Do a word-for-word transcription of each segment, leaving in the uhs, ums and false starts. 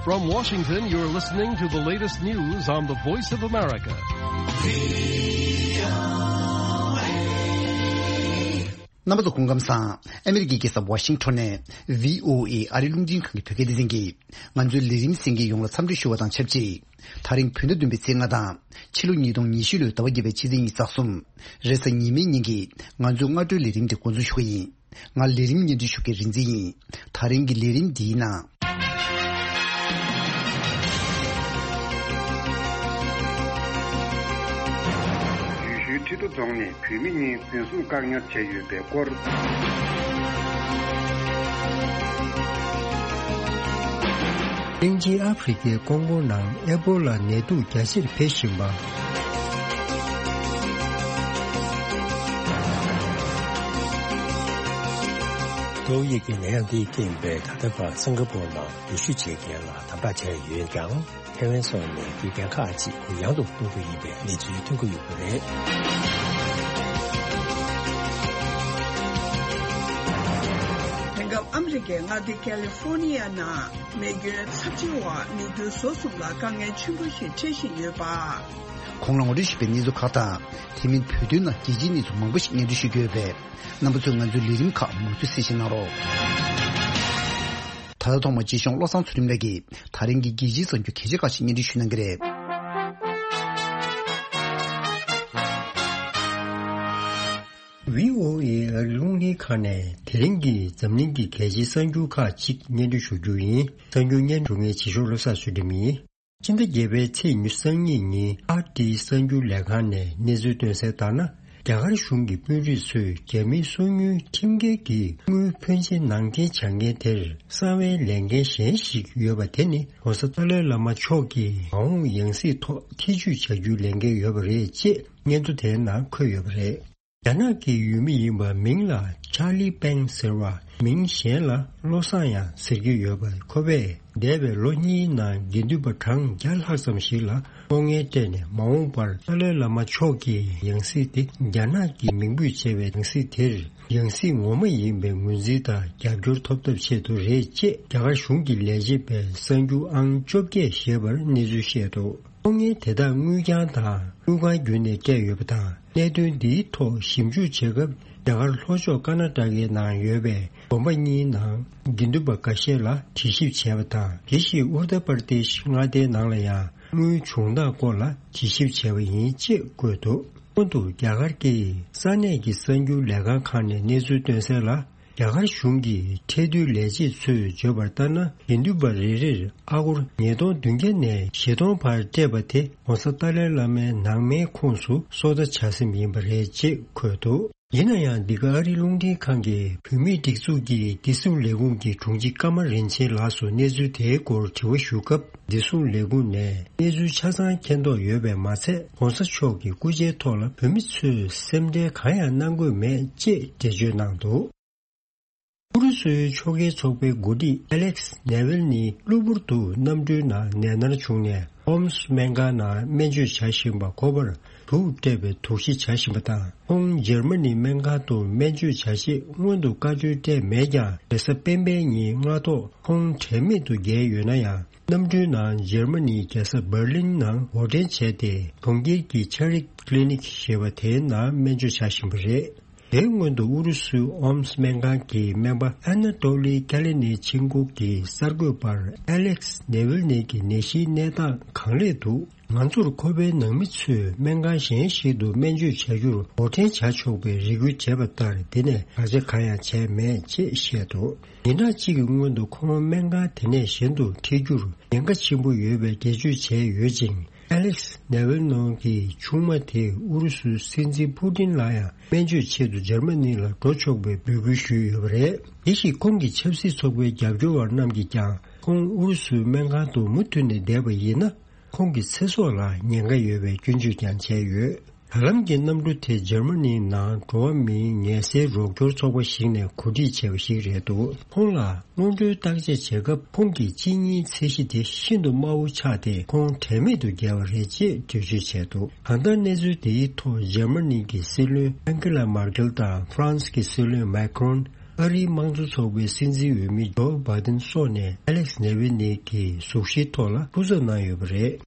From Washington, you're listening to the latest news on the Voice of America. རྣམ་པ་ཚོ་སྐུ་ཁམས་བཟང་། ཨ་མི་རི་ཀའི་རྒྱལ་ས་ཝ་ཤིང་ཊོན་ནས་བྷི་ཨོ་ཨེ་ཨ་རི་རླུང་འཕྲིན་ཁང་གི་བོད་སྐད་སྡེ་ཚན་གྱིས་ང་ཚོའི་ལས་རིམ་གསན་མཁན་ཡོངས་ལ་འཚམས་འདྲི་ཞུ་བ་དང་ཆབས་ཅིག་དེ་རིང་བོད་ཟླ་བདུན་པའི་ཚེས་ལྔ་དང་ཕྱི་ལོ་ཉིས་སྟོང་ཉི་ཤུ་ལོའི་ཟླ་བ་བརྒྱད་པའི་ཕྱི་ཚེས་ཉི་ཤུ་རྩ་གསུམ། རེས་གཟའ་ཉི་མའི་ཉིན་གྱི་ང་ཚོའི་སྔ་དྲོའི་ལས་རིམ་དེ་འགོ་འཛུགས་ཞུ་གི་ཡིན། ང་ལས་རིམ་སྙན་སྒྲོན་ཞུ་མཁན་རིག་འཛིན་ཡིན། དེ་རིང་གི་ལས་རིམ་འདིའི་ནང་། ཡུལ་ཤུལ་ཁྲི་རྡོ་རྫོང་ནས་བུད་མེད་གཉིས་འཛིན་བཟུང་བཀག་ཉར་བྱས་ཡོད་པའི་སྐོར། གླིང་ཆེན་ཨ་ཧྥེ་རི་ཁའི་ཀོང་ཀོ་ནང་ཨེ་པོ་ལ་ནད་དུག་རྒྱ་ཆེར་འཕེལ་བཞིན་པ། ཏོག་དབྱིབས་ཀྱི་ནད་ཡམས་འདིས་རྐྱེན་པས་ད་ལྟ་བར་སིང་ག་པོར་ནང་སྡོད་བཞུགས་བྱེད་མཁན་ལ་དམ་དྲག་བྱས་ཡོད་ཀྱང་། ཐེ་ཝན་སོགས་ནས་རྒྱུ་རྐྱེན་ཁག་ཅིག་གུ་ཡངས་དུ་གཏོང་རྒྱུ་ཡིན་པའི་གནས་ཚུལ་ཐོན་གྱི་ཡོད་པ་རེད། དེང་སྐབས་ཨ་མི་རི་ཀའི་མངའ་སྡེ་ཀ་ལི་ཧྥོར་ནི་ཡ་ནང་མེ་སྐྱོན་ཚབས་ཆེ་བ་མི་རྒྱུ་ཟོག་གསུམ་ལ་དཀའ་ངལ་ཆེན་པོ་ཞིག་འཕྲད་བཞིན་ཡོད་པ། གོང་ལ་ངོ་སྤྲོད་ཞུས་པའི་གནས་ཚུལ་ཁག་དང་། དེ་མིན་བོད་དོན་ནང་རྒྱལ་སྤྱིའི་གནས་ཚུལ་མང་པོ་ཞིག་སྙན་སྒྲོན་ཞུ་རྒྱུ་ཡོད་པས། རྣམ་པ་ཚོས་ང་ཚོའི་ལས་རིམ་ཁག་མུ་མཐུད་གསན་བཞེས་གནང་རོགས། ད་ལྟ་ཐོག་མར་རྗེ་གཞུང་བློ་བཟང་ཚུལ་ཁྲིམས་ལགས་ཀྱིས་ད་རིང་གི་རྒྱལ་སྤྱིའི་གསར་འགྱུར་གལ་ཆེ་ཁག་ཅིག་སྙན་སྒྲོན་ཞུ་གནང་གི་རེད། བྷི་ཨོ་ཨེ་ཨ་རི་རླུང་འཕྲིན་ཁང་ནས་དེ་རིང་གི་འཛམ་གླིང་གི་གལ་ཆེའི་གསར་འགྱུར་ཁག་ཅིག་སྙན་སྒྲོན་ཞུ་རྒྱུ་ཡིན། གསར་འགྱུར་སྙན་སྒྲོན་ཞུ་མཁན་རྗེ་གཞུང་བློ་བཟང་ཚུལ་ཁྲིམས་ཡིན། ཕྱི་ཟླ་བརྒྱད་པའི་ཚེས་ཉི་ཤུ་རྩ་གཉིས་ཉིན་ཨར་ཊི་གསར་འགྱུར་ལས་ཁང་ནས་གནས་ཚུལ་བཏོན་གསལ་ལྟར་ན། རྒྱ་གར་གཞུང་གི་དཔོན་རིགས་ཚོས་རྒྱ་མིའི་སོ་ཉུལ་ཁྲིམས་འགལ་གྱི་དངུལ་ཕོན་ཆེ་ནང་འདྲེན་བྱ་མཁན་དེར་གསང་བའི་ལས་འགན་གཞན་ཞིག་ཡོད་པ་དེ་ནི་༸གོང་ས་ཏཱ་ལའི་བླ་མ་མཆོག་གི་མ་འོངས་ཡང་སྲིད་ཐོག་ཐེ་བྱུས་བྱ་རྒྱུའི་ལས་འགན་ཡོད་པ་རེད་ཅེས་སྙན་ཐོ་དེའི་ནང་འཁོད་ཡོད་པ་རེད། རྒྱ་ནག་གི་ཡུལ་མི་ཡིན་པ་མིང་ལ་Charlie Peng ཟེར་བ། མིང་གཞན་ལ་བློ་བཟང་ཡང་ཟེར་གྱི་ཡོད་པ། ཁོ་པས་འདས་པའི་ལོ་གཉིས་ནང་དགེ་འདུན་པ་གྲངས་བརྒྱ་ལྷག་ཙམ་ཞིག་ལ་ལྟོ་ངལ་སྤྲད་ནས་མ་འོངས་པར་ཏཱ་ལའི་བླ་མ་མཆོག་གི་ཡང་སྲིད་དེ་རྒྱ་ནག་གིས་མིང་འབོད་བྱས་པའི་ཡང་སྲིད་དེར་ཡང་སྲིད་ངོ་མ་ཡིན་པའི་ངོས་འཛིན་དང་རྒྱབ་སྐྱོར་ཐོབ་ཐབས་ཆེད་དུ་རེད་ཅེས་རྒྱ་གར་གཞུང་གི་ལས་བྱེད་པས་གསར་འགྱུར་ཨང་བཅོ་བརྒྱད་ཞེས་པར་གནས་ཚུལ་བཤད་འདུག་ལྟོ་ངལ་དེ་དག་དངུལ་རྐྱང་དང་དངུལ་ཁང་བརྒྱུད་ནས་སྤྲད་ཡོད་པ་དང་། གནད་དོན་འདིའི་ཐོག་ཞིབ་འཇུག་བྱེད་སྐབས། རྒྱ་གར་ལྷོ་ཕྱོགས་ཀར་ན་ཊ་ཀའི་ནང་ཡོད་པའི་དགོན་པ་གཉིས་ནང་དགེ་འདུན་པ་འགའ་ཤས་ལ་དྲི་ཞིབ་བྱས་པ་དང་། དེ་བཞིན་ཨུར་ད་པར་དེཤ་མངའ་སྡེའི་ནང་ལ་ཡང་དངུལ་བྱུང་སྟངས་སྐོར་ལ་དྲི་ཞིབ་བྱས་པ་ཡིན་ཅེས་བཀོད་འདུག་སྔོན་དུ་རྒྱ་གར་གྱི་ས་གནས་ཀྱི་གསར་འགྱུར་ལས་ཁང་ཁག་ནས་གནས་ཚུལ་བཏོན་གསལ་ལ། རྒྱ་གར་གཞུང་གི་ཁྲལ་བསྡུའི་ལས་བྱེད་ཚོས་བརྗོད་པར་ལྟར་ན། དགེ་འདུན་པ་རེ་རེར་ཨ་སྒོར་ཉིས་སྟོང་བདུན་བརྒྱ་ནས་བཞི་སྟོང་བར་སྤྲད་པ་དེ་༸གོང་ས་ཏཱ་ལའི་བླ་མའི་ནང་མའི་ཁོངས་སུ་སོ་ལྟ་བྱ་སེམས་ཡིན་པ་རེད་ཅེས་འཁོད་འདུག་ཡིན་ན་ཡང་། འདི་ག་ཨ་རིའི་རླུང་འཕྲིན་ཁང་གིས་བོད་མིའི་སྒྲིག་འཛུགས་ཀྱི་བདེ་སྲུང་ལས་ཁུངས་ཀྱི་དྲུང་ཆེ་ཀརྨ་རིན་ཆེན་ལགས་སུ་གནས་ཚུལ་དེའི་སྐོར་དྲི་བ་ཞུ་སྐབས། བདེ་སྲུང་ལས་ཁུངས་ནས་གནས་ཚུལ་ཆ་ཚང་མཁྱེན་རྟོགས་ཡོད་པས་མ་ཚད། ༸གོང་ས་མཆོག་གི་སྐུ་ཕྱྭའི་ཐོག་ལ་བོད་མི་ཚོས་སེམས་ཁྲལ་གང་ཡང་གནང་དགོས་མེད་ཅེས་འགྲེལ་བརྗོད་གནང་འདུག་ཨུ་རུ་སུའི་ཕྱོགས་འགལ་ཚོགས་པའི་འགོ་ཁྲིད་ཨ་ལེག་སི་ནེ་ཝིལ་ནི་གློ་བུར་དུ་གནམ་གྲུའི་ནང་ནད་མནར་བྱུང་ནས། ཨོམ་སི་སྨན་ཁང་ནང་སྨན་བཅོས་བྱ་བཞིན་པ་ཁོ་པར་དུག་སྤྲད་པའི་དོགས་གཞི་བྱ་བཞིན་པ་དང་། ཁོང་འཇར་མ་ནི་སྨན་ཁང་དུ་སྨན་བཅོས་བྱ་ཆེད་སྔོན་དུ་བཀའ་འཁྲོལ་སྤྲད་མེད་ཀྱང་། རེས་གཟའ་སྤེན་པའི་ཉིན་སྔ་ཐོག་ཁོང་དྲན་མེད་དུ་འགྱེལ་ཡོད་ན་ཡང་། གནམ་གྲུའི་ནང་འཇར་མ་ནིའི་རྒྱལ་ས་འབར་ལིན་ནང་འགོག་འདྲེན་བྱས་ཏེ། གྲོང་ཁྱེར་གྱི་ཆ་རིག་ཀླི་ནིག་ཞེས་པ་དེའི་ནང་སྨན་བཅོས་བྱ་བཞིན་པ་རེད། དེའི་སྔོན་དུ་ཨུ་རུ་སུའི་ཨོམ་སྨན་ཁང་གི་སྨན་པ་ཨ་ན་ཏོ་ལི་ཀ་ལེ་ནི་ཆིན་ཀོ་གིས་གསར་འགོད་པར། ཨ་ལེག་སི་ནེ་ཝིལ་ནི་གི་ནད་གཞིའི་གནས་སྟངས་གང་ལེགས་འདུག་ང་ཚོར་ཁོ་པའི་ནང་མི་ཚོས་སྨན་ཁང་གཞན་ཞིག་ཏུ་སྨན་བཅོས་བྱ་རྒྱུར་འགོག་འདྲེན་བྱ་ཆོག་པའི་རེ་སྐུལ་བྱས་པ་ལྟར། དེ་ནས་བར་ཆད་གང་ཡང་བྱས་མེད་ཅེས་བཤད་འདུག་ཉིན་གྲངས་གཅིག་གི་སྔོན་དུ་ཁོང་སྨན་ཁང་དེ་ནས་གཞན་དུ་འཁྲིད་རྒྱུར་ཉེན་ཁ་ཆེན་པོ་ཡོད་པའི་འགྲེལ་བརྗོད་བྱས་ཡོད་ཅིང་། ཨ་ལེག་སི་ནེ་ཝིལ་ནོ་གི་ཆུང་མ་དེས་ཨུ་རུ་སུའི་སྲིད་འཛིན་ཕུ་ཏིན་ལ་ཡང་སྨན་བཅོས་ཆེད་དུ་འཇར་མ་ནི་ལ་འགྲོ་ཆོག་པའི་འབོད་སྐུལ་ཞུས་ཡོད་པ་རེད། དེ་བཞིན་ཁོང་གི་ཆབ་སྲིད་ཚོགས་པའི་རྒྱབ་སྐྱོར་བ་རྣམས་ཀྱིས་ཀྱང་ཁོང་ཨུ་རུ་སུའི་སྨན་ཁང་དུ་མུ་མཐུད་ནས་བསྡད་པ་ཡིན་ན། ཁོང་གི་ཚེ་སྲོག་ལ་ཉེན་ཁ་ཡོད་པའི་སྐྱོན་བརྗོད་ཀྱང་བྱས་ཡོད། ད་ལམ་གྱི་གནམ་གྲུ་དེ་འཇར་མ་ནིའི་ནང་འགྲོ་བ་མིའི་ངལ་སེལ་རོགས་སྐྱོར་ཚོགས་པ་ཞིག་ནས་གོ་སྒྲིག་བྱས་པ་ཞིག་རེད་འདུག་ཁོང་ལ་སྔོན་འགྲོའི་བརྟག་དཔྱད་བྱེད་སྐབས། ཁོང་གི་གཅིན་སྙིའི་ཚད་གཞི་དེ་ཤིན་ཏུ་དམའ་བོ་ཆགས་ཏེ། ཁོང་དྲན་མེད་དུ་འགྱེལ་བ་རེད་ཅེས་འགྲེལ་བརྗོད་བྱས་འདུག་གང་ལྟར། གནས་ཚུལ་དེའི་ཐོག་འཇར་མ་ནི་གི་སྲིད་བློན་ཨན་ཀེ་ལ་མར་ཀེལ་དང་ཧྥ་རན་སི་གི་སྲིད་བློན་མཱ་ཀྲོན། ཨ་རིའི་དམངས་གཙོ་ཚོགས་པའི་སྲིད་འཛིན་འོས་མི་ཇོ་བྷ་དན་སོགས་ནས་ཨ་ལེག་སི་ནེ་ཝི་ནི་གི་གཟུགས་གཞིའི་ཐོག་ལ་སྐུ་རྩོད་གནང་ཡོད་པ་རེད།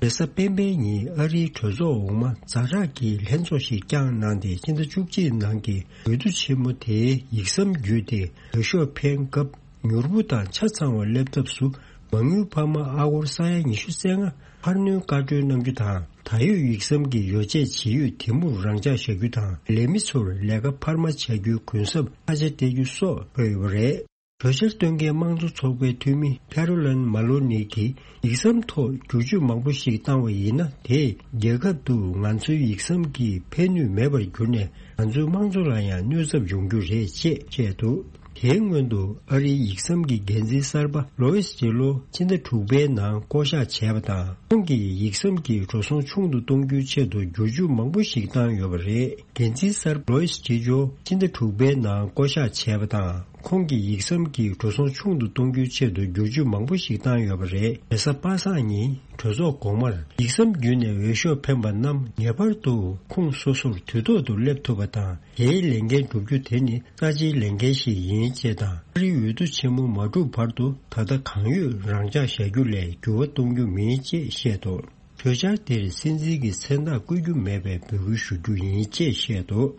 རེས་གཟའ་སྤེན་པའི་ཉིན་ཨ་རིའི་གྲོས་ཚོགས་འོག་མ་ཛ་དྲག་གི་ལྷན་ཚོགས་ཤིག་བསྐྱངས་གནང་སྟེ། ཕྱི་ཟླ་བཅུ་གཅིག་ནང་གི་འོས་བསྡུ་ཆེན་མོ་དེའི་ཡིག་ཟམ་བརྒྱུད་དེ་འོས་ཤོག་འཕེན་སྐབས། མྱུར་པོ་དང་ཆ་ཚང་བ་སླེབས་ཐབས་སུ། མ་དངུལ་འཕར་མ་ཨ་སྒོར་ས་ཡ་ཉི་ཤུ་རྩ་ལྔ་འཕར་སྣོན་བཀའ་འཁྲོལ་གནང་རྒྱུ་དང་། ད་ཡོད་ཡིག་ཟམ་གྱི་ཡོ་བྱད་ཇི་ཡོད་དེ་མུར་རང་འཇགས་བཞག་རྒྱུ་དང་། ལས་མི་ཚོར་ལས་ཀ་འཕར་མ་བྱ་རྒྱུའི་གུན་གསབ་ཐ་ཆ་སྤྲད་རྒྱུ་སོགས་འཁོད་ཡོད་པ་རེད། གྲོས་འཆར་བཏོན་མཁན་དམངས་གཙོ་ཚོགས་པའི་འཐུས་མི་ཁེ་རོ་ལན་མ་ལོ་ནི་གིས། ཡིག་ཟམ་ཐོག་བསྒྱུར་བཅོས་མང་པོ་ཞིག་བཏང་བ་ཡིན་ན། དེས་རྒྱལ་ཁབ་ཏུ་ང་ཚོའི་ཡིག་ཟམ་གྱི་ཕན་ནུས་མེད་པར་གྱུར་ནས། ང་ཚོའི་དམངས་གཙོ་ལ་ཡང་གནོད་ཚབས་ཡོང་རྒྱུ་རེད་ཅེས་བཤད་འདུག་དེའི་སྔོན་དུ་ཨ་རིའི་ཡིག་ཟམ་གྱི་འགན་འཛིན་གསར་པ་ལོ་ཨིས་ཇི་ལོ་ཕྱི་ཟླ་དྲུག་པའི་ནང་བསྐོ་གཞག་བྱས་པ་དང་། ཁོང་གིས་ཡིག་ཟམ་གྱི་འགྲོ་སོང་ཆུང་དུ་གཏོང་རྒྱུའི་ཆེད་དུ་བསྒྱུར་བཅོས་མང་པོ་ཞིག་བཏང་ཡོད་པ་རེད། འགན་འཛིན་གསར་པ་ལོ་ཨིས་ཇི་ལོ་ཕྱི་ཟླ་དྲུག་པའི་ནང་བསྐོ་གཞག་བྱས་པ་དང་། ཁོང་གིས་ཡིག་ཟམ་གྱི་འགྲོ་སོང་ཆུང་དུ་གཏོང་རྒྱུའི་ཆེད་དུ་བསྒྱུར་བཅོས་མང་པོ་ཞིག་བཏང་ཡོད་པ་རེད། རེས་གཟའ་པ་སངས་ཉིན་གྲོས་ཚོགས་འོག་མར་ཡིག་ཟམ་བརྒྱུད་ནས་འོས་ཤོག་འཕེན་པ་རྣམས་ངེས་པར་དུ་ཁོངས་སོ་སོར་དུས་ཐོག་ཏུ་སླེབས་ཐུབ་པ་དང་། དེའི་ལས་འགན་བསྒྲུབ་རྒྱུ་དེ་ནི་རྩ་ཆེའི་ལས་འགན་ཞིག་ཡིན་ཅེས་དང་། ཨ་རིའི་འོས་བསྡུ་ཆེན་མོ་མ་གྲུབ་བར་དུ་ད་ལྟ་གང་ཡོད་རང་འཇགས་བཞག་རྒྱུ་ལས་འགྱུར་བ་གཏོང་རྒྱུ་མིན་ཅེས་བཤད་འདུག་གྲོས་འཆར་དེར་སྲིད་འཛིན་གྱི་མཚན་རྟགས་བཀོད་རྒྱུ་མེད་པའི་འབོད་སྐུལ་ཞུ་རྒྱུ་ཡིན་ཅེས་བཤད་འདུག་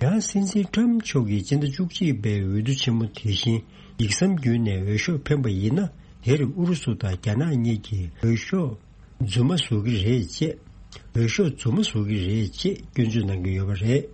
ཡང་སྲིད་འཛིན་ཊམ་མཆོག་གིས་སྤྱི་ཟླ་བཅུ་གཅིག་པའི་འོས་བསྡུ་ཆེན་མོ་དེ་བཞིན་ཡིག་ཟམ་བརྒྱུད་ནས་འོས་ཤོག་འཕེན་པ་ཡིན་ན། དེར་ཨུ་རུ་སུ་དང་རྒྱ་ནག་གཉིས་ཀྱིས་འོས་ཤོག་རྫུན་མ་བཟོ་གི་རེད་ཅེས། འོས་ཤོག་རྫུན་མ་བཟོ་གི་རེད་ཅེས་སྐྱོན་བརྗོད་གནང་གི་ཡོད་པ་རེད།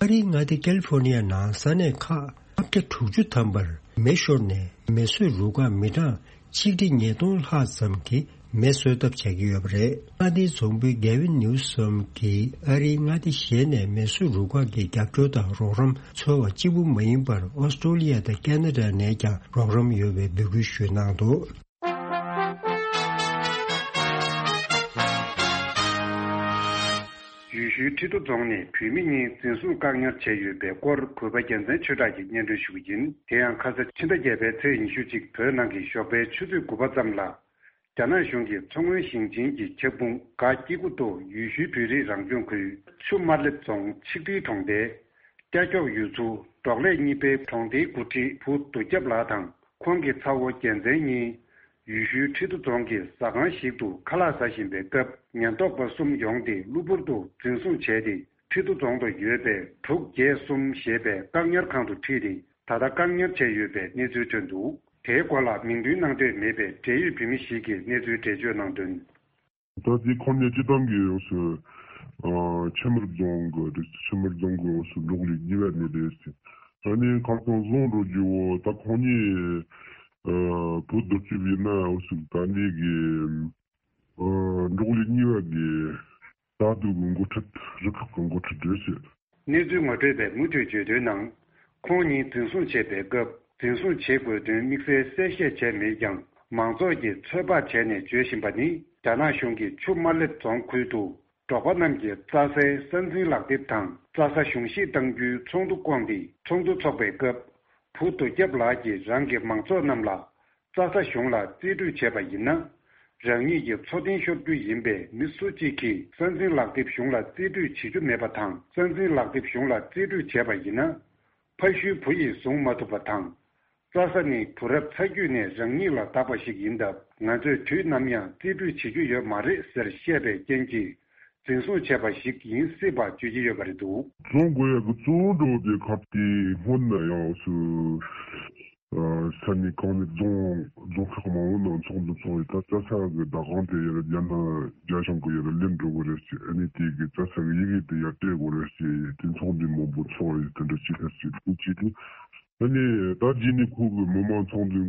ཨ་རིའི་མངའ་སྡེ་ཀལ་ཧྥོར་ནི་ཡ་ནང་ས་གནས་ཁག་ལྔ་བརྒྱ་དྲུག་ཅུ་ཐམ་པར་མེ་ཤོར་ནས་མེ་གསོད་རུ་ཁག་མི་གྲངས་ཆིག་ཁྲི་ཉིས་སྟོང་ལྷག་ཙམ་གྱིས་མེ་གསོད་ཐབས་བྱ་གི་ཡོད་པ་རེད། མངའ་སྡེའི་རྫོང་དཔོན་གེ་ཝིན་ནིའུ་སོམ་གྱིས་ཨ་རིའི་མངའ་སྡེ་གཞན་ནས་མེ་གསོད་རུ་ཁག་གི་རྒྱབ་སྐྱོར་དང་རོགས་རམ་འཚོལ་བ་གཅིག་པུ་མ་ཡིན་པར། ཨོ་སི་ཀྲོ་ལི་ཡ་དང་ཁེ་ན་ཌ་ནས་ཀྱང་རོགས་རམ་ཡོད་པའི་འབོད་སྐུལ་ཞུས་གནང་འདུག་ཡུལ་ཤུལ་ཁྲི་རྡོ་རྫོང་ནས་བུད་མེད་གཉིས་འཛིན་བཟུང་བཀག་ཉར་བྱས་ཡོད་པའི་སྐོར། གུས་པ་རྒྱལ་མཚན་ཆོས་གྲགས་ཀྱིས་སྙན་སྒྲོན་ཞུ་གི་ཡིན། དེ་ཡང་ཁ་ས་ཕྱི་ཟླ་བརྒྱད་པའི་ཚེས་ཉི་ཤུ་གཅིག་བོད་ནང་གི་ཞོགས་པའི་ཆུ་ཚོད་དགུ་པ་ཙམ་ལ། རྒྱ་ནག་གཞུང་གིས་མཚོ་སྔོན་ཞིང་ཆེན་གྱི་ཁྱབ་ཁོངས་སྒ་སྐྱེ་རྒུ་མདོ་ཡུལ་ཤུལ་བོད་རིགས་རང་སྐྱོང་ཁུལ་ཆུ་དམར་ལེབ་རྫོང་ཆིག་ཁྲིའི་གྲོང་རྡལ་སྐྱ་སྐྱོག་ཡུལ་ཚོ་འབྲོག་ལས་གཉིས་པའི་གྲོང་སྡེའི་འགོ་ཁྲིད་བུ་རྡོ་རྒྱབ་ལགས་དང་། ཁོང་གི་ཚ་བོ་རྒྱལ་མཚན་གཉིས་ཡུལ་ཤུལ་ཁྲི་རྡོ་རྫོང་གི་ཟ་ཁང་ཞིག་ཏུ་ཁ་ལག་ཟ་བཞིན་པའི་སྐབས། ཉེན་རྟོག་པ་གསུམ་ཡོང་སྟེ་གློ་བུར་དུ་འཛིན་བཟུང་བྱས་ཏེ། ཁྲི་རྡོ་རྫོང་དུ་ཡོད་པའི་དྲུག་བརྒྱད་གསུམ་ཞེས་པའི་བཀག་ཉར་ཁང་དུ་ཁྲིད་དེ། ད་ལྟ་བཀག་ཉར་བྱས་ཡོད་པའི་གནས་ཚུལ་ཐོན་འདུག་དེའི་སྐོར་ལ་མིང་འདོན་གནང་འདོད་མེད་པའི་འབྲེལ་ཡོད་བོད་མི་ཞིག་གིས་གནས་ཚུལ་འགྲེལ་བརྗོད་གནང་དོན། ད་ལྟའི་ཁོང་གཉིས་སྤྱིར་བཏང་གི་ཡོངས་སུ་ཨ་ཆུ་དམར་རྫོང་གི་རེད། ཆུ་དམར་རྫོང་གི་ཡོངས་སུ་འབྲོག་ལས་གཉིས་པ་ནས་རེད་ཟེར། ད་ནི་ཁ་སང་བཟུང་འགྲོ་རྒྱུ་བོ་ད་ཁོང་གཉིས་ཨ་བུ་རྡོ་རྒྱབ་ཡིན་ན་ཡོངས་སུ་ད་ནི་གི་ཨ་འབྲོག་ལས་གཉིས་པ་གི་བདག་སྡུག་གི་འགོ་ཁྲིད། རུ་ཁག་གི་འགོ་ཁྲིད་རེད་ཟེར། གནས་ཚུལ་ངོ་སྤྲོད་པས་མུ་མཐུད་བརྗོད་དོན་ནང་། ཁོང་ཉིད་འཛིན་བཟུང་བྱས་པའི་སྐབས། འཛིན་བཟུང་བྱེད་དགོས་དོན་དམིགས་བསལ་གསལ་བཤད་བྱས་མེད་ཀྱང་། མང་ཚོགས་ཀྱིས་ཚོད་དཔག་བྱས་ནས་བརྗོད་བཞིན་པ་ནི། རྒྱ་ནག་གཞུང་གིས་ཆུ་དམར་ལེབ་རྫོང་ཁུལ་དུ་འབྲོག་པ་རྣམས་ཀྱི་རྩྭ་སའི་ས་འཛིན་ལག་དེབ་དང་། རྩྭ་ས་གཞུང་བཞེས་གཏང་རྒྱུའི་ཚོགས་འདུ་བསྐོངས་ཏེ། ཚོགས་འདུ་འཚོགས་པའི་སྐབས། བུ་རྡོ་རྒྱབ་ལགས་ཀྱིས་རང་གི་མང་ཚོགས་རྣམས་ལ། རྩྭ་ས་གཞུང་ལ་རྩིས་སྤྲོད་བྱས་པ་ཡིན་ན། རང་ཉིད་ཀྱི་འཚོ་རྟེན་ཤོར་རྒྱུ་ཡིན་པས། མི་སུ་གཅིག་གིས་ས་འཛིན་ལག་དེབ་གཞུང་ལ་རྩིས་སྤྲོད་བྱེད་རྒྱུ་མེད་པ་དང་། ས་འཛིན་ལག་དེབ་གཞུང་ལ་རྩིས་སྤྲོད་བྱས་པ་ཡིན་ན། ཕ་ཤུལ་བུ་ཡིས་བཟུང་མ་ཐུབ་པ་དང་། རྩྭ་ས་ནི་བུ་རབས་ཚ་རྒྱུད་ནས་རང་ཉིད་ལ་བདག་པ་ཞིག་ཡིན་སྟབས། ང་ཚོས་དུས་ནམ་ཡང་རྩིས་སྤྲོད་བྱེད་རྒྱུ་ཡོད་མ་རེད་ཟེར་བཤད་པའི་རྐྱེན་གྱིས། འཛིན་བཟུང་བྱས་པ་ཞིག་ཡིན་སྲིད་པ་བརྗོད་ཀྱི་ཡོད་པ་རེད་འདུག་རྫོང་དགོན་ཡག་གི་གཙོ་བོ་འགྲོ་དེ་ཁ་དེ་སྔོན་ན་ཡང་སུ་ས་གནས་གང་ནས་རྫོང་རྫོང་ཁག་མང་བོ་ནང་ཚོགས་འདུ་ཚོགས་ཡོད། ད་རྩྭ་ས་གི་བདག་དབང་དེ་ཡར་རྒྱ་ནག་རྒྱ་གཞུང་གི་ཡར་ལེན་འགྲོ་གི་རེད་ཟེར། ཨ་ནི་དེ་གི་རྩྭ་ས་གི་ཡི་གེ་དེ་ཡར་སྤྲད་དགོས་རེད་ཟེར། དེ་ཚོགས་འདུ་མང་པོ་ཚོགས་ཡོད། དེ་འདྲ་ཅིག་ལ་ཟེར་དེ་ཅིག་དེ་ཨ་ནི་ད་རྗེས་ནས་ཁོ་གི་མི་མང་ཚོགས་འདུ་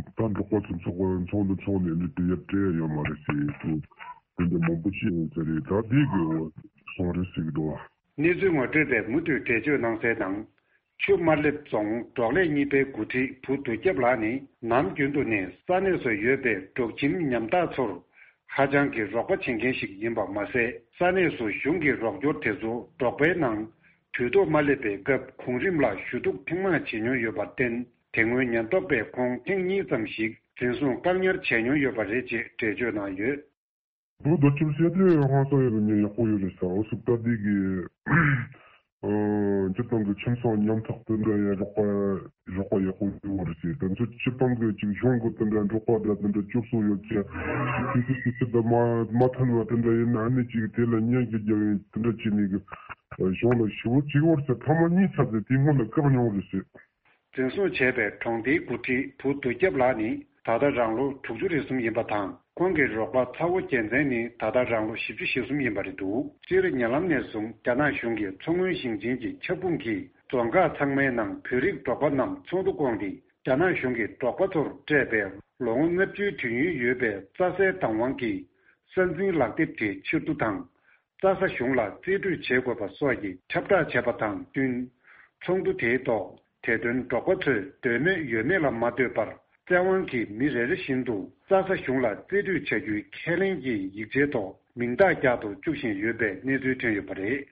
ད་འབྲོག་པ་ཚོ་ཚོགས་པ་ཚོགས་འདུ་ཚོགས་ནས་འདི་དེ་ཡར་སྤྲད་ཡ་ཡོད་མ་རེད་ཟེར་དུས་དེ་འདྲ་མང་པོ་ཅིག་ཡོང་ས་རེད། ད་དེ་གི་སོང་རེད་ཟེར་གི་འདུག་བ། གནས་ཚུལ་ངོ་སྤྲོད་པས་མུ་མཐུད་འགྲེལ་བརྗོད་གནང་གསལ་ནང་། ཆུ་དམར་ལེབ་རྫོང་འབྲོག་ལས་གཉིས་པའི་འགོ་ཁྲིད་བུ་རྡོ་རྒྱབ་ལགས་ནི་ནམ་རྒྱུན་དུ་ནས་ས་གནས་སུ་ཡོད་པའི་འབྲོག་ཁྱིམ་ཉམ་ཐག་ཚོར་ཧ་ཅང་གི་རོགས་པ་བྱེད་མཁན་ཞིག་ཡིན་པ་མ་ཟད། ས་གནས་སུ་གཞུང་གི་རོགས་སྐྱོར་དེ་ཚོ་འབྲོག་པའི་ནང་དུས་ཐོག་མ་སླེབས་པའི་སྐབས་གོང་རིམ་ལ་ཞུ་གཏུག་ཐེངས་མང་བྱེད་མྱོང་ཡོད་པར་བརྟེན། དེ་སྔོན་ཉེན་རྟོག་པས་ཁོང་ཐེངས་གཉིས་ཙམ་ཞིག་འཛིན་བཟུང་བཀག་ཉར་བྱས་མྱོང་ཡོད་པ་རེད་ཅེས་འགྲེལ་བརྗོད་གནང་ཡོད། བུ་རྡོ་རྒྱབ་བཤད་དུས་ཧང་སང་ཡོད་པའི་ཉེན་ཡག་པོ་ཡོད་རེད་ཟེར། འོ་སུ་ད་འདི་གི་ སྤྱིར་བཏང་གི་ཁྱིམ་ཚང་ཉམ་ཐག་དེ་འདྲ་ཡང་རོགས་པ་རོགས་པ་ཡག་པོ་ཡོད་པ་རེད་ཟེར། དེ་ཚོ་སྤྱིར་བཏང་གི་ཅིག་གཞུང་གི་དེ་འདྲ་འབྲོག་པ་འདྲ་དེ་འདྲ་སྐྱོབ་གསོ་ཡོད་ཀྱང་དེ་ཚོ་ཅིག་ཅི་ད་མ་མ་ཐོན་པ་དེ་འདྲ་ཡིན་ན་ཨ་ནི་ཅིག་དེ་ལ་ཉན་གི་རྒྱག་ཡིན་དེ་འདྲ་བྱས་ནས་གི་གཞུང་ལ་ཞུ་བོ་ཅིག་བར་ཟེར་ཐ་མ་གཉིས་ཚར་ཟེར་དེ་སྔོན་ལ་བཀག་མྱོང་རེད་ཟེར། འཛིན་བཟུང་བྱས་པའི་གྲོང་སྡེའི་འགོ་ཁྲིད་བུ་བདུད་རྒྱབ་ལགས་ནི་ད་ལྟ་རང་ལོ་དྲུག་ཅུ་རེ་གསུམ་ཡིན་པ་དང་། ཁོང་གི་རོགས་པ་ཚ་བོ་རྒྱལ་མཚན་ནི་ད་ལྟ་རང་ལོ་བཞི་བཅུ་ཞེ་གསུམ་ཡིན་པ་རེད་འདུག་སྤྱིར་ཉེ་ལམ་ནས་བཟུང་རྒྱ་ནག་གཞུང་གིས་མཚོ་སྔོན་ཞིང་ཆེན་གྱི་ཁྱབ་ཁོངས་ཀྱི་རྫོང་ཁག་ཚང་མའི་ནང་བོད་རིགས་འབྲོག་པ་རྣམས་ཚོགས་འདུ་བསྐོངས་ཏེ། རྒྱ་ནག་གཞུང་གིས་འབྲོག་པ་ཚོར་སྤྲད་པའི་ལོ་ངོ་ལྔ་བཅུའི་དུས་ཡུན་ཡོད་པའི་རྩྭ་སའི་བདག་དབང་གི་ས་འཛིན་ལག་དེབ་དེ་ཕྱིར་བསྡུ་དང་། རྩྭ་ས་གཞུང་ལ་རྩིས་སྤྲོད་བྱེད་དགོས་པ་སོགས་ཀྱི་ཁྱབ་བསྒྲགས་བྱས་པ་དང་བསྟུན། ཚོགས་འདུ་དེའི་ཐོག་དེ་དོན་འབྲོག་པ་ཚོས་འདོད་མོས་ཡོད་མེད་ལ་མ་ལྟོས་པར་བཙན་དབང་གིས་མི་རེ་རེ་བཞིན་དུ་རྩྭ་ས་གཞུང་ལ་རྩིས་སྤྲོད་བྱ་རྒྱུའི་ཁས་ལེན་གྱི་ཡིག་ཆའི་ཐོག་མིང་རྟགས་རྒྱག་ཏུ་བཅུག་བཞིན་ཡོད་པའི་གནས་ཚུལ་ཐོན་ཡོད་པ་རེད།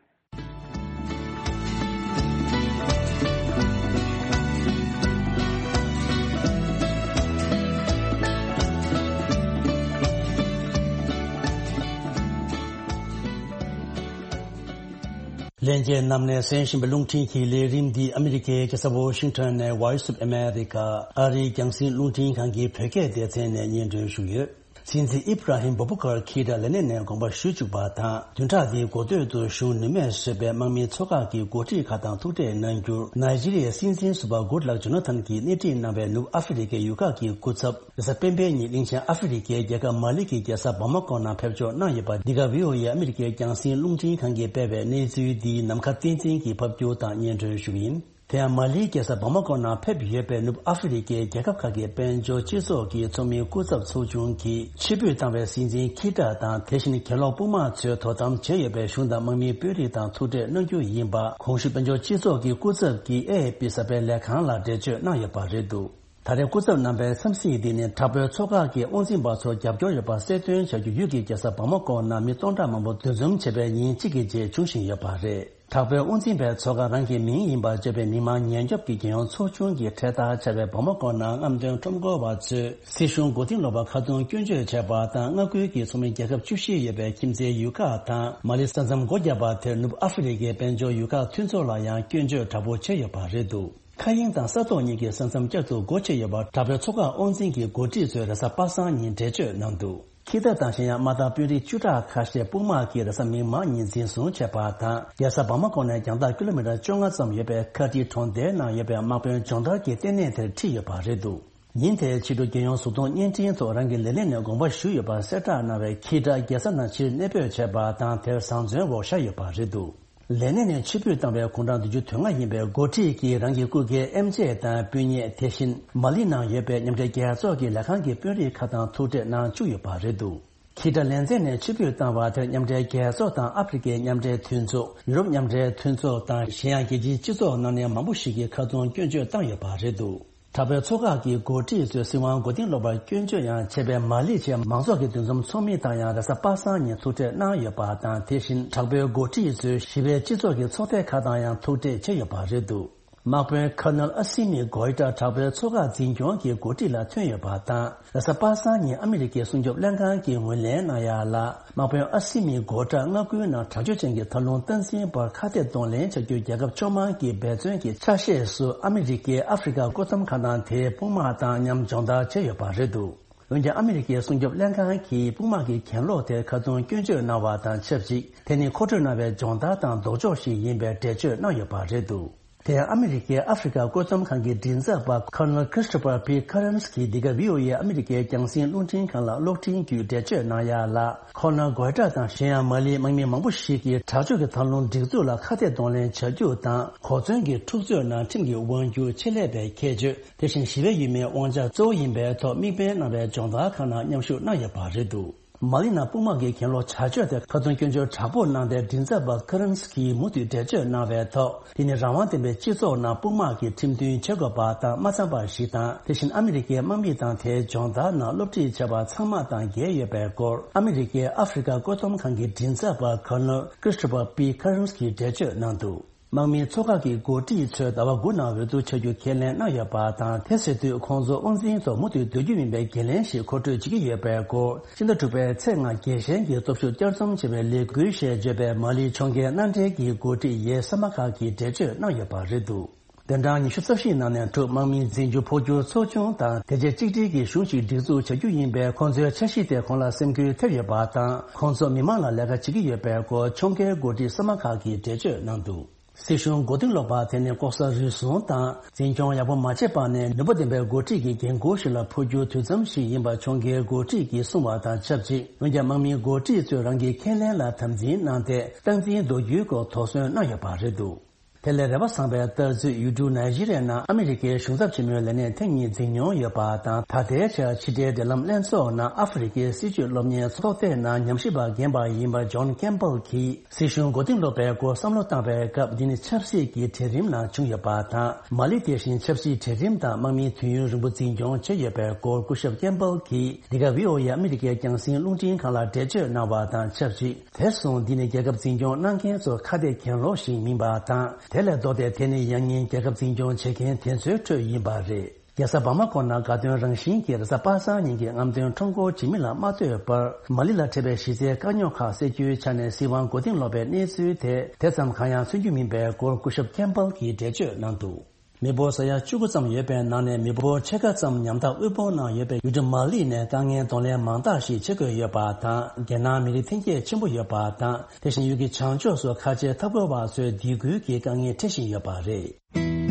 ལྷན་རྒྱས་རྣམས་ནས་གསན་བཞིན་པའི་རླུང་འཕྲིན་གྱི་ལས་རིམ་འདི་ཨ་མི་རི་ཀའི་རྒྱལ་ས་ཝོ་ཤིང་ཊོན་ནས་Voice of America ཨ་རིའི་རྒྱང་སྲིང་རླུང་འཕྲིན་ཁང་གི་བོད་སྐད་སྡེ་ཚན་ནས་སྙན་སྒྲོན་ཞུས་ཡོད། སྲིད་འཛིན་ཨིབ་ར་ཧིམ་བྷུ་བྷ་ཀར་ཁི་ཏྲ་ལས་གནས་ནས་དགོངས་པ་ཞུ་བཅུག་པ་དང་། བདུན་ཕྲག་འདིའི་འགོ་སྟོད་དུ་གཞུང་ནུས་མེད་བཟོས་པའི་དམག་མིའི་ཚོགས་ཁག་གི་འགོ་ཁྲིད་ཁག་དང་ཐུག་འཕྲད་གནང་རྒྱུར། ནཱི་ཇི་རི་ཡའི་སྲིད་འཛིན་ཟུར་པ་གུཌ་ལག་ཇོ་ན་ཐན་གྱིས་སྣེ་ཁྲིད་གནང་བའི་ནུབ་ཨ་ཧྥེ་རི་ཀའི་ཡུལ་ཁག་གི་སྐུ་ཚབ། རེས་གཟའ་སྤེན་པའི་ཉིན་གླིང་ཆེན་ཨ་ཧྥེ་རི་ཀའི་རྒྱལ་ཁབ་མ་ལི་གི་རྒྱལ་ས་བ་མ་ཀོ་ནང་ཕེབས་འབྱོར་གནང་ཡོད་པ། འདི་ག་བྷི་ཨོ་ཨེ་ཨ་མི་རི་ཀའི་རྒྱང་སྲིང་རླུང་འཕྲིན་ཁང་གིས་སྤེལ་བའི་གནས་ཚུལ་འདི་ནམ་མཁའ་བསྟན་འཛིན་གྱིས་ཕབ་སྒྱུར་དང་སྙན་སྒྲོན་ཞུ་གི་ཡིན། དེ་ཡང་མ་ལིའི་རྒྱལ་ས་བ་མ་ཀོ་ནང་ཕེབས་ཡོད་པའི་ནུབ་ཨ་ཧྥེ་རི་ཀའི་རྒྱལ་ཁབ་ཁག་གི་དཔལ་འབྱོར་སྤྱི་ཚོགས་ཀྱི་ཚོགས་མིའི་སྐུ་ཚབ་ཚོགས་ཆུང་གིས་ཕྱིར་འབུད་བཏང་བའི་སྲིད་འཛིན་ཁི་ཏྲ་དང་། དེ་བཞིན་གྱེན་ལོག་དཔུང་དམག་ཚོས་དོ་དམ་བྱས་ཡོད་པའི་གཞུང་དང་དམག་མིའི་དཔོན་རིགས་དང་ཐུག་འཕྲད་གནང་རྒྱུ་ཡིན་པ། གོང་ཞུས་དཔལ་འབྱོར་སྤྱི་ཚོགས་ཀྱི་སྐུ་ཚབ་ཀྱིས་ཨེ་ཨེ་པི་གསར་སྤེལ་ལས་ཁང་ལ་འགྲེལ་བརྗོད་གནང་ཡོད་པ་རེད་འདུག་ད་རེས་སྐུ་ཚབ་རྣམ་པའི་འཚམས་གཟིགས་འདི་ནི་དྲག་པོའི་ཚོགས་ཁག་གིས་དབང་འཛིན་པ་ཚོར་རྒྱབ་སྐྱོར་ཡོད་པ་གསལ་སྟོན་བྱ་རྒྱུ་ཡུལ་གྱི་རྒྱལ་ས་བ་མ་ཀོ་ནང་མི་སྟོང་ཕྲག་མང་པོ་འདུ་འཛོམས་བྱས་པའི་ཉིན་གཅིག་གི་རྗེས་འབྱུང་བཞིན་ཡོད་པ་རེད། དྲག་པོའི་དབང་འཛིན་པའི་ཚོགས་ཁག་རང་གི་མིང་ཡིན་པར་བརྗོད་པའི་མི་མང་ཉེན་སྐྱོབ་ཀྱི་རྒྱལ་ཡོངས་ཚོགས་ཆུང་གིས་འཕྲེད་བསྟར་བྱས་པའི་བ་མ་ཀོ་ནང་རྔམ་སྟོན་ཁྲོམ་སྐོར་བ་ཚོས་སྲིད་གཞུང་མགོ་རྟིང་སློག་པར་ཁ་རྡུང་སྐྱོན་བརྗོད་བྱས་པ་དང་། མངའ་ཁུལ་གྱི་ཚོགས་མི་རྒྱལ་ཁབ་བཅུ་བཞི་ཡོད་པའི་ཁྱིམ་མཚེས་ཡུལ་ཁག་དང་། མ་ལི་ས་མཚམས་སྒོ་བརྒྱབ་པ་དེར་ནུབ་ཨ་ཧྥེ་རི་ཀའི་དཔལ་འབྱོར་ཡུལ་ཁག་མཐུན་ཚོགས་ལ་ཡང་སྐྱོན་བརྗོད་དྲག་པོ་བྱས་ཡོད་པ་རེད་འདུག་མཁའ་དབྱིངས་དང་ས་ཐོག་གཉིས་ཀྱི་ས་མཚམས་བསྐྱར་དུ་སྒོ་ཕྱེ་ཡོད་པར་དྲག་པོའི་ཚོགས་ཁག་དབང་འཛིན་གྱི་འགོ་ཁྲིད་ཚོས་རེས་གཟའ་པ་སངས་ཉིན་འགྲེལ་བརྗོད་གནང་འདུག་ཁི་ཏ་དང་གཞན་ཡང་དམག་དང་དཔོན་རིགས་བཅུ་ཕྲག་ཁ་ཤས་དཔུང་དམག་གིས་རེས་གཟའ་མིག་དམར་ཉིན་འཛིན་བཟུང་བྱས་པ་དང་། རྒྱལ་ས་བ་མ་ཀོ་ནས་རྒྱང་ཐག་ཀི་ལོ་མི་ཊར་བཅོ་ལྔ་ཙམ་ཡོད་པའི་ཁ་ཏི་གྲོང་རྡལ་ནང་ཡོད་པའི་དམག་དཔོན་སྦྱོང་བརྡར་གྱི་ལྟེ་གནས་དེར་ཁྲིད་ཡོད་པ་རེད་འདུག་ཉིན་དེའི་ཕྱི་དྲོ་རྒྱལ་ཡོངས་གཟུགས་མཐོང་བརྙན་འཕྲིན་ཐོག་རང་གི་ལས་གནས་ནས་དགོངས་པ་ཞུས་ཡོད་པ་གསལ་བསྒྲགས་གནང་བའི་ཁི་ཏྲ་རྒྱལ་ས་ནང་ཕྱིར་གནས་སྤོས་བྱས་པ་དང་། དེར་བཟང་བཙོན་འོག་བཞག་ཡོད་པ་རེད་འདུག་ལས་གནས་ནས་ཕྱིར་འབུད་བཏང་བའི་དགུང་གྲངས་བདུན་ཅུ་དོན་ལྔ་ཡིན་པའི་འགོ་ཁྲིད་ཀྱིས་རང་གི་སྐུ་སྒེར་ཨེམ་ཆི་དང་སྤུན་ཉེ། དེ་བཞིན་མ་ལི་ནང་ཡོད་པའི་མཉམ་འབྲེལ་རྒྱལ་ཚོགས་ཀྱི་ལས་ཁང་གི་དཔོན་རིགས་ཁག་དང་ཐུག་འཕྲད་གནང་བཅུག་ཡོད་པ་རེད་འདུག་ཁི་ཏྲ་ལས་མཚན་ནས་ཕྱིར་འབུད་བཏང་བ་དེར་མཉམ་འབྲེལ་རྒྱལ་ཚོགས་དང་ཨ་ཧྥེ་རི་ཀའི་མཉམ་འབྲེལ་མཐུན་ཚོགས། ཡུ་རོབ་མཉམ་འབྲེལ་མཐུན་ཚོགས་དང་གཞན་ཡང་རྒྱལ་སྤྱིའི་སྤྱི་ཚོགས་ནང་ནས་མང་པོ་ཞིག་གིས་ཁ་རྡུང་སྐྱོན་བརྗོད་བཏང་ཡོད་པ་རེད་འདུག་དྲག་པོའི་ཚོགས་ཁག་གི་འགོ་ཁྲིད་ཚོས་སྲིད་དབང་མགོ་རྟིང་སློག་པར་སྐྱོན་བརྗོད་ཡང་བྱས་པའི་མ་ལི་ཆེས་མང་ཚོགས་ཀྱི་འདུ་འཛོམས་ཚོགས་མི་དང་ཡང་རེས་གཟའ་པ་སངས་ཉིན་ཐུག་འཕྲད་གནང་ཡོད་པ་དང་། དེ་བཞིན་དྲག་པོའི་འགོ་ཁྲིད་ཚོས་ཞི་བའི་སྤྱི་ཚོགས་ཀྱི་ཚོགས་སྡེ་ཁག་དང་ཡང་ཐུག་འཕྲད་བྱས་ཡོད་པ་རེད་འདུག་དམག་དཔོན་ཁར་ནལ་ཨ་སི་མི་གོའི་ཏྲ་དྲག་པོའི་ཚོགས་ཁག་འཛིན་སྐྱོང་གི་འགོ་ཁྲིད་ལ་ཐོན་ཡོད་པ་དང་། རེས་གཟའ་པ་སངས་ཉིན་ཨ་མི་རི་ཀའི་སྲུང་སྐྱོབ་ལྷན་ཁང་གིས་ངོས་ལེན་གནང་ཡ་ལ། དམག་དཔོན་ཨ་སི་མི་གོ་ཏྲ་མངའ་ཁུལ་ནང་དྲག་སྤྱོད་ཅན་གྱི་མཐའ་ལྷུང་སྟངས་འཛིན་པར་ཁ་གཏད་གདོང་ལེན་བྱ་རྒྱུའི་རྒྱལ་ཁབ་བཅོ་ལྔ་གི་འབད་བརྩོན་གྱི་ཆ་ཤས་སུ་ཨ་མི་རི་ཀའི་ཨ་ཧྥེ་རི་ཁ་བཀོད་འདོམས་ཁང་དང་དེའི་དཔུང་དམག་དང་མཉམ་སྦྱོང་བརྡར་བྱས་ཡོད་པ་རེད་འདུག་འོན་ཀྱང་ཨ་མི་རི་ཀའི་སྲུང་སྐྱོབ་ལྷན་ཁང་གིས་དཔུང་དམག་གི་གྱེན་ལོག་དེར་ཁ་རྡུང་སྐྱོན་བརྗོད་གནང་བ་དང་ཆབས་ཅིག་དེ་ནི་མཁོ་སྤྲོད་གནང་བའི་སྦྱོང་བརྡར་དང་ལྡོག་ཕྱོགས་ཤིག་ཡིན་པའི་འགྲེལ་བརྗོད་གནང་ཡོད་པ་རེད་འདུག་དེ་ཡང་ཨ་མི་རི་ཀའི་ཨ་ཧྥེ་རི་ཁ་བཀོད་འདོམས་ཁང་གི་མགྲིན་ཚབ་པ་ཁར་ནལ་Christopher P Kerens གྱིས་འདི་ག་བྷི་ཨོ་ཨེ་ཨ་མི་རི་ཀའི་རྒྱང་སྲིང་རླུང་འཕྲིན་ཁང་ལ་གློག་འཕྲིན་བརྒྱུད་འགྲེལ་བརྗོད་གནང་ཡ་ལ། ཁོ་ན་གོའི་ཏྲ་དང་གཞན་ཡང་མ་ལིའི་དམག་མི་མང་པོ་ཞིག་གིས་དྲག་སྤྱོད་ཀྱི་མཐའ་ལྷུང་སྒྲིག་འཛུགས་ལ་ཁ་གཏད་གདོང་ལེན་བྱ་རྒྱུ་དང་། གོ་མཚོན་གྱི་འཁྲུག་རྩོད་ནང་ཁྲིམས་ཀྱི་དབང་སྒྱུར་ཆེད་ལས་པའི་ཁྱད་ཆོས། དེ་བཞིན་ཞི་བའི་ཡུལ་མིའི་དབང་ཆ་གཙོ་བོ་ཡིན་པའི་ཐོག་དམིགས་འབེན་གནང་བའི་སྦྱོང་བརྡར་ཁག་ནང་མཉམ་ཞུགས་གནང་ཡོད་པ་རེད་འདུག་མ་ལི་ནང་དཔུང་དམག་གི་གྱེན་ལོག་བྱ་སྤྱོད་དེར་ཁ་རྡུང་སྐྱོན་བརྗོད་དྲག་པོ་གནང་སྟེ། མགྲིན་ཚབ་པ་ཁ་རན་སི་ཀིས་མུ་མཐུད་འགྲེལ་བརྗོད་གནང་བའི་ཐོག་དེ་ནི་རང་དབང་ལྡན་པའི་སྤྱི་ཚོགས་ནང་དཔུང་དམག་གིས་ཁྲིམས་མཐུན་བྱེད་དགོས་པ་དང་མ་འཚམས་པ་ཞིག་དང་། དེ་བཞིན་ཨ་མི་རི་ཀའི་དམག་མི་དང་དེའི་སྦྱོང་བརྡར་ནང་སློབ་ཁྲིད་བྱས་པ་ཚང་མ་དང་འགལ་ཡོད་པའི་སྐོར། ཨ་མི་རི་ཀའི་ཨ་ཧྥེ་རི་ཁ་བཀོད་འདོམས་ཁང་གི་མགྲིན་ཚབ་པ་ཁར་ནལ་Christopher P Kerens གིས་འགྲེལ་བརྗོད་གནང་འདུག་དམག་མིའི་ཚོགས་ཁག་གི་འགོ་ཁྲིད་ཚོས་ཟླ་བ་དགུ་ནང་འོས་བསྡུ་བྱ་རྒྱུ་ཁས་ལེན་གནང་ཡོད་པ་དང་། དེ་ཟེར་དུས་ཁོང་ཚོ་དབང་འཛིན་ཐོག་མུ་མཐུད་སྡོད་རྒྱུ་ཡིན་པའི་འགན་ལེན་ཞིག་མཁོ་སྤྲོད་བྱེད་ཀྱི་ཡོད་པའི་སྐོར། ཕྱི་ཟླ་དྲུག་པའི་ཚེས་ལྔ་རྒྱལ་ཞེན་གྱི་སྟོབས་ཤུགས་བསྐྱར་རྩོམ་བྱེད་པའི་ལས་འགུལ་ཞེས་བརྗོད་པའི་མ་ལིའི་ཕྱོགས་འགལ་མནའ་འབྲེལ་གྱི་འགོ་ཁྲིད་ཡའེ་སམ་མ་ཁ་གིས་འགྲེལ་བརྗོད་གནང་ཡོད་པ་རེད་འདུག་བདུན་ཕྲག་ཉི་ཤུ་རྩ་བཞིའི་ནང་ནས་འཁྲུག་དམག་མིའི་འཛིན་རྒྱུ་འཕོ་འགྱུར་ཚོགས་ཆུང་དང་དེ་རྗེས་གཅིག་སྒྲིལ་གྱི་གཞུང་ཞིག་སྒྲིག་འཛུགས་བྱ་རྒྱུ་ཡིན་པས། ཁོང་ཚོའི་འཆར་གཞི་དེ་ཁོང་ལ་སེམས་འགུལ་ཐེབས་ཡོད་པ་དང་། ཁོང་ཚོ་མི་མང་ལ་ལས་ཀ་བྱེད་ཀྱི་ཡོད་པའི་སྐོར་ཕྱོགས་འགལ་འགོ་ཁྲིད་སམ་མ་ཁ་གིས་འགྲེལ་བརྗོད་གནང་འདུག་སྲིད་གཞུང་མགོ་རྟིང་སློག་པ་དེ་ནི་ལྐོག་ཟ་རུལ་སུངས་དང་འཛིན་སྐྱོང་ཡག་པོ་མ་བྱས་པ་ནས་ནུས་པ་ལྡན་པའི་འགོ་ཁྲིད་ཀྱི་འགན་འཁུར་ཞིག་ལ་འཕོ་འགྱུར་དུས་མཚམས་ཤིག་ཡིན་པ་ཕྱོགས་འགལ་འགོ་ཁྲིད་ཀྱིས་གསུངས་པ་དང་ཆབས་ཅིག་འོན་ཀྱང་དམག་མིའི་འགོ་ཁྲིད་ཚོས་རང་གི་ཁས་ལེན་ལ་དམ་འཛིན་གནང་སྟེ། སྟངས་འཛིན་མདོ་རྒྱུད་སྐོར་དོགས་ཟོན་གནང་ཡོད་པ་རེད་འདུག་དེ་ལས་རེ་བ་བཟང་པའི་ལྟ་ཚུལ། ཡུལ་གྲུ་ནཱི་ཇི་རི་ཡ་ནང་ཨ་མི་རི་ཀའི་གཞུང་ཚབ་ཆེན་མོའི་ལས་གནས་ཐེངས་གཉིས་འཛིན་མྱོང་ཡོད་པ་དང་། ད་ལྟའི་ཆར་ཕྱི་འབྲེལ་འབྲེལ་ལམ་ལྷན་ཚོགས་ནང་ཨ་ཧྥེ་རི་ཁའི་སྲིད་བྱུས་སློབ་གཉེར་ཚོགས་སྡེ་ནང་ཉམས་ཞིབ་པ་རྒན་པ་ཡིན་པ་ཇོན་ཀེམ་པལ་གྱིས། སྲིད་གཞུང་མགོ་རྟིང་སློག་པའི་སྐོར་བསམ་བློ་བཏང་བའི་སྐབས། འདི་ནི་ཆབ་སྲིད་ཀྱི་གྲལ་རིམ་ནང་བྱུང་ཡོད་པ་དང་། མ་ལི་དེ་བཞིན་ཆབ་སྲིད་གྲལ་རིམ་དང་དམག་མིའི་དུས་ཡུན་རིང་པོ་འཛིན་སྐྱོང་བྱས་ཡོད་པའི་སྐོར་སྐུ་ཞབས་ཀེམ་པལ་གྱིས་འདི་ག་བྷི་ཨོ་ཨེ་ཨ་མི་རི་ཀའི་རྒྱང་སྲིང་རླུང་འཕྲིན་ཁང་ལ་འགྲེལ་བརྗོད་གནང་བ་དང་ཆབས་ཅིག་དེར་སོང་། འདི་ནི་རྒྱལ་ཁབ་འཛིན་སྐྱོང་གནང་མཁན་ཚོ་ཁ་གཏད་གྱེན་ལོག་ཞིག་མིན་པ་དང་། དེ་ལས་ལྡོག་སྟེ་དེ་ནི་ཡང་སྙིང་རྒྱལ་ཁབ་འཛིན་སྐྱོང་བྱེད་མཁན་དེ་ཚོའི་ཁྲོད་ཡིན་པ་རེད། རྒྱལ་ས་བྷ་མ་ཀོ་ནང་དགའ་སྟོན་རང་བཞིན་གྱིས་རེས་གཟའ་པ་སངས་ཉིན་གྱི་རྔམ་སྟོན་ཁྲོམ་སྐོར་བྱེད་མི་ལ་མ་ལྟོས་པར། མ་ལི་ལ་འཕྲད་པའི་གཞི་རྩའི་དཀའ་རྙོག་ཁག་སེལ་རྒྱུའི་ཆ་ནས་སྲིད་དབང་མགོ་རྟིང་སློག་པའི་གནས་ཚུལ་དེ་དེ་ཙམ་གང་ཡང་མཚོན་རྒྱུ་མིན་པའི་སྐོར་སྐུ་ཞབས་ཀེམ་པལ་གྱིས་འགྲེལ་བརྗོད་གནང་འདུག་མི་འབོར་ས་ཡ་བཅུ་དགུ་ཙམ་ཡོད་པའི་ནང་ནས་མི་འབོར་ཕྱེད་ཀ་ཙམ་ཉམ་ཐག་དབུལ་ཕོངས་ནང་ཡོད་པའི་ཡུལ་གྲུ་མ་ལི་ནས་དཀའ་ངལ་གདོང་ལེན་མང་དག་ཞིག་བྱེད་དགོས་ཡོད་པ་དང་། རྒྱལ་ནང་མི་རིགས་འཐེན་འཁྱེར་ཆེན་པོ་ཡོད་པ་དང་། དེ་བཞིན་ཡུལ་གྱི་བྱང་ཕྱོགས་སུ་ཁ་ཆེའི་འཐབ་རྒོལ་བ་ཚོའི་སྡིགས་སྐུལ་གྱི་དཀའ་ངལ་འཕྲད་བཞིན་ཡོད་པ་རེད།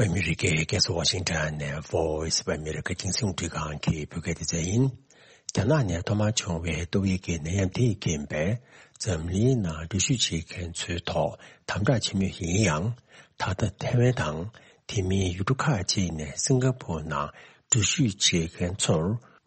ཨ་མི་རི་ཀའི་རྒྱལ་ས་ཝ་ཤིང་ཊོན་ནས་Voice of America རྒྱང་སྲིང་རླུང་འཕྲིན་ཁང་གི་བོད་སྐད་སྡེ་ཚན་ཡིན། རྒྱ་ནག་ནས་ཐོག་མར་བྱུང་བའི་ཏོག་དབྱིབས་ཀྱི་ནད་ཡམས་དེས་རྐྱེན་པས་འཛམ་གླིང་ནང་འགྲུལ་བཞུད་བྱེད་མཁན་ཚོའི་ཐོག་དམ་དྲག་ཆེན་མོ་ཡིན་ཡང་། ད་ལྟ་ཐའེ་ཝན་དང་དེ་མིན་ཡུལ་གྲུ་ཁག་ཅིག་ནས་སིང་ག་ཕོར་ནང་འགྲུལ་བཞུད་བྱེད་མཁན་ཚོར་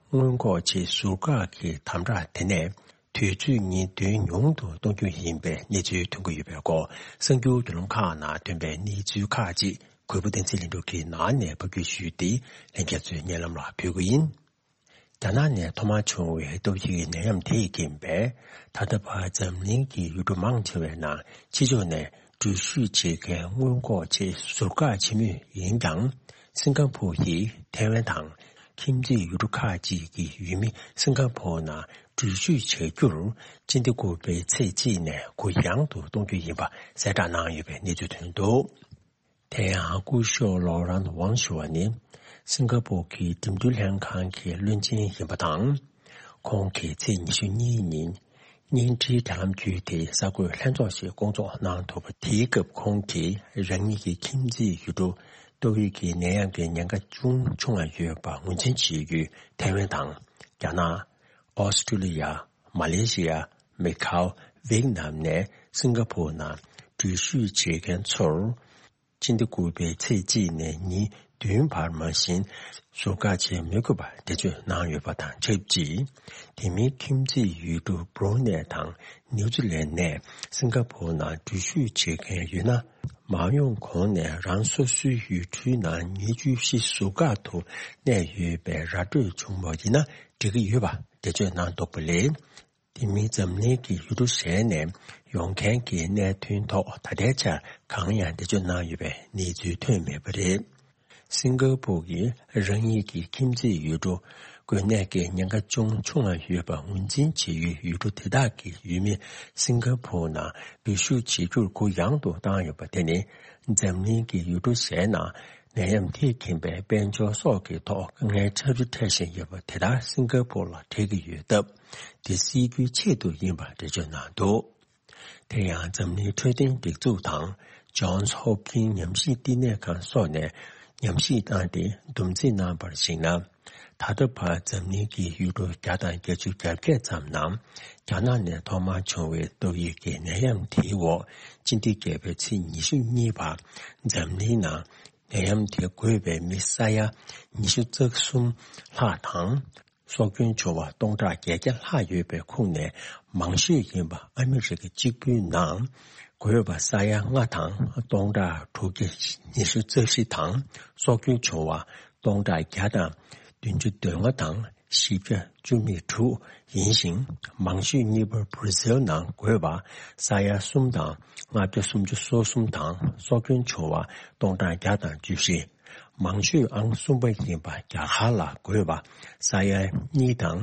སྔོན་འགོག་ཆེད་ཟུར་བཀག་གི་དམ་དྲག་དེ་ནས་དུས་ཚོད་གཉིས་བདུན་ཉུང་དུ་གཏོང་རྒྱུ་ཡིན་པའི་གནས་ཚུལ་ཐོན་གྱི་ཡོད་པའི་སྐོར། གསར་འགྱུར་བརྒྱུད་ལམ་ཁག་ནང་ཐོན་པའི་གནས་ཚུལ་ཁག་ཅིག་གུས་པ་བསྟན་འཛིན་ལྷུན་གྲུབ་ཀྱིས་ནང་ནས་ཕབ་སྒྱུར་ཞུས་ཏེ། ལྷན་རྒྱས་ཚོའི་སྙན་ལམ་ལ་ཕུལ་གྱི་ཡིན། རྒྱ་ནག་ནས་ཐོག་མར་བྱུང་བའི་ཏོག་དབྱིབས་ནད་ཡམས་དེས་རྐྱེན་པས། ད་ལྟ་བར་འཛམ་གླིང་གི་ཡུལ་གྲུ་མང་ཆེ་བའི་ནང་ཕྱི་ཕྱོགས་ནས་འགྲུལ་བཞུད་བྱེད་མཁན་སྔོན་འགོག་ཆེད་ཟུར་བཀག་བྱེད་མུས་ཡིན་ཀྱང་། སིང་ག་ཕོར་གྱིས་ཐའེ་ཝན་དང་ཁྱིམ་མཚེས་ཡུལ་གྲུ་ཁག་ཅིག་གི་ཡུལ་མི་སིང་ག་ཕོར་ནང་འགྲུལ་བཞུད་བྱ་རྒྱུར། སྤྱི་ཟླ་དགུ་པའི་ཚེས་གཅིག་ནས་གུ་ཡངས་དུ་གཏོང་རྒྱུ་ཡིན་པ་གསལ་བསྒྲགས་གནང་ཡོད་པའི་གནས་ཚུལ་ཐོན་འདུག་དེ་ཡང་སྐུ་ཞབས་ལོ་རན་ཝང་ཞུ་བ་ནི། སིང་ག་པོར་གྱི་འགྲིམ་འགྲུལ་ལྷན་ཁང་གི་བློན་ཆེན་ཡིན་པ་དང་། ཁོང་གིས་ཚེས་ཉི་ཤུ་གཉིས་ཉིན་བརྙན་འཕྲིན་དྲ་ལམ་བརྒྱུད་དེ་གསར་འགོད་ལྷན་ཚོགས་ཤིག་བསྐོང་ཚོགས་གནང་འདུག་པ། དེའི་སྐབས་ཁོང་གིས་རང་ཉིད་ཀྱི་ཁྱིམ་མཚེས་ཡུལ་གྲུ་ཏོག་དབྱིབས་ཀྱི་ནད་ཡམས་ཀྱི་ཉེན་ཁ་ཅུང་ཆུང་བ་ཡོད་པ་ངོས་འཛིན་བྱེད་ཡུལ་ཐའེ་ཝན་དང་། རྒྱ་ནག་ཨོ་སི་ཀྲུ་ལི་ཡ། མ་ལེ་ཤི་ཡ། མེ་ཁའོ། ཝེད་ནམ་ནས་སིང་ག་པོར་ནང་འགྲུལ་བཞུད་བྱེད་མཁན་ཚོར། སྤྱི་ཟླ་དགུ་པའི་ཚེས་གཅིག་ནས་ཉིན་བདུན་བར་མ་བཞིན་ཟུར་བཀག་བྱེད་མི་དགོས་པ་འགྲེལ་བརྗོད་གནང་ཡོད་པ་དང་ཆབས་ཅིག་དེ་མིན་ཁྱིམ་མཚེས་ཡུལ་གྲུ་བྷུ་རུ་ནེ་དང་ནིའུ་ཛི་ལན་ནས་སིང་ག་པོར་ནང་འགྲུལ་བཞུད་བྱེད་མཁན་ཡོད་ན། མ་ཡོང་གོང་ནས་རང་སོ་སོའི་ཡུལ་གྲུའི་ནང་ཉིན་བཅུ་བཞི་ཟུར་བཀག་ཏུ་གནས་ཡོད་པའི་ར་སྤྲོད་བྱུང་བ་ཡིན་ན་འགྲིག་གི་ཡོད་པ་འགྲེལ་བརྗོད་གནང་འདུག་པ་ལས། དེ་མིན་འཛམ་གླིང་གི་ཡུལ་གྲུ་གཞན་ནས་ཡོང་མཁན་གྱི་གནད་དོན་ཐོག་ད་ལྟའི་ཆར་གང་ཡང་འགྲེལ་བརྗོད་གནང་ཡོད་པའི་གནས་ཚུལ་ཐོན་མེད་པ་རེད། སིང་ག་པོར་གྱིས་རང་ཉིད་ཀྱི་ཁྱིམ་མཚེས་ཡུལ་གྲུ་འགོས་ནད་ཀྱི་ཉེན་ཁ་ཅུང་ཆུང་བ་ཡོད་པ་ངོས་འཛིན་བྱེད་ཡུལ་ཡུལ་གྲུ་དེ་དག་གི་ཡུལ་མི་སིང་ག་པོར་ནང་འགྲུལ་བཞུད་བྱེད་རྒྱུར་གུ་ཡངས་དུ་བཏང་ཡོད་པ་དེ་ནི། འཛམ་གླིང་གི་ཡུལ་གྲུ་གཞན་ནང་ནད་ཡམས་དེས་ཁྱིམ་པའི་དཔལ་འབྱོར་སོགས་ཀྱི་ཐོག་དཀའ་ངལ་ཆེ་རུ་འཕྲད་བཞིན་ཡོད་པ་དེ་ལྟར་སིང་ག་པོར་ལ་འཕྲད་ཀྱི་ཡོད་སྟབས། དེ་སེལ་རྒྱུའི་ཆེད་དུ་ཡིན་པ་འགྲེལ་བརྗོད་གནང་འདུག་དེ་ཡང་འཛམ་གླིང་འཕྲོད་བསྟེན་སྒྲིག་འཛུགས་དང་Johns Hopkins ཉམས་ཞིབ་བསྟི་གནས་ཁང་སོགས་ནས་ཉམས་ཞིབ་བཏང་སྟེ་སྡོམ་རྩིས་གནང་བར་གཞིགས་ན། ད་ལྟ་བར་འཛམ་གླིང་གི་ཡུལ་གྲུ་བརྒྱ་དང་བརྒྱད་ཅུ་གྱ་བརྒྱད་ཙམ་ནང་རྒྱ་ནག་ནས་ཐོག་མར་བྱུང་བའི་ཏོག་དབྱིབས་ཀྱི་ནད་ཡམས་དེའི་འོག་སྤྱི་ཟླ་བརྒྱད་པའི་ཚེས་ཉི་ཤུ་གཉིས་བར་འཛམ་གླིང་ནང་ནད་ཡམས་དེ་འགོས་པའི་མི་ས་ཡ་ཉི་ཤུ་རྩ་གསུམ་ལྷག་དང་། སྲོག་སྐྱོན་བྱུང་བ་སྟོང་ཕྲག་བརྒྱད་བརྒྱ་ལྷག་ཡོད་པའི་ཁོངས་ནས་མང་ཤོས་ཡིན་པ་ཨ་མི་རི་ཀ་གཅིག་པུའི་ནང་ བགོས་པ་ས་ཡ་ལྔ་དང་སྟོང་ཕྲག་དྲུག་བརྒྱ་ཉི་ཤུ་རྩ་བཞི་དང་། སྲོག་སྐྱོན་བྱུང་བ་སྟོང་ཕྲག་བརྒྱ་དང་བདུན་ཅུ་དོན་ལྔ་དང་། བཞི་བརྒྱ་བཅུ་མེད་དྲུག་ཡིན་ཞིང་། མང་ཤོས་གཉིས་པ་བྷར་ཛིལ་ནང་བགོས་པ་ས་ཡ་གསུམ་དང་ལྔ་བརྒྱ་སུམ་ཅུ་སོ་གསུམ་དང་། སྲོག་སྐྱོན་བྱུང་བ་སྟོང་ཕྲག་བརྒྱ་དང་བཅུ་བཞི། མང་ཤོས་ཨང་གསུམ་པ་ཡིན་པ་རྒྱ་གར་ལ་བགོས་པ་ས་ཡ་གཉིས་དང་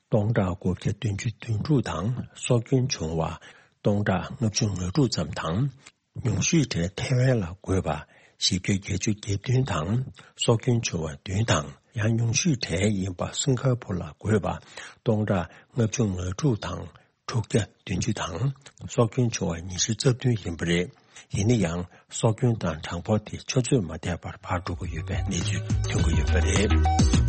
སྟོང་ཕྲག་དགུ་བརྒྱ་བདུན་ཅུ་དོན་དྲུག་དང་། སྲོག་སྐྱོན་བྱུང་བ་སྟོང་ཕྲག་ལྔ་བཅུ་ང་དྲུག་ཙམ་དང་། ཉུང་ཤོས་གྲས་ཐའེ་ཝན་ལ་བགོས་པ་བཞི་བརྒྱ་བརྒྱད་ཅུ་གྱ་བདུན་དང་། སྲོག་སྐྱོན་བྱུང་བ་བདུན་དང་། ཡང་ཉུང་ཤོས་གྲས་ཡིན་པ་སིང་ག་པུར་ལ་བགོས་པ་སྟོང་ཕྲག་ལྔ་བཅུ་ང་དྲུག་དང་། དྲུག་བརྒྱ་བདུན་ཅུ་དང་། སྲོག་སྐྱོན་བྱུང་བ་ཉི་ཤུ་རྩ་བདུན་ཡིན་པ་རེད། ཡིན་ན་ཡང་སྲོག་སྐྱོན་དང་གྲངས་འབོར་དེ་ཆུ་ཚོད་མ་འདས་པར་ཕར་འགྲོ་གི་ཡོད་པའི་གནས་ཚུལ་ཐོན་གྱི་ཡོད་པ་རེད།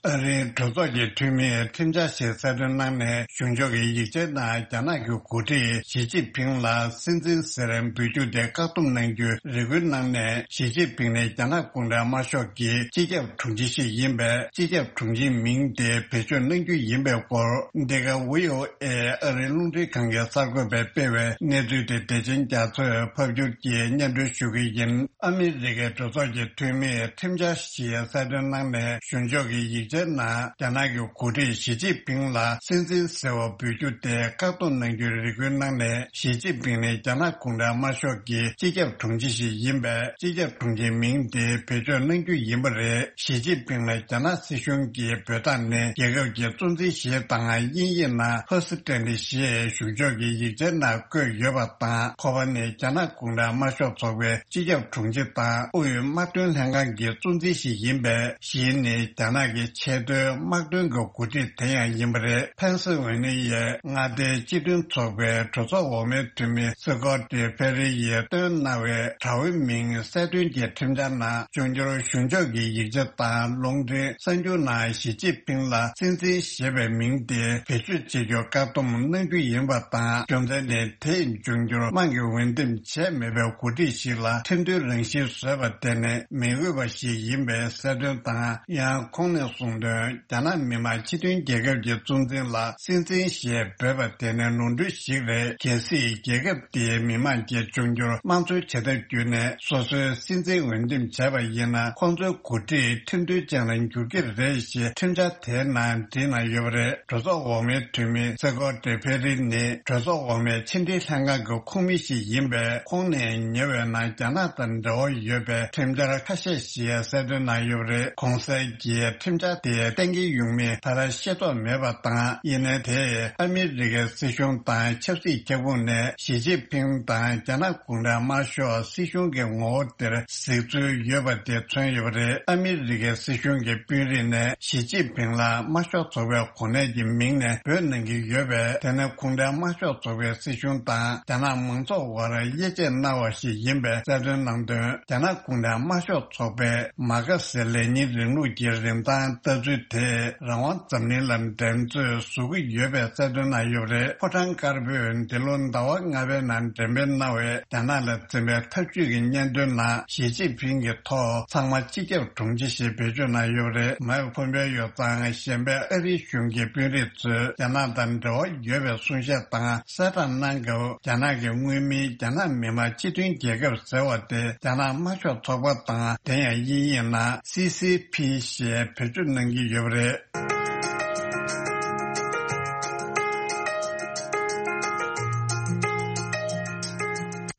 ཨ་རིའི་གྲོས་ཚོགས་ཀྱི་འཐུས་མིས་ཁྲིམས་འཆར་ཞིག་གསལ་སྟོན་གནང་ནས། གཞུང་ཕྱོགས་ཀྱི་ཡིག་ཆའི་ནང་རྒྱ་ནག་གི་འགོ་ཁྲིད་ཞི་ཅིན་ཕིང་ལ་སྲིད་འཛིན་ཟེར་འབོད་རྒྱུ་དེ་བཀག་སྡོམ་གནང་རྒྱུའི་རེ་སྐུལ་གནང་ནས། ཞི་ཅིན་ཕིང་ནས་རྒྱ་ནག་གུང་ཁྲན་དམར་ཤོག་གི་སྤྱི་ཁྱབ་དྲུང་ཆེ་ཞིག་ཡིན་པས། སྤྱི་ཁྱབ་དྲུང་ཆེའི་མིང་དེ་བེད་སྤྱོད་གནང་རྒྱུ་ཡིན་པའི་སྐོར། འདི་ག་བྷི་ཨོ་ཨེ་ཨ་རིའི་རླུང་འཕྲིན་ཁང་གི་གསར་འགོད་པས་སྤེལ་བའི་གནས་ཚུལ་དེ་བདེ་ཆེན་རྒྱ་མཚོས་ཕབ་སྒྱུར་གྱིས་སྙན་སྒྲོན་ཞུ་གི་ཡིན། ཨ་མི་རི་ཀའི་གྲོས་ཚོགས་ཀྱི་འཐུས་མིས་ཁྲིམས་འཆར་ཞིག་གསལ་སྟོན་གནང་ནས། གཞུང་ཕྱོགས་ཀྱི་ཡིག་ཆའི་ནང་རྒྱ་ནག་གི་འགོ་ཁྲིད་ཞི་ཅིན་ཕིང་ལ་སྲིད་འཛིན་ཟེར་བ་འབོད་རྒྱུ་དེ་བཀག་སྡོམ་གནང་རྒྱུའི་རེ་སྐུལ་གནང་ནས། ཞི་ཅིན་ཕིང་ནི་རྒྱ་ནག་གུང་ཁྲན་དམར་ཤོག་གི་སྤྱི་ཁྱབ་དྲུང་ཆེ་ཞིག་ཡིན་པས། སྤྱི་ཁྱབ་དྲུང་ཆེའི་མིང་དེ་བེད་སྤྱོད་གནང་རྒྱུ་ཡིན་པ་རེད། ཞི་ཅིན་ཕིང་ལ་རྒྱ་ནག་སྲིད་གཞུང་གིས་འབོད་སྟངས་ནི། རྒྱལ་ཁབ་ཀྱི་གཙོ་འཛིན་ཞེས་དང་། དབྱིན་ཡིག་ནང་ཧོ་སི་ཏེ་ལི་ཞེས་གཞུང་ཕྱོགས་ཀྱི་ཡིག་ཆའི་ནང་བཀོད་ཡོད་པ་དང་། ཁོ་པ་ནི་རྒྱ་ནག་གུང་ཁྲན་དམར་ཤོག་ཚོགས་པའི་སྤྱི་ཁྱབ་དྲུང་ཆེ་དང་། དབུས་དམག་དོན་ལྷན་ཁང་གི་གཙོ་འཛིན་ཞིག་ཡིན་པས། ཞི་ནི་རྒྱ་ནག་གི་ཆེས་མཐོའི་དམག་དོན་གྱི་འགོ་ཁྲིད་དེ་ཡང་ཡིན་པ་རེད། ཕེན་སི་ཝེ་ནི་ཡའི་མངའ་སྡེའི་སྤྱི་མཐུན་ཚོགས་པའི་གྲོས་ཚོགས་འོག་མའི་འཐུས་མི་སི་ཀོ་ཏི་ཕེ་རི་ཡིས་བཏོན་གནང་བའི་དྲ་བའི་མིང་གསལ་སྟོན་གྱི་ཁྲིམས་འཆར་ནང་། འབྱུང་འགྱུར་གཞུང་ཕྱོགས་ཀྱི་ཡིག་ཆ་དང་རླུང་འཕྲིན་གསར་འགྱུར་ནང་ཞི་ཅིན་ཕིང་ལ་སྲིད་འཛིན་ཞེས་པའི་མིང་དེ་བེད་སྤྱོད་བྱེད་རྒྱུ་བཀག་སྡོམ་གནང་རྒྱུ་ཡིན་པ་དང་། རྒྱུ་མཚན་ནི་དེས་འབྱུང་འགྱུར་དམངས་ཀྱིས་འོས་འདེམས་བྱས་མེད་པའི་འགོ་ཁྲིད་ཞིག་ལ་ཁྲིམས་མཐུན་རང་བཞིན་བཟོས་པ་དེ་ནི་མི་འོས་པ་ཞིག་ཡིན་པའི་གསལ་སྟོན་དང་། ཡང་ཁོང་ནས་གསུངས་དོན། རྒྱ་ནག་མི་དམངས་སྤྱི་མཐུན་རྒྱལ་ཁབ་ཀྱི་གཙོ་འཛིན་ལ་སྲིད་འཛིན་ཞེས་འབོད་པ་དེ་ནི་ནོར་འཁྲུལ་ཞིག་རེད། གལ་སྲིད་རྒྱལ་ཁབ་དེའི་མི་དམངས་ཀྱིས་འབྱུང་འགྱུར་དམངས་གཙོའི་བྱ་ཐབས་བརྒྱུད་ནས་སོ་སོའི་སྲིད་འཛིན་འོས་འདེམས་བྱས་པ་ཡིན་ན། ཁོང་ཚོའི་འགོ་ཁྲིད་ཁྲིམས་མཐུན་ཅན་ལ་འགྱུར་གྱི་རེད་ཞེས་ཁྲིམས་འཆར་དེའི་ནང་བྲིས་གནང་ཡོད་པ་རེད། གྲོས་ཚོགས་འོག་མའི་འཐུས་མི་སེ་གོ་ཏེ་ཕེ་རི་ནི་གྲོས་ཚོགས་འོག་མའི་ཕྱི་འབྲེལ་ལྷན་ཁང་གི་ཁོངས་མི་ཞིག་ཡིན་པས། ཁོང་ནས་ཉེ་བའི་ནང་རྒྱ་ནག་དང་འབྲེལ་བ་ཡོད་པའི་ཁྲིམས་འཆར་ཁ་ཤས་ཤིག་གསལ་སྟོན་གནང་ཡོད་པ་རེད། གོང་གསལ་གྱི་ཁྲིམས་འཆར་དེ་གཏན་འཁེལ་ཡོང་མིན་ད་ལྟ་ཤེས་རྟོགས་མེད་པ་དང་། ཡིན་ནའི་དེས་ཨ་མི་རི་ཀའི་སྲིད་གཞུང་དང་ཆབ་སྲིད་ཁྱབ་ཁོངས་ནས་ཞི་ཅིན་ཕིང་དང་རྒྱ་ནག་གུང་ཁྲན་དམར་ཤོག་སྲིད་གཞུང་གི་ངོ་བོ་དེར་གཟིགས་ཚུལ་ཡོད་པ་དེ་མཚོན་ཡོད་པ་རེད། ཨ་མི་རི་ཀའི་སྲིད་གཞུང་གི་དཔོན་རིགས་ནས་ཞི་ཅིན་ཕིང་ལ་དམར་ཤོག་ཚོགས་པའི་གོ་གནས་ཀྱི་མིང་ནས་འབོད་གནང་གི་ཡོད་པས། དེ་ནི་གུང་ཁྲན་དམར་ཤོག་ཚོགས་པའི་སྲིད་གཞུང་དང་རྒྱ་ནག་མང་ཚོགས་དབར་དབྱེ་འབྱེད་གནང་བ་ཞིག་ཡིན་པའི་གསལ་སྟོན་གནང་དོན། རྒྱ་ནག་གུང་ཁྲན་དམར་ཤོག་ཚོགས་པས་མར་ཁེ་སི་ལེ་ཉིན་རིང་ལུགས་ཀྱི་རིན་ཐང་ལྟ་ཚུལ་དེས་རང་དབང་འཛམ་གླིང་ལ་འགྲན་རྩོད་བཟོ་གི་ཡོད་པའི་གསལ་སྟོན་གནང་ཡོད་པ་རེད། ཕོ་བྲང་དཀར་པོས་འདི་ལོ་ཟླ་བ་ལྔ་པའི་ནང་འགྲེམས་སྤེལ་གནང་བའི་རྒྱ་ནག་ལ་འཛིན་པའི་ཐབས་ཇུས་ཀྱི་སྙན་ཐོའི་ནང་ཞི་ཅིན་ཕིང་གི་ཐོག་ཚང་མ་སྤྱི་ཁྱབ་དྲུང་ཆེ་ཞེས་བེད་སྤྱོད་གནང་ཡོད་པ་རེད། མའིག་ཕོམ་པེ་ཡོ་དང་གཞན་པའི་ཨ་རིའི་གཞུང་གི་དཔོན་རིགས་ཚོས་རྒྱ་ནག་དང་འབྲེལ་བ་ཡོད་པའི་གསུང་བཤད་དང་གསལ་བསྒྲགས་གནང་སྐབས། རྒྱ་ནག་གི་མངོན་མིང་རྒྱ་ནག་མི་དམངས་སྤྱི་མཐུན་རྒྱལ་ཁབ་ཟེར་བ་དེ་རྒྱ་ནག་དམར་ཤོག་ཚོགས་པ་དང་། དེ་ཡང་དབྱིན་ཡིག་ནང་སི་སི་ཕི་ཞེས་བེད་སྤྱོད་གནང་གི་ཡོད་པ་རེད།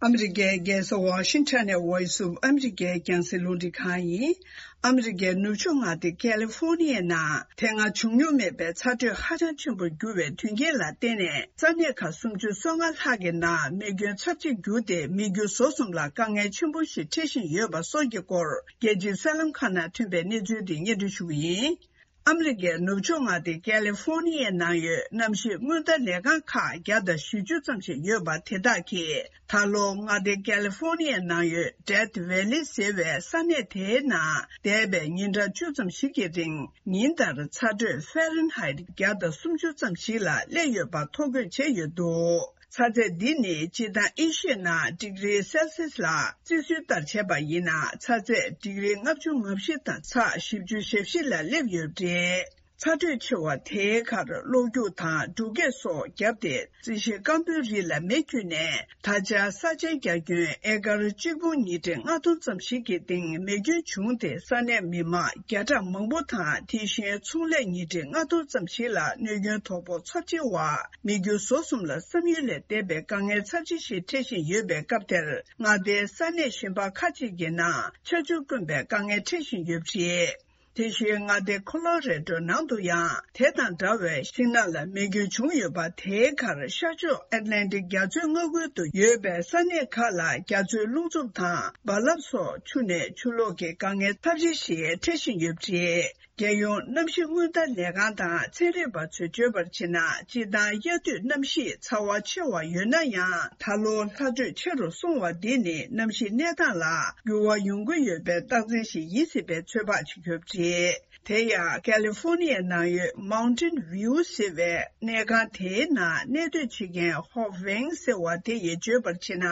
ཨ་མི་རི་ཀའི་རྒྱལ་ས་ཝ་ཤིང་ཊོན་ནས་Voice of America་རྒྱང་སྲིང་རླུང་འཕྲིན་ཁང་ཡིན། ཨ་མི་རི་ཀའི་ནུབ་ཕྱོགས་མངའ་སྡེ་ཀ་ལི་ཧྥོ་ནི་ཡའི་ནང་དེ་སྔ་བྱུང་མྱོང་མེད་པའི་ཚ་དྲོད་ཧ་ཅང་ཆེན་པོར་གྱུར་བའི་དོན་རྐྱེན་ལ་བརྟེན་ནས། ས་གནས་ཁག་སུམ་ཅུ་སོ་ལྔ་ལྷག་གི་ནང་མེ་སྐྱོན་ཚབས་ཆེར་གྱུར་ཏེ། མི་རྒྱུ་ཟོག་གསུམ་ལ་དཀའ་ངལ་ཆེན་པོ་ཞིག་འཕྲད་བཞིན་ཡོད་པ་སོགས་ཀྱི་སྐོར། རྒྱལ་སྤྱིའི་གསར་ལམ་ཁག་ནང་ཐོན་པའི་གནས་ཚུལ་དེ་སྙན་སྒྲོན་ཞུ་གི་ཡིན། ཨ་མི་རི་ཀའི་ནུབ་ཕྱོགས་མངའ་སྡེ་ཀ་ལི་ཧྥོ་ནི་ཡའི་ནང་ཡོད་གནམ་གཤིས་སྔོན་བརྡ་ལས་ཁང་ཁག་བརྒྱ་དང་བཞི་བཅུ་ཙམ་ཞིག་ཡོད་པ་དེ་དག་གིས། ད་ལོ་མངའ་སྡེ་ཀ་ལི་ཧྥོ་ནི་ཡའི་ནང་ཡོད་Death Valley་ཟེར་བའི་ས་གནས་དེའི་ནང་འདས་པའི་ཉིན་གྲངས་བཅུ་ཙམ་ཞིག་གི་རིང་ཉིན་ལྟར་ཚ་དྲོད་ཧྥ་རན་ཧའེ་བརྒྱ་དང་སུམ་ཅུ་ཙམ་ཞིག་ལ་སླེབས་ཡོད་པ་ཐོ་འགོད་བྱས་ཡོད་འདུག་ཚ་ཚད་འདི་ནི་སྤྱིར་བཏང་ཨེ་ཤི་ཡའི་ནང་ཌིག་རི་སེལ་སི་ཡས་ལ་བརྩི་སྲོལ་ལྟར་བྱས་པ་ཡིན་ན། ཚ་ཚད་ཌིག་རི་ལྔ་བཅུ་ང་བཞི་དང་ཚེག་བཞི་བཅུ་ཞེ་བཞི་ལ་སླེབས་ཡོད་པ་རེད། ཚ་དྲོད་ཆེ་བ་དེའི་ཁར་གློག་རྒྱུག་དང་འབྲུག་སྐད་སོགས་བརྒྱབ་སྟེ། རྩི་ཤིང་སྐམ་པོའི་རི་ལ་མེ་འཁྱུད་ནས། ད་ཆ་ས་ཆའི་རྒྱ་ཁྱོན་ཨེ་ཀར་གཅིག་འབུམ་ཉིས་ཁྲི་ལྔ་སྟོང་ཙམ་ཞིག་གི་སྟེང་མེ་སྐྱོན་བྱུང་སྟེ། ས་གནས་མི་མང་བརྒྱ་ཕྲག་མང་པོ་དང་། དེ་བཞིན་ཚོང་ལས་ཉིས་ཁྲི་ལྔ་སྟོང་ཙམ་ཞིག་ལ་གནོད་སྐྱོན་དོ་ཕོག་ཚབས་ཆེ་བ། མི་རྒྱུ་ཟོག་གསུམ་ལ་བསམ་ཡུལ་ལས་འདས་པའི་དཀའ་ངལ་ཚབས་ཆེ་ཞིག་འཕྲད་བཞིན་ཡོད་པའི་སྐབས་དེར། མངའ་སྡེའི་ས་གནས་གཞན་པ་ཁག་ཅིག་གི་ནང་ཆར་ཆུ་དཀོན་པའི་དཀའ་ངལ་འཕྲད་བཞིན་ཡོད་པ་རེད། དེ་བཞིན་མངའ་སྡེ་ཁོ་ལོ་རེ་ཌོ་ནང་དུ་ཡང་དེ་དང་འདྲ་བའི་ཤིང་ནགས་ལ་མེ་སྐྱོན་བྱུང་ཡོད་པ། དེའི་ཁར་ཤར་ཕྱོགས་ཨེཊ་ལན་ཊིག་རྒྱ་མཚོའི་མངའ་ཁུལ་དུ་ཡོད་པའི་ས་གནས་ཁག་ལ་རྒྱ་མཚོའི་རླུང་འཚུབ་དང་རྦ་རླབས་སོགས་འཁྲུགས་ནས་ཆུ་ལོག་གི་དཀའ་ངལ་ཚབས་ཆེ་ཞིག་འཕྲད་བཞིན་ཡོད་པ་རེད། རྒྱལ་ཡོངས་གནམ་གཤིས་སྔོན་བརྡ་ལས་ཁང་དང་ཚན་རིག་པ་ཚོས་བརྗོད་པར་བྱས་ན། སྤྱིར་བཏང་དབྱར་དུས་གནམ་གཤིས་ཚ་བ་ཆེ་བ་ཡོད་ན་ཡང་། ད་ལོ་ལྷ་དྲོད་ཆེ་རུ་སོང་བ་འདི་ནི་གནམ་གཤིས་གནས་སྟངས་ལ་འགྱུར་བ་ཡོང་གི་ཡོད་པའི་རྟགས་མཚན་ཞིག་ཡིན་སྲིད་པའི་ཚོད་དཔག་བྱེད་ཀྱི་ཡོད་པ་རེད། དེ་ཡང་ཀ་ལི་ཧྥོ་ནི་ཡའི་ནང་ཡོད་Mountain View ཟེར་བའི་གནས་ཁང་དེའི་ནང་གནས་སྡོད་བྱེད་མཁན་ཧོབ་ཝེང་ཟེར་བ་དེ་ཡིས་བརྗོད་པར་བྱས་ན།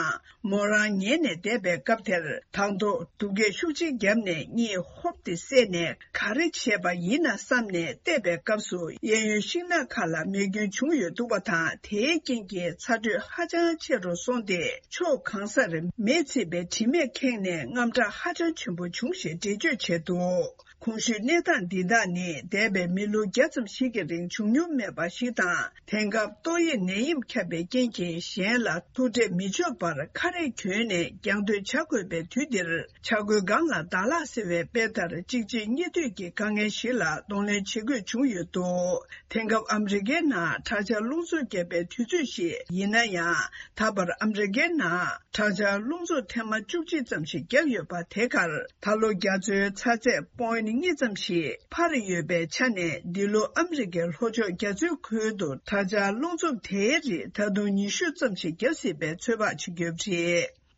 མོ་རང་ཉལ་ནས་བསྡད་པའི་སྐབས་དེར། དང་ཐོག་སྡུག་སྐད་ཤུགས་ཆེ་བརྒྱབ་ནས་གཉིད་ཧོབ་སྟེ་སད་ནས། ག་རེ་བྱས་པ་ཡིན་ན་བསམ་ནས་བལྟས་པའི་སྐབས་སུ། གཡས་གཡོན་ཤིང་ནགས་ཁག་ལ་མེ་སྐྱོན་བྱུང་ཡོད་འདུག་པ་དང་། དེའི་རྐྱེན་གྱིས་ཚ་དྲོད་ཧ་ཅང་ཆེ་རུ་སོང་སྟེ། ཕྱོགས་གང་སར་མེས་ཚིག་པའི་དྲི་མས་ཁེངས་ནས་དངངས་སྐྲག་ཧ་ཅང་ཆེན་པོ་བྱུང་ཞེས་འགྲེལ་བརྗོད་བྱས་འདུག་གོང་ཞུས་གནས་སྟངས་འདི་དག་ནི། འདས་པའི་མི་ལོ་བརྒྱ་ཙམ་ཞིག་གི་རིང་བྱུང་མྱོང་མེད་པ་ཞིག་དང་། དེང་སྐབས་ཏོག་དབྱིབས་ནད་ཡམས་ཁྱབ་པའི་རྐྱེན་གྱིས། གཞན་ལ་ཐུག་འཕྲད་མི་ཆོག་པར་ཁ་རས་གྱོན་ནས་རྒྱང་སྡོད་བྱ་དགོས་པའི་དུས་འདིར། བྱ་རྒོད་སྒང་ལ་ཟླ་ལྷག་ཟེར་བའི་དཔེ་ལྟར། གཅིག་རྗེས་གཉིས་མཐུད་ཀྱི་དཀའ་ངལ་ཞིག་ལ་གདོང་ལེན་བྱེད་དགོས་བྱུང་ཡོད་འདུག་དེང་སྐབས་ཨ་མི་རི་ཀའི་ནང་དྲག་ཆར་རླུང་འཚུབ་བརྒྱབ་པའི་དུས་ཚོད་ཞིག་ཡིན་ན་ཡང་། ད་བར་ཨ་མི་རི་ཀའི་ནང་དྲག་ཆར་རླུང་འཚུབ་ཐེངས་མ་བཅུ་གཅིག་ཙམ་ཞིག་བརྒྱབ་ཡོད་པ། དེ་གར་ད་ལོ་རྒྱ་མཚོའི་ཚ་ཚད་པོ་ཡིན་གཉིས་ཙམ་ཞིག་འཕར་ཡོད་པའི་ཆ་ནས། འདི་ལོ་ཨ་མི་རི་ཀའི་ལྷོ་ཕྱོགས་རྒྱ་མཚོའི་ཁུལ་དུ་དྲག་ཆར་རླུང་འཚུབ་དེའི་རིགས་ད་དུང་ཉི་ཤུ་ཙམ་ཞིག་བརྒྱབ་སྲིད་པའི་ཚོད་དཔག་བྱེད་ཀྱི་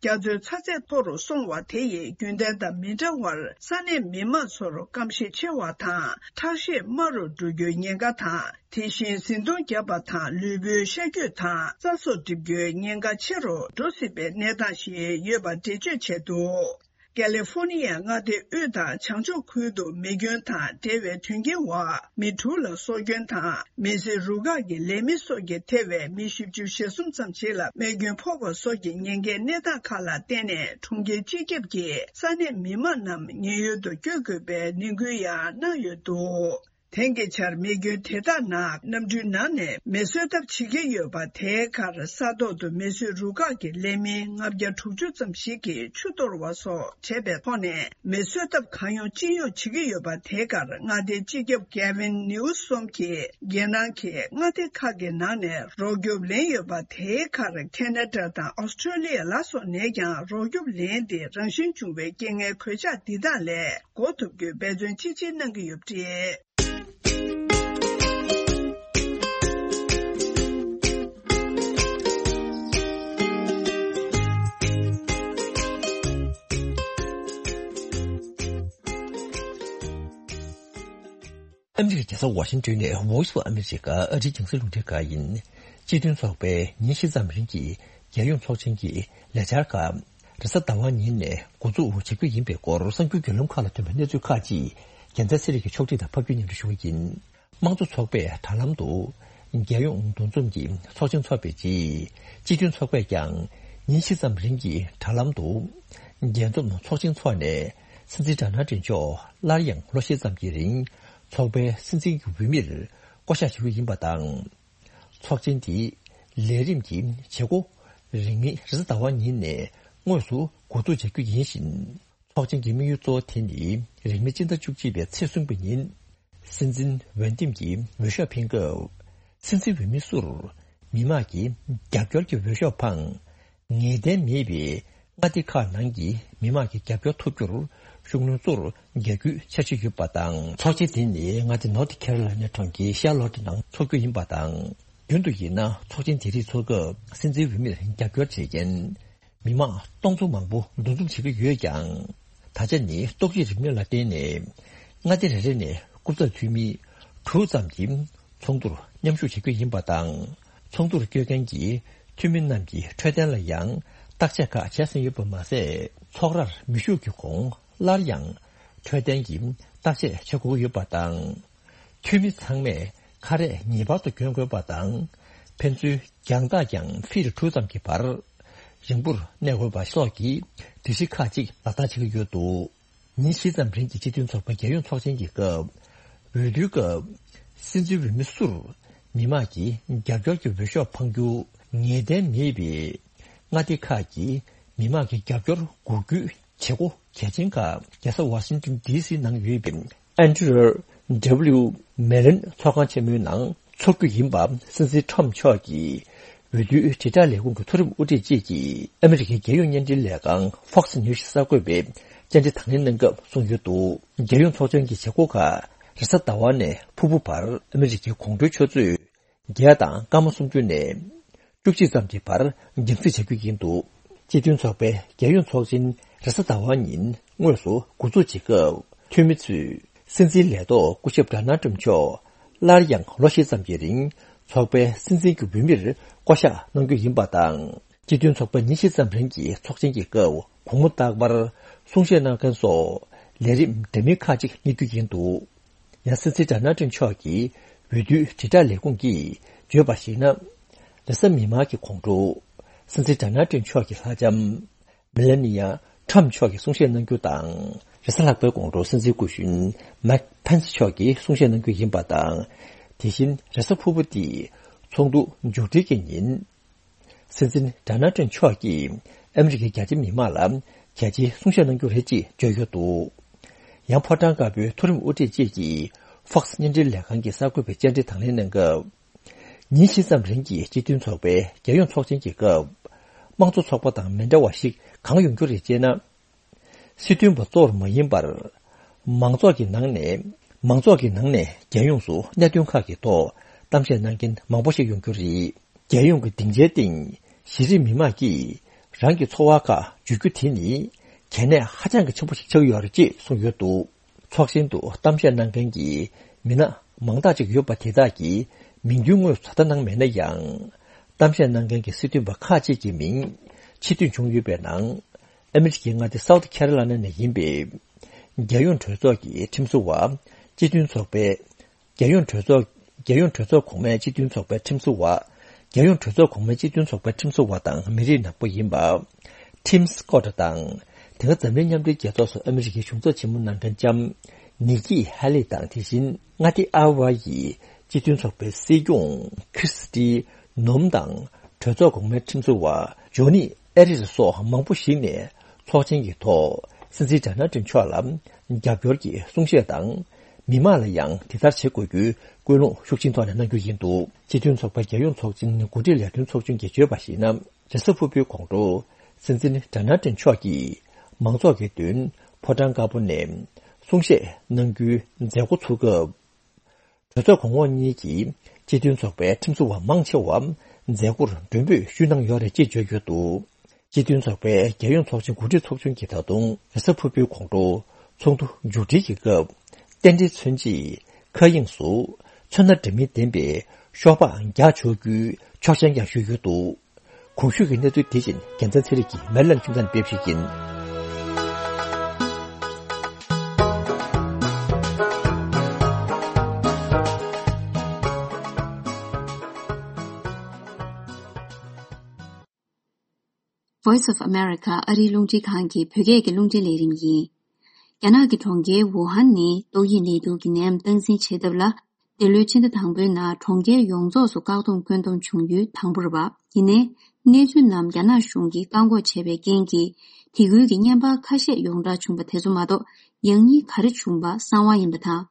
ཡོད་པ་རེད། རྒྱ་མཚོའི་ཚ་ཚད་མཐོ་རུ་སོང་བ་དེ་ཡིས་རྒྱུན་ལྡན་དང་མི་འདྲ་བར་ས་གནས་མི་མང་ཚོར་སྐམ་ཤས་ཆེ་བ་དང་ཁྲག་ཤེད་དམའ་རུ་འགྲོ་རྒྱུའི་ཉེན་ཁ་དང་། དེ་བཞིན་གཟི་མདོང་བརྒྱབ་པ་དང་ལུས་པོའི་ཤ་རྒྱུས་དང་རྩ་སོགས་འགྲིབ་རྒྱུའི་ཉེན་ཁ་ཆེ་རུ་འགྲོ་སྲིད་པའི་གནས་སྟངས་ཤིག་ཡོད་པ་འགྲེལ་བརྗོད་བྱས་འདུག་ཀ་ལི་ཧྥོ་ནི་ཡའི་མངའ་སྡེ་དབུས་དང་བྱང་ཕྱོགས་ཁུལ་དུ་མེ་སྐྱོན་དང་འབྲེལ་བའི་དོན་རྐྱེན་འོག་མི་དྲུག་ལ་སྲོག་སྐྱོན་དང་། མེ་གསོད་རུ་ཁག་གི་ལས་མི་སོགས་ཀྱིས་ཐེ་བའི་མི་བཞི་བཅུ་ཞེ་གསུམ་ཙམ་ཞིག་ལ་རྨས་སྐྱོན་ཕོག་པ་སོགས་ཀྱི་ཉེན་ཁའི་གནས་སྟངས་ཁག་ལ་བརྟེན་ནས། གྲོང་ཁྱེར་སྤྱི་ཁྱབ་ཀྱིས་ས་གནས་མི་མང་རྣམས་ཉེན་གཡོལ་དུ་བསྐྱོད་དགོས་པའི་ནན་སྐུལ་ཡང་གནང་ཡོད་འདུག་དེང་གི་ཆར་མེ་སྐྱོན་དེ་དག་ནང་གནམ་གྲུའི་ནང་ནས་མེ་གསོད་ཐབས་བྱེད་ཀྱི་ཡོད་པ། དེའི་ཁར་ས་ཐོག་ཏུ་མེ་གསོད་རུ་ཁག་གི་ལས་མི་ལྔ་བརྒྱ་དྲུག་ཅུ་ཙམ་ཞིག་གིས་ཆུ་གཏོར་བ་སོགས་བྱས་པའི་ཐོག་ནས་མེ་གསོད་ཐབས་གང་ཡོང་ཅི་ཡོང་བྱེད་ཀྱི་ཡོད་པ། དེའི་ཁར་མངའ་སྡེའི་སྤྱི་ཁྱབ་Gavin Newsom གྱིས་རྒྱལ་ནང་གི་མངའ་སྡེ་ཁག་གི་ནང་ནས་རོགས་སྐྱོབ་ལེན་ཡོད་པ། དེའི་ཁར་ཁེ་ན་ཌ་དང་ཨོ་སི་ཀྲོ་ལི་ཡ་ལ་སོགས་ནས་ཀྱང་རོགས་སྐྱོབ་ལེན་ཏེ། རང་བཞིན་བྱུང་བའི་རྐྱེན་ངན་གོད་ཆག་འདི་དག་ལས་འགོག་ཐུབ་རྒྱུའི་འབད་བརྩོན་ཅི་ཆེ་གནང་གི་ཡོད་པ་རེད། ཨ་མི་རི་ཀའི་རྒྱལ་ས་ཝ་ཤིང་ཏོན་ནས་Voice of America ཨ་རིའི་རྒྱང་སྲིང་རླུང་འཕྲིན་ཁང་ཡིན། སྤྱི་མཐུན་ཚོགས་པའི་ཉིན་བཞི་ཙམ་རིང་གི་རྒྱལ་ཡོངས་ཚོགས་ཆེན་གྱི་ལས་འཆར་ཁག་རེས་གཟའ་ཟླ་བ་ཉིན་ནས་འགོ་འཛུགས་བྱེད་རྒྱུ་ཡིན་པའི་སྐོར་གསར་འགྱུར་བརྒྱུད་ལམ་ཁག་ལ་ཐོན་པའི་གནས་ཚུལ་ཁག་ཅིག་རྒྱལ་མཚན་ཚེ་རིང་གིས་ཕྱོགས་སྒྲིག་དང་ཕབ་སྒྱུར་སྙན་སྒྲོན་ཞུ་གི་ཡིན། དམངས་གཙོ་ཚོགས་པས་དྲ་ལམ་དུ་རྒྱལ་ཡོངས་འདུ་འཛོམས་ཀྱི་ཚོགས་ཆེན་འཚོགས་པའི་རྗེས། སྤྱི་མཐུན་ཚོགས་པས་ཀྱང་ཉིན་བཞི་ཙམ་རིང་གི་དྲ་ལམ་དུ་རྒྱས་འཛོམས་ཚོགས་ཆེན་འཚོགས་ནས། སྲིད་འཛིན་ཌོ་ནལ་ཊམ་མཆོག་སླར་ཡང་ལོ་བཞི་ཙམ་གྱི་རིང་ཚོགས་པའི་སྲིད་འཛིན་གྱི་འོས་མིར་བསྐོ་གཞག་བྱེད་རྒྱུ་ཡིན་པ་དང་། ཚོགས་ཆེན་འདིའི་ལས་རིམ་གྱི་བྱེད་སྒོ་རིང་མིན་རེས་གཟའ་ཟླ་བ་ཉིན་ནས་དངོས་སུ་འགོ་འཛུགས་བྱ་རྒྱུ་ཡིན་ཞིང་། ཚོགས་ཆེན་གྱི་དམིགས་ཡུལ་གཙོ་བོ་དེ་ནི་རིང་མིན་སྤྱི་ཟླ་བཅུ་གཅིག་པའི་ཚེས་གསུམ་པའི་ཉིན། སྲིད་འཛིན་འོས་འདེམས་ཀྱི་འོས་ཤོག་འཕེན་སྐབས། སྲིད་འཛིན་འོས་མི་སུར་མི་མང་གི་རྒྱབ་སྐྱོར་གྱི་འོས་ཤོག་འཕངས། ངེས་གཏན་མེད་པའི་མངའ་སྡེ་ཁག་ནང་གི་མི་མང་གི་རྒྱབ་སྐྱོར་ཐོབ་རྒྱུར་ཤུགས་སྣོན་གཙོར་རྒྱག་རྒྱུའི་འཆར་གཞི་ཡོད་པ་དང་། ཚོགས་ཆེན་དེ་ནི་མངའ་སྡེ་North Carolina གྲོང་ཁྱེར་Charlotte ནང་འཚོགས་རྒྱུ་ཡིན་པ་དང་། རྒྱུན་དུ་ཡིན་ན་ཚོགས་ཆེན་དེ་རིགས་འཚོགས་སྐབས་སྲིད་འཛིན་འོས་མིར་རྒྱབ་སྐྱོར་བྱེད་མཁན། མི་མང་སྟོང་ཚོ་མང་པོ་འདུ་འཛོམས་བྱེད་ཀྱི་ཡོད་ཀྱང་། ད་ཆ་ནི་ལྟོ་ཆས་རིན་མེད་ལ་བརྟེན་ནས། མངའ་སྡེ་རེ་རེ་ནས་སྐུ་ཚབ་འཐུས་མི་དྲུག་ཙམ་གྱིས་ཚོགས་འདུར་མཉམ་ཞུགས་བྱེད་ཀྱི་ཡིན་པ་དང་། ཚོགས་འདུར་བསྐྱོད་མཁན་གྱི་འཐུས་མི་རྣམས་ཀྱི་འཕྲོད་བསྟེན་ལ་ཡང་བརྟག་དཔྱད་ཁག་བྱས་ཟིན་ཡོད་པ་མ་ཟད། ཚོགས་རར་མི་ཞུགས་ཀྱི་གོང་སླར་ཡང་འཕྲོད་བསྟེན་གྱི་བརྟག་དཔྱད་བྱེད་དགོས་ཀྱི་ཡོད་པ་དང་། འཐུས་མི་ཚང་མས་ཁ་རས་ངེས་པར་དུ་གྱོན་དགོས་པ་དང་། ཕན་ཚུན་རྒྱང་ཐག་ཀྱང་ཕིཊ་དྲུག་ཙམ་གྱི་བར་རིང་པོར་གནས་དགོས་པ་སོགས་ཀྱི་སྒྲིག་གཞི་ཁག་ཅིག་ལག་བསྟར་བྱེད་ཀྱི་ཡོད་འདུག་ཉིན་བཞི་ཙམ་རིང་གི་སྤྱི་མཐུན་ཚོགས་པའི་རྒྱལ་ཡོངས་ཚོགས་ཆེན་གྱི་སྐབས། འོས་བསྡུའི་སྐབས། སྲིད་འཛིན་འོས་མི་སུར་མི་མང་གིས་རྒྱབ་སྐྱོར་གྱི་འོས་ཤོག་འཕང་རྒྱུ་ངེས་གཏན་མེད་པས། མངའ་སྡེ་ཁག་གི་མི་མང་གི་རྒྱབ་སྐྱོར་འགུག་རྒྱུའི་བྱེད་སྒོ་གལ་ཆེན་ཁག་རྒྱལ་ས་ཝ་ཤིང་ཏོན་ཌི་སི་ནང་ཡོད་པའི་ཨན་ཌྲི་ཡུ་མེ་ལན་ཚོགས་ཁང་ཆེན་མོའི་ནང་འཚོགས་རྒྱུ་ཡིན་པ། སྲིད་འཛིན་ཁྲོམ་མཆོག་གིས་འོས་བསྡུའི་དྲིལ་བསྒྲགས་ལས་ཁུངས་ཀྱི་མཐོ་རིམ་དབུ་ཁྲིད་བཅས་ཀྱིས་ཨ་མི་རི་ཀའི་རྒྱལ་ཡོངས་བརྙན་འཕྲིན་ལས་ཁང་Fox News་གསར་འགོད་པས་བཅར་འདྲི་དང་ལེན་གནང་སྐབས་གསུངས་ཡོད་འདུག་རྒྱལ་ཡོངས་ཚོགས་ཆེན་གྱི་བྱེད་སྒོ་ཁག་རེས་གཟའ་ཟླ་བ་ནས་ཕུར་བུ་བར་ཨ་མི་རི་ཀའི་དགོང་དྲོའི་ཆུ་ཚོད་བརྒྱད་དང་སྐར་མ་སུམ་ཅུ་ནས་བཅུ་གཅིག་ཙམ་གྱི་བར་རྒྱང་སྲིང་བྱ་རྒྱུ་ཡིན་འདུག་སྤྱི་མཐུན་ཚོགས་པའི་རྒྱལ་ཡོངས་ཚོགས་ཆེན་རེས་གཟའ་ཟླ་བ་ཉིན་དངོས་སུ་འགོ་འཛུགས་བྱེད་སྐབས། འཐུས་མི་ཚོས་སྲིད་འཛིན་ལས་ཐོག་སྐུ་ཞབས་ཌོ་ནལ་ཊམ་མཆོག་སླར་ཡང་ལོ་བཞི་ཙམ་གྱི་རིང་ཚོགས་པའི་སྲིད་འཛིན་གྱི་འོས་མིར་བསྐོ་གཞག་གནང་རྒྱུ་ཡིན་པ་དང་། སྤྱི་མཐུན་ཚོགས་པ་ཉིན་བཞི་ཙམ་རིང་གི་ཚོགས་ཆེན་གྱི་སྐབས་དགོང་མོ་རྟག་པར་གསུང་བཤད་གནང་མཁན་སོགས་ལས་རིམ་འདྲ་མིན་ཁག་ཅིག་གཉེར་རྒྱུ་ཡིན་འདུག་ཡང་སྲིད་འཛིན་ཌོ་ནལ་ཊམ་མཆོག་གི་འོས་བསྡུའི་དྲིལ་བསྒྲགས་ལས་ཁུངས་ཀྱིས་བརྗོད་པར་གཞིགས་ན། རེས་གཟའ་མིག་དམར་གྱི་དགོང་དྲོ་སྲིད་འཛིན་ཌོ་ནལ་ཊམ་མཆོག་གི་ལྷ་ལྕམ་མེ་ལ་ནི་ཡ་ཊམ་མཆོག་གིས་གསུང་བཤད་གནང་རྒྱུ་དང་། རེས་གཟའ་ལྷག་པའི་དགོང་དྲོ་སྲིད་འཛིན་སྐུ་གཞོན་མའིག་ཕེན་སི་མཆོག་གིས་གསུང་བཤད་གནང་རྒྱུ་ཡིན་པ་དང་། དེ་བཞིན་རེས་གཟའ་ཕུར་བུ་སྟེ་ཚོགས་འདུ་མཇུག་སྒྲིལ་གྱི་ཉིན། སྲིད་འཛིན་ཌོ་ནལ་ཊམ་མཆོག་གིས་ཨ་མི་རི་ཀའི་རྒྱ་ཆེ་མི་མང་ལ་གལ་ཆེའི་གསུང་བཤད་གནང་རྒྱུ་རེད་ཅེས་བརྗོད་ཡོད་འདུག་ཡང་ཕོ་བྲང་དཀར་པོའི་མཐོ་རིམ་དབུ་ཁྲིད་བཅས་ཀྱིས་Fox་བརྙན་འཕྲིན་ལས་ཁང་གི་གསར་འགོད་པའི་བཅར་འདྲི་དང་ལེན་གནང་སྐབས། ཉིན་བཞི་ཙམ་རིང་གི་སྤྱི་མཐུན་ཚོགས་པའི་རྒྱལ་ཡོངས་ཚོགས་ཆེན་གྱི་སྐབས། དམངས་གཙོ་ཚོགས་པ་དང་མི་འདྲ་བ་ཞིག་གང་ཡོང་རྒྱུ་རེད་ཅེ་ན། སྲིད་དོན་པ་གཙོ་བོར་མ་ཡིན་པར། མང་ཚོགས་ཀྱི་ནང་ནས་མང་ཚོགས་ཀྱི་ནང་ནས་རྒྱལ་ཡོངས་སུ་གནད་དོན་ཁག་གི་ཐོག་གཏམ་བཤད་གནང་མཁན་མང་པོ་ཞིག་ཡོང་རྒྱུ་རེད། རྒྱལ་ཡོངས་ཀྱི་སྡིངས་ཆའི་སྟེང་གཞི་རིམ་མི་མང་གིས་རང་གི་ཚོར་བ་ཁག་བརྗོད་རྒྱུ་དེ་ནི་གལ་གནད་ཧ་ཅང་གི་ཆེན་པོ་ཞིག་ཆགས་ཡོད་རེད་ཅེས་གསུངས་ཡོད་འདུག་ཚོགས་ཆེན་དུ་གཏམ་བཤད་གནང་མཁན་གྱི་མི་སྣ་མང་དག་ཅིག་ཡོད་པ་དེ་དག་གིས་མིང་འདོན་དངོས་སུ་ད་ལྟ་གནང་མེད་ན་ཡང་། གཏམ་བཤད་གནང་མཁན་གྱི་སྲིད་དོན་པ་ཁག་ཅིག་གི་མིང་ཕྱིར་འདོན་བྱུང་ཡོད་པའི་ནང་། ཨ་མི་རི་ཀའི་མངའ་སྡེ་སའུ་ཐི་ཁེ་རོ་ལའི་ན་ནས་ཡིན་པའི་རྒྱལ་ཡོངས་གྲོས་ཚོགས་ཀྱི་ཁྲིམས་བཟོ་བ། སྤྱི་མཐུན་ཚོགས་པའི་རྒྱལ་ཡོངས་གྲོས་ཚོགས། རྒྱལ་ཡོངས་གྲོས་ཚོགས་གོང་མའི་སྤྱི་མཐུན་ཚོགས་པའི་ཁྲིམས་བཟོ་བ། རྒྱལ་ཡོངས་གྲོས་ཚོགས་གོང་མའི་སྤྱི་མཐུན་ཚོགས་པའི་ཁྲིམས་བཟོ་བ་དང་མི་རིགས་ནག་པོ་ཡིན་པ། ཊིམ་སི་ཀོཊ་དང་། དེ་སྔ་འཛམ་གླིང་མཉམ་འབྲེལ་རྒྱལ་ཚོགས་སུ་ཨ་མི་རི་ཀའི་གཞུང་ཚབ་ཆེན་མོ་གནང་མཁན་ལྕམ་ནི་ཀི་ཧེ་ལི་དང་། དེ་བཞིན་མངའ་སྡེ་ཨ་ཝ་ཡི་སྤྱི་མཐུན་ཚོགས་པའི་སྲིད་སྐྱོང་ཁྲི་སི་ཏི་ནོམ་དང་གྲོས་ཚོགས་གོང་མའི་ཁྲིམས་བཟོ་བ་ཇོ་ནི་ཨེ་རིས་སོགས་མང་པོ་ཞིག་ནས་ཚོགས་ཆེན་གྱི་ཐོག་སྲིད་འཛིན་ཌོ་ནལ་ཊམ་མཆོག་ལ་རྒྱབ་སྐྱོར་གྱི་གསུང་བཤད་དང་། མི་མང་ལ་ཡང་དེ་ལྟར་བྱེད་དགོས་རྒྱུའི་སྐུལ་སློང་ཤུགས་ཆེན་ཐོག་ནས་གནང་རྒྱུ་ཡིན་འདུག་སྤྱི་མཐུན་ཚོགས་པའི་རྒྱལ་ཡོངས་ཚོགས་ཆེན་འགོ་ཁྲིད་ལས་དོན་ཚོགས་ཆུང་གིས་བརྗོད་པར་གཞིགས་ན། རེས་གཟའ་ཕུར་བུའི་དགོང་དྲོ་སྲིད་འཛིན་ཌོ་ནལ་ཊམ་མཆོག་གིས་མང་ཚོགས་ཀྱི་མདུན་ཕོ་བྲང་དཀར་པོ་ནས་གསུང་བཤད་གནང་རྒྱུའི་མཛད་སྒོ་ཚུགས་སྐབས། གྲོས་ཚོགས་གོང་འོག་གཉིས་ཀྱི་སྤྱི་མཐུན་ཚོགས་པའི་ཁྲིམས་བཟོ་བ་མང་ཆེ་བ་མཛད་སྒོར་མགྲོན་འབོད་ཞུས་གནང་ཡོད་རེད་ཅེས་བརྗོད་ཡོད་འདུག་སྤྱི་མཐུན་ཚོགས་པའི་རྒྱལ་ཡོངས་ཚོགས་ཆེན་གོ་སྒྲིག་ཚོགས་ཆུང་གིས་ད་དུང་རེས་གཟའ་ཕུར་བུའི་དགོང་དྲོ་ཚོགས་འདུ་མཇུག་སྒྲིལ་གྱི་སྐབས། རྟེན་འབྲེལ་མཚོན་ཆེད་མཁའ་དབྱིངས་སུ་ཚོན་སྣ་འདྲ་མིན་ལྡན་པའི་ཤོག་སྦག་བརྒྱག་ཆོག་རྒྱུའི་ཆོག་མཆན་ཀྱང་ཞུས་ཡོད་འདུག་གོང་ཞུས་ཀྱི་གནས་ཚུལ་དེ་བཞིན་རྒྱལ་མཚན་ཚེ་རིང་གིས་མེ་ལན་ཁྱིམ་ཚང་ནས་སྤེལ་བ་ཞིག་ཡིན། Voice of America ཨ་རིའི་རླུང་འཕྲིན་ཁང་གི་བོད་སྐད་ཀྱི་རླུང་འཕྲིན་ལས་རིམ་ཡིན། རྒྱ་ནག་གི་གྲོང་ཁྱེར་ཝུ་ཧན་ནི་ཏོག་དབྱིབས་ནད་དུག་གི་ནད་ཡམས་སྟངས་འཛིན་བྱེད་ཐབས་ལ། འདི་ལོའི་ཕྱི་ཟླ་དང་པོའི་ནང་གྲོང་ཁྱེར་ཡོངས་རྫོགས་སུ་བཀག་སྡོམ་བཀོད་འདོམས་བྱུང་ཡུལ་དང་པོ་རེད་པ། ཡིན་ནའི། གནས་ཚུལ་རྣམས་རྒྱ་ནག་གཞུང་གིས་བཀག་འགོག་བྱས་པའི་རྐྱེན་གྱིས། དེ་ཁུལ་གྱི་བརྙན་པར་ཁ་ཤས་ཡོངས་གྲགས་བྱུང་པ་དེ་ཚོ་མ་གཏོགས། ཡང་སྙིང་ག་རེ་བྱུང་པ་གསང་བ་ཡིན་པ་དང་།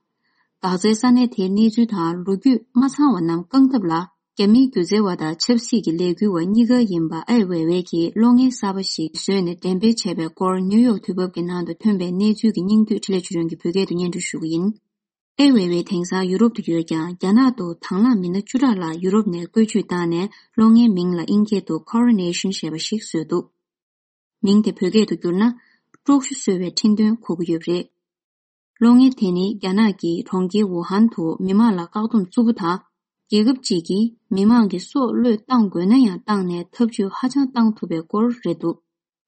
འགག་རྩའི་ས་གནས་དེའི་གནས་ཚུལ་དང་ལོ་རྒྱུས་མ་ཚང་བ་རྣམས་བསྐང་ཐབས་ལ། རྒྱ་མིའི་སྒྱུ་རྩལ་བ་དང་ཆབ་སྲིད་ཀྱི་ལས་འགུལ་བ་གཉིས་ཀ་ཡིན་པ་ཨའེ་ཝེ་ཝེ་གྱིས་གློག་བརྙན་གསར་པ་ཞིག་བཟོས་ནས་འགྲེམས་སྤེལ་བྱས་པའི་སྐོར་ནིའུ་ཡོག་དུས་བབ་ཀྱི་ནང་དུ་ཐོན་པའི་གནས་ཚུལ་གྱི་སྙིང་བསྡུས་འཕྲིན་ལས་ཆོས་སྒྲོན་གྱིས་བོད་སྐད་དུ་སྙན་སྒྲོན་ཞུ་གི་ཡིན། ཨའེ་ཝེ་ཝེ་དེང་སང་ཡུ་རོབ་ཏུ་ཡོད་ཀྱང་རྒྱ་ནག་ཏུ་དང་བླངས་མི་སྣ་བཅུ་ཕྲག་ལྷག་ཡུ་རོབ་ནས་བཀོལ་སྤྱོད་བཏང་ནས་གློག་བརྙན་མིང་ལ་དབྱིན་སྐད་དུ་Coronation ཞེས་པ་ཞིག་བཟོས་འདུག་མིང་དེ་བོད་སྐད་དུ་བསྒྱུར་ན། དཀྲོག་ཤོག་བཟོ་བའི་འཕྲིན་སྟོན་གོ་གི་ཡོད་པ་རེད། གློག་བརྙན་དེ་ནི་རྒྱ་ནག་གི་གྲོང་ཁྱེར་ཝུ་ཧན་དུ་མི་མང་ལ་བཀག་སྡོམ་རྩུབ་པོ་དང་། རྒྱལ་ཁབ་ཅིག་གིས་མི་མང་གི་སྲོག་བློས་བཏང་དགོས་ན་ཡང་བཏང་ནས་ཐབས་ཇུས་ཧ་ཅང་བཏང་ཐུབ་པའི་སྐོར་རེད་འདུག་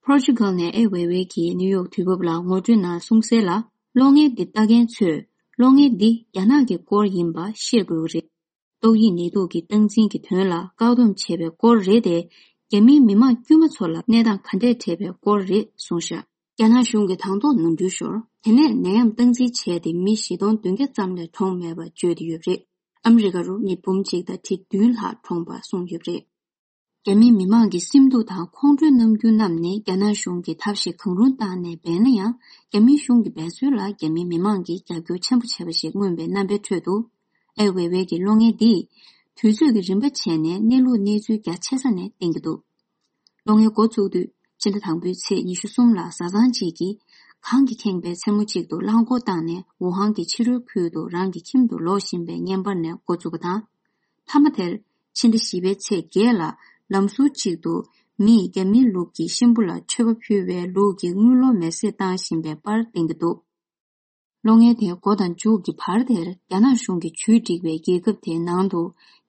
པོར་ཅུ་གལ་ནས་ཨའེ་ཝེ་ཝེ་གིས་ནིའུ་ཡོག་དུས་བབ་ལ་ངོ་སྤྲོད་ནང་གསུངས་གསལ་ལ། གློག་བརྙན་འདི་ལྟ་མཁན་ཚོས་ གློག་བརྙན་འདི་རྒྱ་ནག་གི་སྐོར་ཡིན་པ་ཤེས་དགོས་ཀྱི་རེད། ཏོག་དབྱིབས་ནད་དུག་གི་སྟངས་འཛིན་གྱི་དོན་ལ་བཀག་སྡོམ་བྱས་པའི་སྐོར་རེད་དེ། རྒྱ་མིའི་མི་མང་དཀྱུས་མ་ཚོ་ལ་གནས་སྟངས་ག་འདྲས་འཕྲད་པའི་སྐོར་རེད་གསུངས་ཤག་རྒྱ་ནག་གཞུང་གིས་དང་ཐོག་ནོར་འཁྲུལ་ཤོར། དེ་ནས་ནད་ཡམས་སྟངས་འཛིན་བྱས་ཏེ་མི་བཞི་སྟོང་བདུན་བརྒྱ་ཙམ་ལས་གྲོངས་མེད་པ་བརྗོད་དེ་ཡོད་པ་རེད། ཨ་མི་རི་ཀ་རུ་མི་འབུམ་གཅིག་དང་ཁྲི་བདུན་ལྷག་གྲོངས་པ་གསུངས་ཡོད་པ་རེད། རྒྱ་མིའི་མི་མང་གི་སེམས་སྡུག་དང་ཁོང་ཁྲོའི་རྣམ་འགྱུར་རྣམས་ནི་རྒྱ་ནག་གཞུང་གིས་ཐབས་ཤེས་གང་རུང་བཏང་ནས་སྦས་ན་ཡང་། རྒྱ་མིའི་གཞུང་གི་འབད་རྩོལ་ལ་རྒྱ་མིའི་མི་མང་གིས་རྒྱབ་སྐྱོར་ཆེན་པོ་བྱས་པ་ཞིག་མངོན་པའི་རྣམ་པའི་ཁྲོད་དུ། ཨའེ་ཝེ་ཝེ་གི་གློག་བརྙན་འདིས་དུས་ཚོད་ཀྱི་རིམ་པ་བྱས་ནས་གནས་ལུགས་གནས་ཚུལ་རྒྱ་ཆེ་ས་ནས་བསྟན་གྱི་འདུག་གློག་བརྙན་འགོ་བཙུགས་དུས། ཕྱི་ཟླ་དང་པོའི་ཚེས་ཉི་ཤུ་གསུམ་ལ་བཟའ་ཚང་གཅིག་གིས་གངས་ཀྱིས་ཁེངས་པའི་མཚན་མོ་གཅིག་ཏུ་རླངས་འཁོར་བཏང་ནས་ཝུ་ཧན་གྱི་ཕྱི་རོལ་ཁུལ་དུ་རང་གི་ཁྱིམ་དུ་ལོག་བཞིན་པའི་བརྙན་པར་ནས་འགོ་བཙུགས་པ་དང་། མཐའ་མ་དེར་ཕྱི་ཟླ་བཞི་པའི་ཚེས་བརྒྱད་ལ་ལམ་ཟུར་གཅིག་ཏུ་མིས་རྒྱ་མིའི་ལུགས་ཀྱི་གཤིན་པོ་ལ་མཆོད་པ་ཕུལ་བའི་ལུགས་ཀྱི་དངུལ་ལོར་མེ་བསྲེགས་བཏང་བཞིན་པའི་པར་བསྟན་གྱི་འདུག་གློག་བརྙན་དེ་འགོ་དང་མཇུག་གི་བར་དེར་རྒྱ་ནག་གཞུང་གིས་ཇུས་བསྒྲིགས་པའི་རྒྱལ་ཁབ་དེའི་ནང་དུ་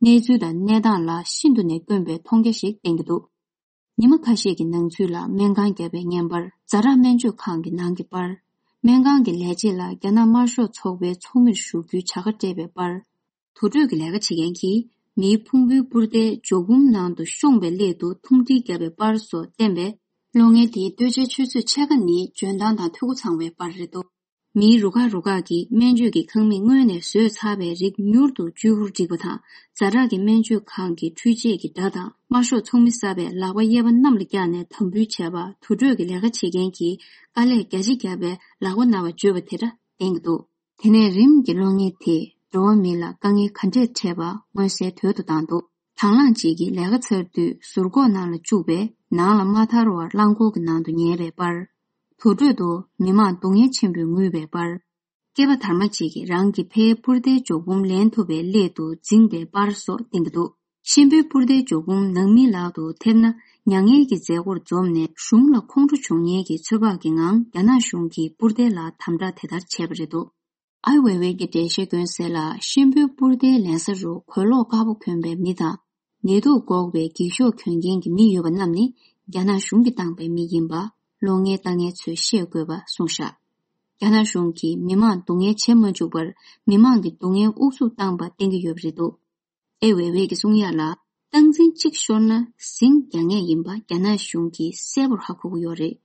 གནས་ཚུལ་དང་གནས་སྟངས་ལ་ཤིན་ཏུ་ནས་དཀོན་པའི་མཐོང་རྒྱ་ཞིག་བསྟན་གྱི་འདུག་ཉི་མ་ཁ་ཤས་ཀྱི་ནང་ཚུད་ལ་སྨན་ཁང་བརྒྱབ་པའི་བརྙན་པར། ཛ་དྲག་སྨན་བཅོས་ཁང་གི་ནང་གི་པར། སྨན་ཁང་གི་ལས་བྱེད་ལ་རྒྱ་ནག་དམར་ཤོག་ཚོགས་པའི་ཚོགས་མིར་ཞུགས་རྒྱུའི་བྱ་དགའ་སྤྲད་པའི་པར། དུར་ཁྲོད་ཀྱི་ལས་ཀ་བྱེད་མཁན་གྱིས་མིའི་ཕུང་པོའི་པུར་རྡེལ་འཇོག་འབུམ་ནང་དུ་ཤོང་བའི་སླད་དུ་ཐུང་ཁྲིལ་བརྒྱབ་པའི་པར་སོགས་བསྟན་པས། གློག་བརྙན་དེའི་ལྟོས་བཅས་ཆུ་ཚོད་ཕྱེད་ཀ་ནི་འཇོན་ཐང་དང་འཐུས་སྒོ་ཚང་བའི་པར་རེད་འདུག་མིའི་རུ་ཁག་རུ་ཁག་གིས་སྨན་བཅོས་ཀྱི་ཁང་མིག་སྔོན་ནས་བཟོས་ཚར་བའི་རིགས་མྱུར་དུ་བཅོས་དབུར་བསྒྲིགས་པ་དང་། ཛ་དྲག་གི་སྨན་བཅོས་ཁང་གི་འཕྲུལ་ཆས་ཀྱི་སྒྲ་དང་། དམར་ཤོག་ཚོགས་མི་གསར་པས་ལག་པ་གཡས་པ་གནམ་ལ་བཀྱགས་ནས་དམ་འབུལ་བྱས་པ། དུར་ཁྲོད་ཀྱི་ལས་ཀ་བྱེད་མཁན་གྱིས་དཀའ་ལས་རྒྱ་ཆེ་བརྒྱབ་པའི་ལག་པ་ན་བ་བརྗོད་པ་དེ་འདྲ་བསྟན་གྱི་འདུག་དེ་ནས་རིམ་གྱིས་གློག་བརྙན་དེས་འགྲོ་བ་མི་ལ་དཀའ་ངལ་ག་འདྲས་འཕྲད་པ་མངོན་གསལ་དོད་དུ་བཏང་འདུག་དང་བླངས་གཅིག་གིས་ལས་ཀ་ཚར་དུས་ཟུར་འགོག་ནང་ལ་བཅུག་པས་ནང་ལ་མ་ཐར་བར་རླངས་འཁོར་གྱི་ནང་དུ་ཉལ་བའི་པར། དུར་ཁྲོད་དུ་མི་མང་སྡུག་བསྔལ་ཆེན་པོས་ངུས་པའི་པར། སྐྱེས་པ་དར་མ་གཅིག་གིས་རང་གི་ཕའི་པུར་རྡེལ་འཇོག་འབུམ་ལེན་ཐུབ་པའི་སླད་དུ་འཛིངས་པའི་པར་སོགས་བསྟན་གྱི་འདུག་གཤིན་པོའི་པུར་རྡེལ་འཇོག་འབུམ་ནང་མིའི་ལག་ཏུ་ཐེབས་ན་མྱ་ངན་གྱི་མཛད་སྒོར་འཛོམས་ནས་གཞུང་ལ་ཁོང་ཁྲོ་བྱུང་ཉེན་གྱི་ཚོད་དཔག་གི་ངང་རྒྱ་ནག་གཞུང་གིས་པུར་རྡེལ་ལ་དམ་དྲག་དེ་ལྟར་བྱས་པ་རེད་འདུག་ཨའེ་ཝེ་ཝེ་གིས་འགྲེལ་བཤད་སྐྱོན་གསལ་ལ། གཤིན་པོའི་པུར་རྡེལ་ལེན་ས་རུ་གོས་ལོག་དཀར་པོ་གོན་པའི་མི་དང་། ནད་དུག་འགོག་པའི་འགྱིག་ཤོག་གྱོན་མཁན་གྱི་མི་ཡོད་པ་རྣམས་ནི་རྒྱ་ནག་གཞུང་གིས་བཏང་པའི་མི་ཡིན་པ་གློག་བརྙན་ལྟ་མཁན་ཚོས་ཤེས་དགོས་པ་གསུངས་བཞག་རྒྱ་ནག་གཞུང་གིས་མི་མང་སྡུག་བསྔལ་བྱེད་མ་བཅུག་པར་མི་མང་གི་སྡུག་བསྔལ་དབུགས་སུབ་བཏང་པ་བསྟན་གྱི་ཡོད་པ་རེད་འདུག་ཨའེ་ཝེ་ཝེ་གིས་གསུང་ཡག་ལ། སྟངས་འཛིན་གཅིག་ཤོར་ན་ཟིང་རྒྱག་ངེས་ཡིན་པ་རྒྱ་ནག་གཞུང་གིས་གསལ་པོར་ཧ་གོ་གི་ཡོད་རེད།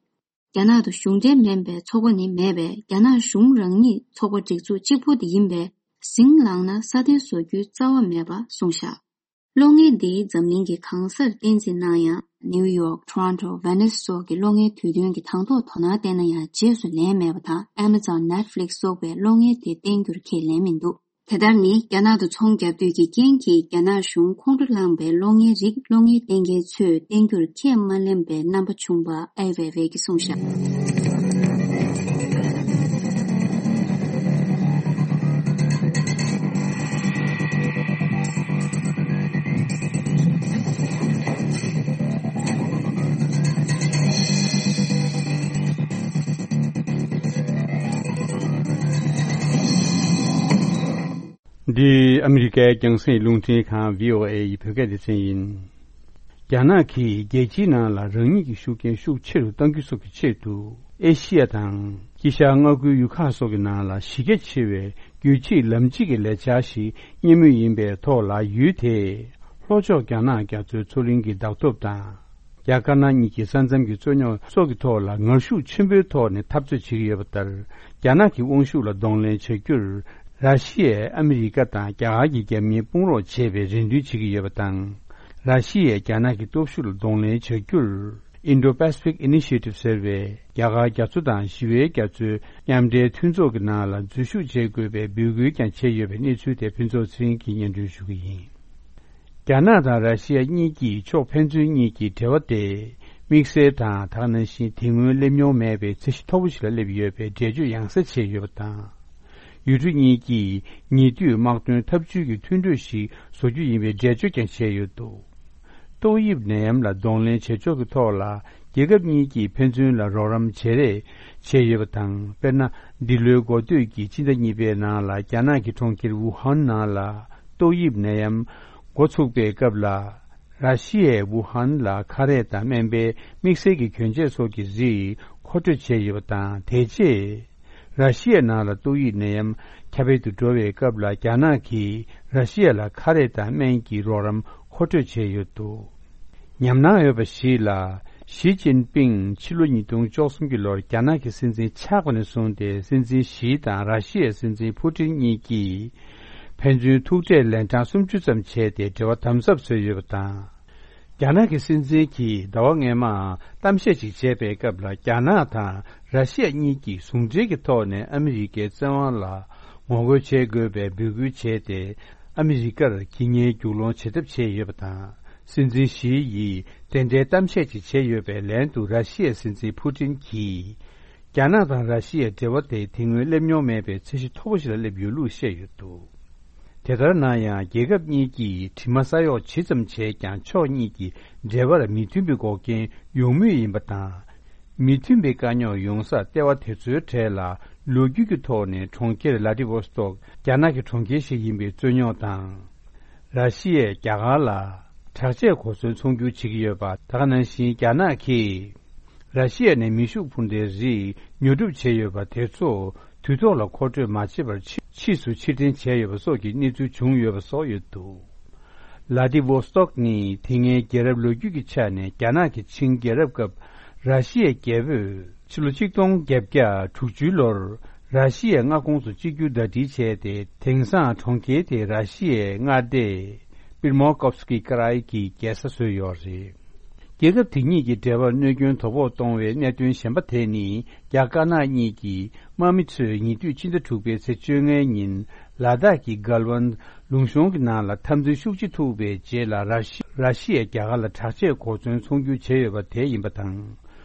རྒྱ་ནག་ཏུ་གཞུང་འབྲེལ་མིན་པའི་ཚོགས་པ་ནི་མེད་པས། རྒྱ་ནག་གཞུང་རང་ཉིད་ཚོགས་པ་སྒྲིག་འཛུགས་གཅིག་པུ་དེ་ཡིན་པས། ཟིང་ལངས་ན་སྲ་བརྟན་བཟོ་རྒྱུའི་རྩ་བ་མེད་པ་གསུངས་བཞག་གློག་བརྙན་འདི་འཛམ་གླིང་གི་གང་སར་བསྟན་འཛིན་གནང་ཡང་། ནིའུ་ཡོག་ཊོ་རོན་ཊོ་ཝེ་ནིས་སོགས་ཀྱི་གློག་བརྙན་དུས་སྟོན་གྱི་དང་ཐོག་དོ་སྣང་བསྟན་ན་ཡང་རྗེས་སུ་ལེན་མེད་པ་དང་། ཨེ་མ་ཛོན་ནེཊ་ཕི་ལིག་སོགས་པས་གློག་བརྙན་དེ་བསྟན་རྒྱུར་ཁས་ལེན་མི་འདུག་དེ་ལྟར་ནི་རྒྱ་ནག་ཏུ་ཚོང་བརྒྱབ་འདོད་ཀྱི་རྐྱེན་གྱིས་རྒྱ་ནག་གཞུང་ཁོང་ཁྲོ་ལངས་པའི་གློག་བརྙན་རིགས་གློག་བརྙན་བསྟན་མཁན་ཚོས་བསྟན་རྒྱུར་ཁས་མ་ལེན་པའི་རྣམ་པ་བྱུང་བ་ཨའེ་ཝེ་ཝེ་གིས་གསུངས་བཞག་འདི་ཨ་མི་རི་ཀའི་རྒྱང་སྲིང་རླུང་འཕྲིན་ཁང་བྷི་ཨོ་ཨེ་ཡི་བོད་སྐད་སྡེ་ཚན་ཡིན། རྒྱ་ནག་གིས་རྒྱལ་སྤྱིའི་ནང་ལ་རང་ཉིད་ཀྱི་ཤུགས་རྐྱེན་ཤུགས་ཆེ་རུ་གཏང་རྒྱུ་སོགས་ཀྱི་ཆེད་དུ། ཨེ་ཤི་ཡ་དང་། དཀྱིལ་ཤར་མངའ་ཁུལ་ཡུལ་ཁག་སོགས་ཀྱི་ནང་ལ་གཞི་རྒྱ་ཆེ་བའི་རྒྱུད་གཅིག་ལམ་གཅིག་གི་ལས་འཆར་ཞིག་གཉེར་མུས་ཡིན་པའི་ཐོག་ལ། ཡུལ་དེས་ལྷོ་ཕྱོགས་རྒྱ་ནག་རྒྱ་མཚོའི་མཚོ་གླིང་གི་བདག་ཐོབ་དང་། རྒྱ་དཀར་ནག་གཉིས་ཀྱི་ས་མཚམས་ཀྱི་རྩོད་རྙོག་སོགས་ཀྱི་ཐོག་ལ་ངར་ཤུགས་ཆེན་པོའི་ཐོག་ནས་འཐབ་རྩོད་བྱེད་ཀྱི་ཡོད་པ་ལྟར། རྒྱ་ནག་གི་དབང་ཤུགས་ལ་གདོང་ལེན་བྱ་རྒྱུར། ར་ཤི་ཡས་ཨ་མི་རི་ཀ་དང་རྒྱ་གར་གྱི་རྒྱབ་གཉེར་དཔུང་རོགས་བྱས་པའི་རེ་འདུན་བྱེད་ཀྱི་ཡོད་པ་དང་། ར་ཤི་ཡས་རྒྱ་ནག་གི་སྟོབས་ཤུགས་ལ་གདོང་ལེན་བྱ་རྒྱུར། Indo-Pacific Initiative ཟེར་བའི་རྒྱ་གར་རྒྱ་མཚོ་དང་ཞི་བའི་རྒྱ་མཚོའི་མཉམ་འབྲེལ་མཐུན་ཚོགས་ཀྱི་ནང་ལ་འཛུལ་ཞུགས་བྱེད་དགོས་པའི་འབོད་སྐུལ་ཀྱང་བྱས་ཡོད་པའི་གནས་ཚུལ་དེ་ཕུན་ཚོགས་ཚེ་རིང་གིས་སྙན་སྒྲོན་ཞུ་གི་ཡིན། རྒྱ་ནག་དང་ར་ཤི་ཡ་གཉིས་ཀྱིས་ཕྱོགས་ཕན་ཚུན་གཉིས་ཀྱི་འབྲེལ་བ་དེ་དམིགས་བསལ་དང་། དེ་ག་ནང་བཞིན་དེ་སྔོན་སླེབས་མྱོང་མེད་པའི་ཚད་གཞི་མཐོ་པོ་ཞིག་ལ་སླེབས་ཡོད་པའི་འགྲེལ་བརྗོད་ཡང་སེ་བྱས་ཡོད་པ་དང་། ཡུལ་གྲུ་གཉིས་ཀྱིས་ཉེ་དུས་དམག་དོན་འཐབ་ཇུས་ཀྱི་མཐུན་གྲོས་ཤིག་བཟོ་རྒྱུ་ཡིན་པའི་འགྲེལ་བརྗོད་ཀྱང་བྱས་ཡོད་འདུག་ཏོག་དབྱིབས་ནད་ཡམས་ལ་གདོང་ལེན་བྱེད་ཕྱོགས་ཀྱི་ཐོག་ལ་རྒྱལ་ཁབ་གཉིས་ཀྱིས་ཕན་ཚུན་ལ་རོགས་རམ་བྱེད་རེས་བྱས་ཡོད་པ་དང་། དཔེར་ན། འདི་ལོའི་འགོ་སྟོད་ཀྱི་སྤྱི་ཟླ་གཉིས་པའི་ནང་ལ་རྒྱ་ནག་གི་གྲོང་ཁྱེར་ཝུ་ཧན་ནང་ལ་ཏོག་དབྱིབས་ནད་ཡམས་འགོ་ཚུགས་པའི་སྐབས་ལ། ར་ཤི་ཡས་ཝུ་ཧན་ལ་ཁ་རས་དང་སྨན་པའི་དམིགས་བསལ་གྱི་གྱོན་ཆས་སོགས་ཀྱི་རིགས་མཁོ་སྤྲོད་བྱས་ཡོད་པ་དང་། དེ་རྗེས། ར་ཤི་ཡའི་ནང་ལ་ཏོག་དབྱིབས་ནད་ཡམས་ཁྱབ་སྤེལ་དུ་འགྲོ་བའི་སྐབས་ལ། རྒྱ་ནག་གིས་ར་ཤི་ཡ་ལ་ཁ་རས་དང་སྨན་གྱི་རོགས་རམ་མཁོ་སྤྲོད་བྱས་ཡོད་འདུག། ཉམས་སྣང་ཡོད་པ་ཞིག་ལ། ཞི་ཅིན་ཕིང་ཕྱི་ལོ་ཉིས་སྟོང་བཅུ་གསུམ་གྱི་ལོར་རྒྱ་ནག་གི་སྲིད་འཛིན་ཆགས་པ་ནས་བཟུང་སྟེ། སྲིད་འཛིན་ཞི་དང་ར་ཤི་ཡའི་སྲིད་འཛིན་ཕུ་ཏིན་གཉིས་ཀྱིས་ཕན་ཚུན་ཐུག་འཕྲད་ལན་གྲངས་སུམ་ཅུ་ཙམ་བྱས་ཏེ། འབྲེལ་བ་དམ་ཟབ་བཟོས་ཡོད་པ་དང་། རྒྱ་ནག་གི་སྲིད་འཛིན་གྱིས་ཟླ་བ་སྔོན་མ་གཏམ་བཤད་ཅིག་བྱས་པའི་སྐབས་ལ། རྒྱ་ནག་དང་ར་ཤི་ཡ་གཉིས་ཀྱིས་ཟུང་འབྲེལ་གྱི་ཐོག་ནས་ཨ་མི་རི་ཀའི་བཙན་དབང་ལ་ངོ་རྒོལ་བྱེད་དགོས་པའི་འབོད་སྐུལ་བྱས་ཏེ། ཨ་མི་རི་ཀར་ཁྱི་ཉལ་རྒྱུག་སློང་བྱེད་ཐབས་བྱས་ཡོད་པ་དང་། སྲིད་འཛིན་ཞི་ཡིས་དེ་འདྲའི་གཏམ་བཤད་ཅིག་བྱས་ཡོད་པའི་ལན་དུ། ར་ཤི་ཡའི་སྲིད་འཛིན་ཕུ་ཏིན་གྱིས་རྒྱ་ནག་དང་ར་ཤི་ཡའི་འབྲེལ་བ་དེ་དེ་སྔོན་སླེབས་མྱོང་མེད་པའི་ཚད་གཞི་མཐོ་པོ་ཞིག་ལ་སླེབས་ཡོད་ལུགས་བཤད་ཡོད་འདུག། དེ་ལྟར་ན་ཡང་། རྒྱལ་ཁབ་གཉིས་ཀྱིས་དྲི་མ་ས་གཡོག་ཇི་ཙམ་བྱས་ཀྱང་། ཕྱོགས་གཉིས་ཀྱི་འབྲེལ་བར་མི་མཐུན་པའི་འགོག་རྐྱེན་ཡོང་མུས་ཡིན་པ་དང་། མི་མཐུན་པའི་དཀའ་རྙོག་ཡོང་སར་ལྟེ་བ་དེ་ཚོའི་གྲས་ལ་ལོ་རྒྱུས་ཀྱི་ཐོག་ནས་གྲོང་ཁྱེར་ལ་ཏི་ཝོ་སྟོག་རྒྱ་ནག་གི་གྲོང་ཁྱེར་ཞིག་ཡིན་པའི་རྩོད་རྙོག་དང་། ར་ཤི་ཡས་རྒྱ་གར་ལ་དྲག་ཆས་གོ་མཚོན་ཚོང་སྒྱུར་བྱེད་ཀྱི་ཡོད་པ། ད་ག་ནང་བཞིན་རྒྱ་ནག་གིས་ར་ཤི་ཡ་ནས་མེ་ཤུགས་འཕུར་མདའི་རིགས་ཉོ་སྒྲུབ་བྱས་ཡོད་པ་དེ་ཚོ་དུས་ཐོག་ལ་མཁོ་སྤྲོད་མ་བྱས་པར་ཕྱི་ཕྱིས་སུ་ཕྱིར་འཐེན་བྱས་ཡོད་པ་སོགས་ཀྱི་གནས་ཚུལ་བྱུང་ཡོད་པ་སོགས་ཡོད་འདུག། ལ་ཏི་ཝོ་སྟོག་ནི་དེ་སྔའི་རྒྱལ་རབས་ལོ་རྒྱུས་ཀྱི་ཆ་ནས་རྒྱ་ནག་གི་ཆིང་རྒྱལ་རབས་སྐབས་ར་ཤི་ཡའི་རྒྱལ་པོས་ཕྱི་ལོ་ཆིག་སྟོང་བརྒྱད་བརྒྱ་དྲུག་ཅུའི་ལོར་ར་ཤི་ཡའི་མངའ་ཁོངས་སུ་གཅིག་གྱུར་ཟླ་སྒྲིལ་བྱས་ཏེ། དེང་སང་གྲོང་ཁྱེར་དེ་ར་ཤི་ཡའི་མངའ་སྡེ་པིར་མོ་ཀོབ་སི་ཀི་ཀ་རའི་གི་རྒྱལ་ས་བཟོས་ཡོད་རེད། རྒྱལ་ཁབ་དེ་གཉིས་ཀྱི་འབྲེལ་བར་གནོད་སྐྱོན་དོ་ཕོག་གཏོང་བའི་གནད་དོན་གཞན་པ་དེ་ནི། རྒྱ་དཀར་ནག་གཉིས་ཀྱི་དམག་མི་ཚོས་ཉེ་དུས་ཕྱི་ཟླ་དྲུག་པའི་ཚེས་བཅོ་ལྔའི་ཉིན་ལ་དྭགས་ཀྱི་གལ་ཝན་ལུང་གཤོང་གི་ནང་ལ་འཐབ་འཛིང་ཤུགས་ཆེ་ཐུག་པའི་རྗེས་ལ། ར་ཤི་ར་ཤི་ཡས་རྒྱ་གར་ལ་དྲག་ཆས་གོ་མཚོན་ཚོང་སྒྱུར་བྱས་ཡོད་པ་དེ་ཡིན་པ་དང་།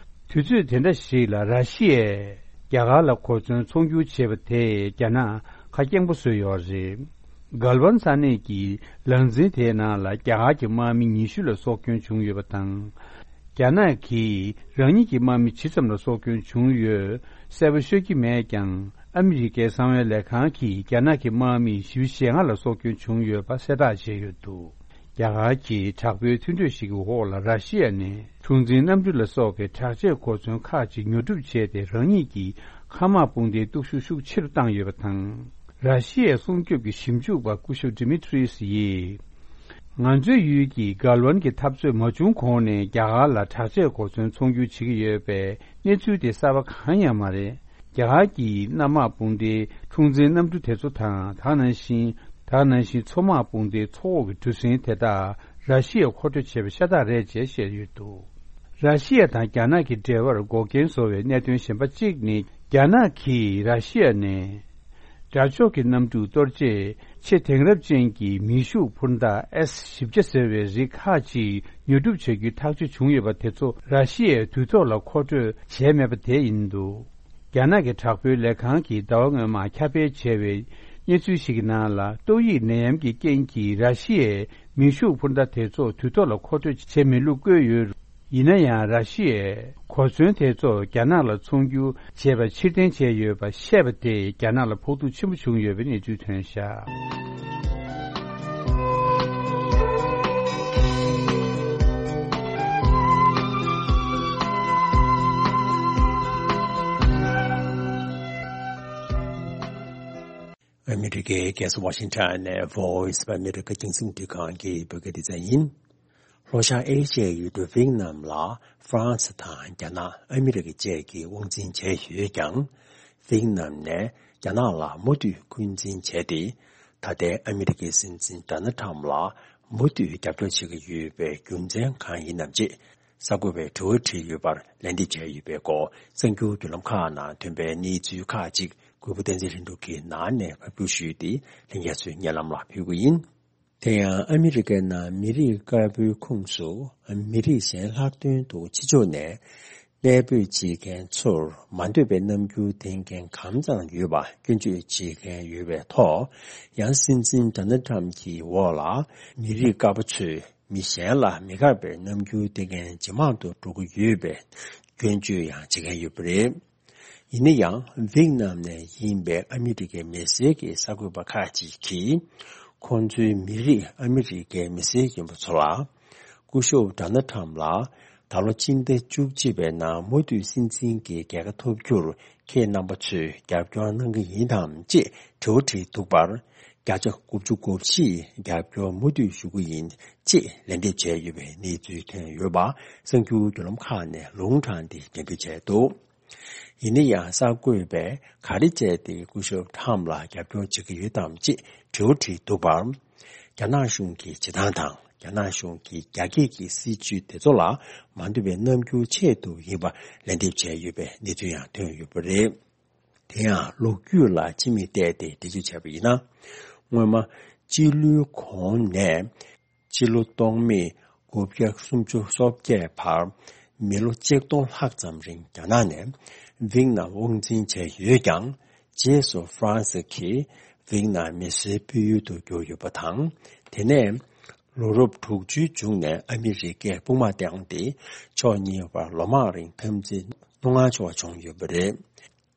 དུས་ཚོད་དེ་འདྲ་ཞིག་ལ་ར་ཤི་ཡས་རྒྱ་གར་ལ་གོ་མཚོན་ཚོང་སྒྱུར་བྱས་པ་དེས་རྒྱ་ནག་ཁ་སྐྱེངས་པོ་བཟོས་ཡོད་རེད། གལ་ཝན་ས་གནས་ཀྱི་ལངས་འཛིན་དེའི་ནང་ལ་རྒྱ་གར་གྱི་དམག་མི་ཉི་ཤུ་ལ་སྲོག་སྐྱོན་བྱུང་ཡོད་པ་དང་། རྒྱ་ནག་གིས་རང་ཉིད་ཀྱི་དམག་མི་ཇི་ཙམ་ལ་སྲོག་སྐྱོན་བྱུང་ཡོད་གསལ་པོ་ཤོད་ཀྱི་མེད་ཀྱང་། ཨ་མི་རི་ཀའི་གསང་བའི་ལས་ཁང་གིས་རྒྱ་ནག་གི་དམག་མི་བཞི་བཅུ་ཞེ་ལྔ་ལ་སྲོག་སྐྱོན་བྱུང་ཡོད་པ་གསལ་བསྒྲགས་བྱས་ཡོད་འདུག། རྒྱ་གར་གྱི་དྲག་པོའི་མཐུན་གྲོས་ཤིག་གི་འོག་ལ་ར་ཤི་ཡ་ནས་འཁྲུག་འཛིང་གནམ་གྲུ་ལ་སོགས་པའི་དྲག་ཆས་གོ་མཚོན་ཁག་ཅིག་ཉོ་སྒྲུབ་བྱས་ཏེ། རང་ཉིད་ཀྱི་མཁའ་དམག་དཔུང་སྡེའི་སྟོབས་ཤུགས་ཤུགས་ཆེ་རུ་བཏང་ཡོད་པ་དང་། ར་ཤི་ཡའི་སྲུང་སྐྱོབ་ཀྱི་ཞིབ་འཇུག་པ་སྐུ་ཞབས་ཌི་མི་ཏྲིས་ཡིས། ང་ཚོའི་ཡུལ་གྱི་གལ་ཝན་གྱི་འཐབ་རྩོད་མ་བྱུང་གོང་ནས་རྒྱ་གར་ལ་དྲག་ཆས་གོ་མཚོན་ཚོང་སྒྱུར་བྱེད་ཀྱི་ཡོད་པའི་གནས་ཚུལ་དེ་གསར་པ་གང་ཡང་མ་རེད། རྒྱ་གར་གྱི་གནམ་དམག་དཔུང་སྡེའི་འཁྲུག་འཛིང་གནམ་གྲུ་དེ་ཚོ་དང་། ད་ག་ནང་བཞིན། ད་ག་ནང་བཞིན་མཚོ་དམག་དཔུང་སྡེའི་མཚོ་འོག་གི་གྲུ་གཟིངས་དེ་དག་ར་ཤི་ཡས་མཁོ་སྤྲོད་བྱས་པ་ཤ་སྟག་རེད་ཅེས་བཤད་ཡོད་འདུག། ར་ཤི་ཡ་དང་རྒྱ་ནག་གི་འབྲེལ་བར་འགོག་རྐྱེན་བཟོ་བའི་གནད་དོན་གཞན་པ་གཅིག་ནི། རྒྱ་ནག་གིས་ར་ཤི་ཡ་ནས་དགྲ་ཕྱོགས་ཀྱི་གནམ་གྲུ་གཏོར་ཆེད་ཆེས་དེང་རབས་ཅན་གྱི་མེ་ཤུགས་འཕུར་མདའ་ཨེས་བཞི་བརྒྱ་ཟེར་བའི་རིགས་ཁག་ཅིག་ཉོ་སྒྲུབ་བྱ་རྒྱུའི་ཐག་གཅོད་བྱུང་ཡོད་པ་དེ་ཚོ་ར་ཤི་ཡས་དུས་ཐོག་ལ་མཁོ་སྤྲོད་བྱས་མེད་པ་དེ་ཡིན་འདུག། རྒྱ་ནག་གི་དྲག་པོའི་ལས་ཁང་གིས་ཟླ་བ་སྔོན་མ་ཁྱབ་སྤེལ་བྱས་པའི་གནས་ཚུལ་ཞིག་གི་ནང་ལ། ཏོག་དབྱིབས་ནད་ཡམས་ཀྱི་རྐྱེན་གྱིས་ར་ཤི་ཡས་མེ་ཤུགས་འཕུར་མདའ་དེ་ཚོ་དུས་ཐོག་ལ་མཁོ་སྤྲོད་བྱས་མེད་ལུགས་བཀོད་ཡོད། ཡིན་ན་ཡང་། ར་ཤི་ཡས་གོ་མཚོན་དེ་ཚོ་རྒྱ་ནག་ལ་ཚོང་སྒྱུར་བྱས་པ་ཕྱིར་འཐེན་བྱས་ཡོད་པ་བཤད་པ་དེས་རྒྱ་ནག་ལ་ཕོག་ཐུག་ཆེན་པོ་བྱུང་ཡོད་པའི་གནས་ཚུལ་ཐོན་བཞག། ཨ་མི་རི་ཀའི་རྒྱལ་ས་ཝ་ཤིང་ཊོན་ནས་Voice of America རྒྱང་སྲིང་རླུང་འཕྲིན་ཁང་གི་བོད་སྐད་སྡེ་ཚན་ཡིན། ལྷོ་ཤར་ཨེ་ཤི་ཡའི་ཡུལ་གྲུ་ཝེད་ནམ་ལ་ཧྥ་རན་སི་དང་རྒྱ་ནག་ཨ་མི་རི་ཀ་བཅས་ཀྱིས་དབང་འཛིན་བྱས་ཡོད་ཀྱང་། ཝེད་ནམ་ནས་རྒྱ་ནག་ལ་མུ་མཐུད་འཁོན་འཛིན་བྱས་ཏེ། ད་ལྟའི་ཨ་མི་རི་ཀའི་སྲིད་འཛིན་ཌོ་ནལ་ཁྲམ་ལ་མུ་མཐུད་རྒྱབ་སྐྱོར་བྱེད་ཀྱི་ཡོད་པའི་རྒྱུ་མཚན་གང་ཡིན་ནམ་ཅེས། གསར་འགོད་པས་དྲི་བ་དྲིས་ཡོད་པར་ལན་འདེབས་བྱས་ཡོད་པའི་སྐོར། གསར་འགྱུར་བརྒྱུད་ལམ་ཁག་ནང་ཐོན་པའི་གནས་ཚུལ་ཁག་ཅིག་གུས་པ་བསྟན་འཛིན་ལྷུན་གྲུབ་ཀྱིས་ནང་ནས་ཕབ་བསྒྱུར་ཞུས་ཏེ། ལྷན་རྒྱས་ཚོའི་སྙན་ལམ་ལ་ཕུལ་གྱི་ཡིན། དེ་ཡང་ཨ་མི་རི་ཀའི་ནང་མི་རིགས་དཀར་པོའི་ཁོངས་སུ་མི་རིགས་གཞན་ལྷག་དོན་དུ་ཕྱི་ཕྱོགས་ནས་གནས་སྤོས་བྱེད་མཁན་ཚོར་མ་འདོད་པའི་རྣམ་འགྱུར་འདོན་མཁན་གང་ཙམ་ཡོད་པ་སྐྱོན་བརྗོད་བྱེད་མཁན་ཡོད་པའི་ཐོག། ཡང་སྲིད་འཛིན་ཌོ་ནལ་ཁྲམ་གྱི་འོག་ལ་མི་རིགས་དཀར་པོ་ཚོས་མི་གཞན་ལ་མི་དགའ་བའི་རྣམ་འགྱུར་འདོན་མཁན་ཇེ་མང་དུ་འགྲོ་གི་ཡོད་པའི་སྐྱོན་བརྗོད་ཡང་བྱེད་མཁན་ཡོད་པ་རེད། ཡིན་ན་ཡང་། ཝེད་ནམ་ནས་ཡིན་པའི་ཨ་མི་རི་ཀའི་མི་སེར་གྱི་གསར་འགོད་པ་ཁག་ཅིག་གིས། ཁོང་ཚོའི་མི་རིགས་ཨ་མི་རི་ཀའི་མི་སེར་ཡིན་པ་ཚོ་ལ། སྐུ་ཞབས་ཌོ་ནལ་ཁྲམ་ལ་ ད་ལོ་སྤྱི་ཟླ་བཅུ་གཅིག་པའི་ནང་མུ་མཐུད་སྲིད་འཛིན་གྱི་རྒྱལ་ཁ་ཐོབ་རྒྱུར་ཁྱེད་རྣམ་པ་ཚོས་རྒྱབ་སྐྱོར་གནང་གི་ཡིན་དམ་ཅེས་དྲི་བ་དྲིས་འདུག་པར། བརྒྱ་ཆ་དགུ་བཅུ་གོ་བཞི་རྒྱབ་སྐྱོར་མུ་མཐུད་ཞུ་གི་ཡིན་ཅེས་ལན་འདེབས་བྱས་ཡོད་པའི་གནས་ཚུལ་ཐོན་ཡོད་པ་གསར་འགྱུར་བརྒྱུད་ལམ་ཁག་ནས་ལུང་དྲངས་ཏེ་འགྲེམས་སྤེལ་བྱས་འདུག་ཡིན་ན་ཡང་གསར་འགོད་པས་ག་རེ་བྱས་ཏེ་སྐུ་ཞབས་ཁྲམ་ལ་རྒྱབ་སྐྱོར་བྱེད་ཀྱི་ཡོད་དམ་ཅེས་དྲི་བ་དྲིས་འདུག་པར། རྒྱ་ནག་གཞུང་གི་བྱེད་སྟངས་དང་རྒྱ་ནག་གཞུང་གི་རྒྱ་སྐྱེད་ཀྱི་སྲིད་བྱུས་དེ་ཚོ་ལ་མ་འདོད་པའི་རྣམ་འགྱུར་ཆེད་དུ་ཡིན་པ་ལན་འདེབས་བྱས་ཡོད་པའི་གནས་ཚུལ་ཡང་ཐོན་ཡོད་པ་རེད། དེ་ཡང་ལོ་རྒྱུས་ལ་ཕྱི་མིག་བལྟས་ཏེ་འགྲེལ་བརྗོད་བྱས་པ་ཡིན་ན། སྔོན་མ་སྤྱི་ལོའི་གོང་ནས་སྤྱི་ལོ་སྟོང་མེད་དགུ་བརྒྱ་སུམ་ཅུ་སོ་བརྒྱད་བར་མི་ལོ་ཆིག་སྟོང་ལྷག་ཙམ་རིང་རྒྱ་ནག་ནས་ཝིག་ནམ་དབང་འཛིན་བྱས་ཡོད་ཀྱང་། རྗེས་སུ་ཧྥ་རན་སི་གིས་ཝིག་ནམ་མི་སེར་སྤེལ་ཡུལ་དུ་གྱུར་ཡོད་པ་དང་། དེ་ནས་ལོ་རབས་དྲུག་ཅུའི་མཇུག་ནས་ཨ་མི་རི་ཀས་དཔུང་དམག་བཏང་སྟེ་ཕྱོགས་གཉིས་བར་ལོ་མང་རིང་འཐབ་འཛིང་རྣོ་ངར་ཆེ་བ་བྱུང་ཡོད་པ་རེད།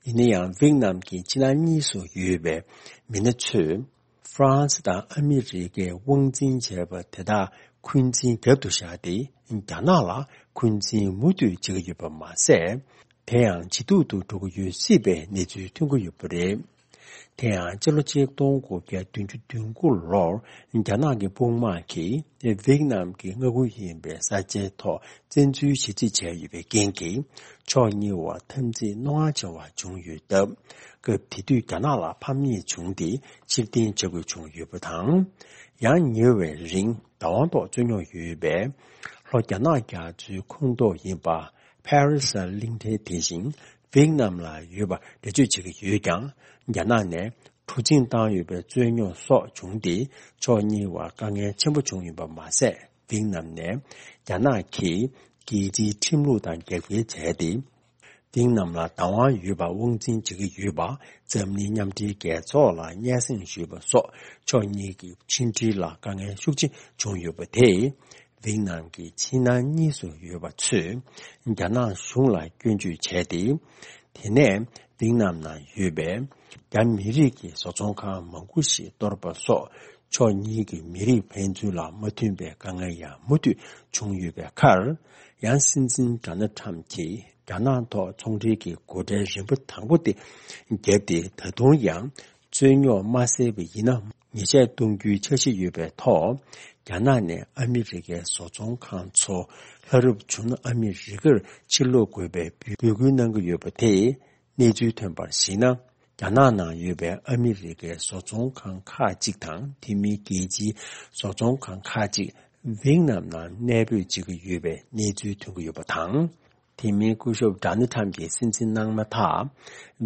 ཡིན་ན་ཡང་ཝིག་ནམ་གྱི་ཕྱི་ནང་གཉིས་སུ་ཡོད་པའི་མི་སྣ་ཚོས་ཧྥ་རན་སི་དང་ཨ་མི་རི་ཀས་དབང་འཛིན་བྱས་པ་དེ་དག་འཁོན་འཛིན་རྒྱབ་ཏུ་བཞག་སྟེ་རྒྱ་ནག་ལ་འཁོན་འཛིན་མུ་མཐུད་བྱེད་ཀྱི་ཡོད་པ་མ་ཟད། དེ་ཡང་ཇེ་སྡུག་ཏུ་འགྲོ་གི་ཡོད་སྲིད་པའི་གནས་ཚུལ་ཐོན་གྱི་ཡོད་པ་རེད། དེ་ཡང་སྤྱི་ལོ་ཆིག་སྟོང་དགུ་བརྒྱ་བདུན་ཅུ་དོན་དགུ་ལོར་རྒྱ་ནག་གི་དཔུང་དམག་གིས་ཝིག་ནམ་གྱི་མངའ་ཁུལ་ཡིན་པའི་ས་ཆའི་ཐོག་བཙན་འཛུལ་ཞེ་གཅིག་བྱས་ཡོད་པའི་རྐྱེན་གྱིས་ཕྱོགས་གཉིས་བར་འཐབ་འཛིང་རྣོ་ངར་ཆེ་བ་བྱུང་ཡོད་སྟབས། སྐབས་དེ་དུས་རྒྱ་ནག་ལ་ཕམ་ཉེས་བྱུང་སྟེ་ཕྱིར་འཐེན་བྱ་དགོས་བྱུང་ཡོད་པ་དང་། ཡང་ཉེ་བའི་རིང་བདག་དབང་ཐོག་རྩོད་རྙོག་ཡོད་པའི་ལྷོ་རྒྱ་ནག་རྒྱ་མཚོའི་ཁོངས་གཏོགས་ཡིན་པ། ཕ་རི་སི་གླིང་ཕྲན་དེ་བཞིན་ཝིག་ནམ་ལ་ཡོད་པ་འགྲེལ་བརྗོད་བྱེད་ཀྱི་ཡོད་ཀྱང་། རྒྱ་ནག་ནས་གྲུ་གཟིངས་བཏང་ཡོད་པའི་རྩོད་རྙོག་སོགས་བྱུང་སྟེ་ཕྱོགས་གཉིས་བར་དཀའ་ངལ་ཆེན་པོ་བྱུང་ཡོད་པ་མ་ཟད། ཝིག་ནམ་ནས་རྒྱ་ནག་གིས་རྒྱལ་སྤྱིའི་ཁྲིམས་ལུགས་དང་རྒྱབ་འགལ་བྱས་ཏེ། ཝིག་ནམ་ལ་བདག་དབང་ཡོད་པ་དབང་འཛིན་བྱེད་ཀྱི་ཡོད་པ་འཛམ་གླིང་མཉམ་འབྲེལ་རྒྱལ་ཚོགས་ལ་སྙན་སེང་ཞུས་པ་སོགས་ཕྱོགས་གཉིས་ཀྱི་ཕྱི་འབྲེལ་ལ་དཀའ་ངལ་ཤུགས་ཆེ་བྱུང་ཡོད་པ་དེས། ཝིག་ནམ་གྱི་ཕྱི་ནང་གཉིས་སུ་ཡོད་པ་ཚོས་རྒྱ་ནག་གཞུང་ལ་སྐྱོན་བརྗོད་བྱས་ཏེ། དེ་ནས་ཝིག་ནམ་ནང་ཡོད་པའི་རྒྱ་མི་རིགས་ཀྱི་བཟོ་ཚོང་ཁང་མང་པོ་ཞིག་གཏོར་པ་སོགས་ཕྱོགས་གཉིས་ཀྱི་མི་རིགས་ཕན་ཚུན་ལ་མ་མཐུན་པའི་དཀའ་ངལ་ཡང་མུ་མཐུད་བྱུང་ཡོད་པའི་ཁར། ཡང་སྲིད་འཛིན་ཌོ་ནལ་ཁྲམ་གྱིས་རྒྱ་ནག་ཐོག་ཚོང་འབྲེལ་གྱི་སྒོ་ཁྲལ་རིམ་པ་དང་པོ་དེ་བརྒྱབ་སྟེ། ད་དུང་ཡང་རྩོད་རྙོག་མ་སེལ་བ་ཡིན་ན་ཉེས་ཆད་གཏོང་རྒྱུའི་འཆར་གཞི་ཡོད་པའི་ཐོག་རྒྱ་ནག་ནས་ཨ་མི་རི་ཀའི་བཟོ་ཚོང་ཁང་ཚོ་ལྷ་རབ་བྱུང་ན་ཨ་མི་རི་ཀར་ཕྱིར་སློག་དགོས་པའི་འབོད་སྐུལ་གནང་གི་ཡོད་པ་དེས། གནས་ཚུལ་ཐོན་པར་གཞིགས་ན། རྒྱ་ནག་ནང་ཡོད་པའི་ཨ་མི་རི་ཀའི་བཟོ་ཚོང་ཁང་ཁག་ཅིག་དང་། དེ་མིན་རྒྱལ་སྤྱིའི་བཟོ་ཚོང་ཁང་ཁག་ཅིག་ཝིག་ནམ་ནང་གནས་སྤོས་བྱེད་ཀྱི་ཡོད་པའི་གནས་ཚུལ་ཐོན་གྱི་ཡོད་པ་དང་། དེ་མིན་སྐུ་ཞབས་ཌོ་ནལ་ཁྲམ་གྱིས་སྲིད་འཛིན་གནང་མ་ཐག་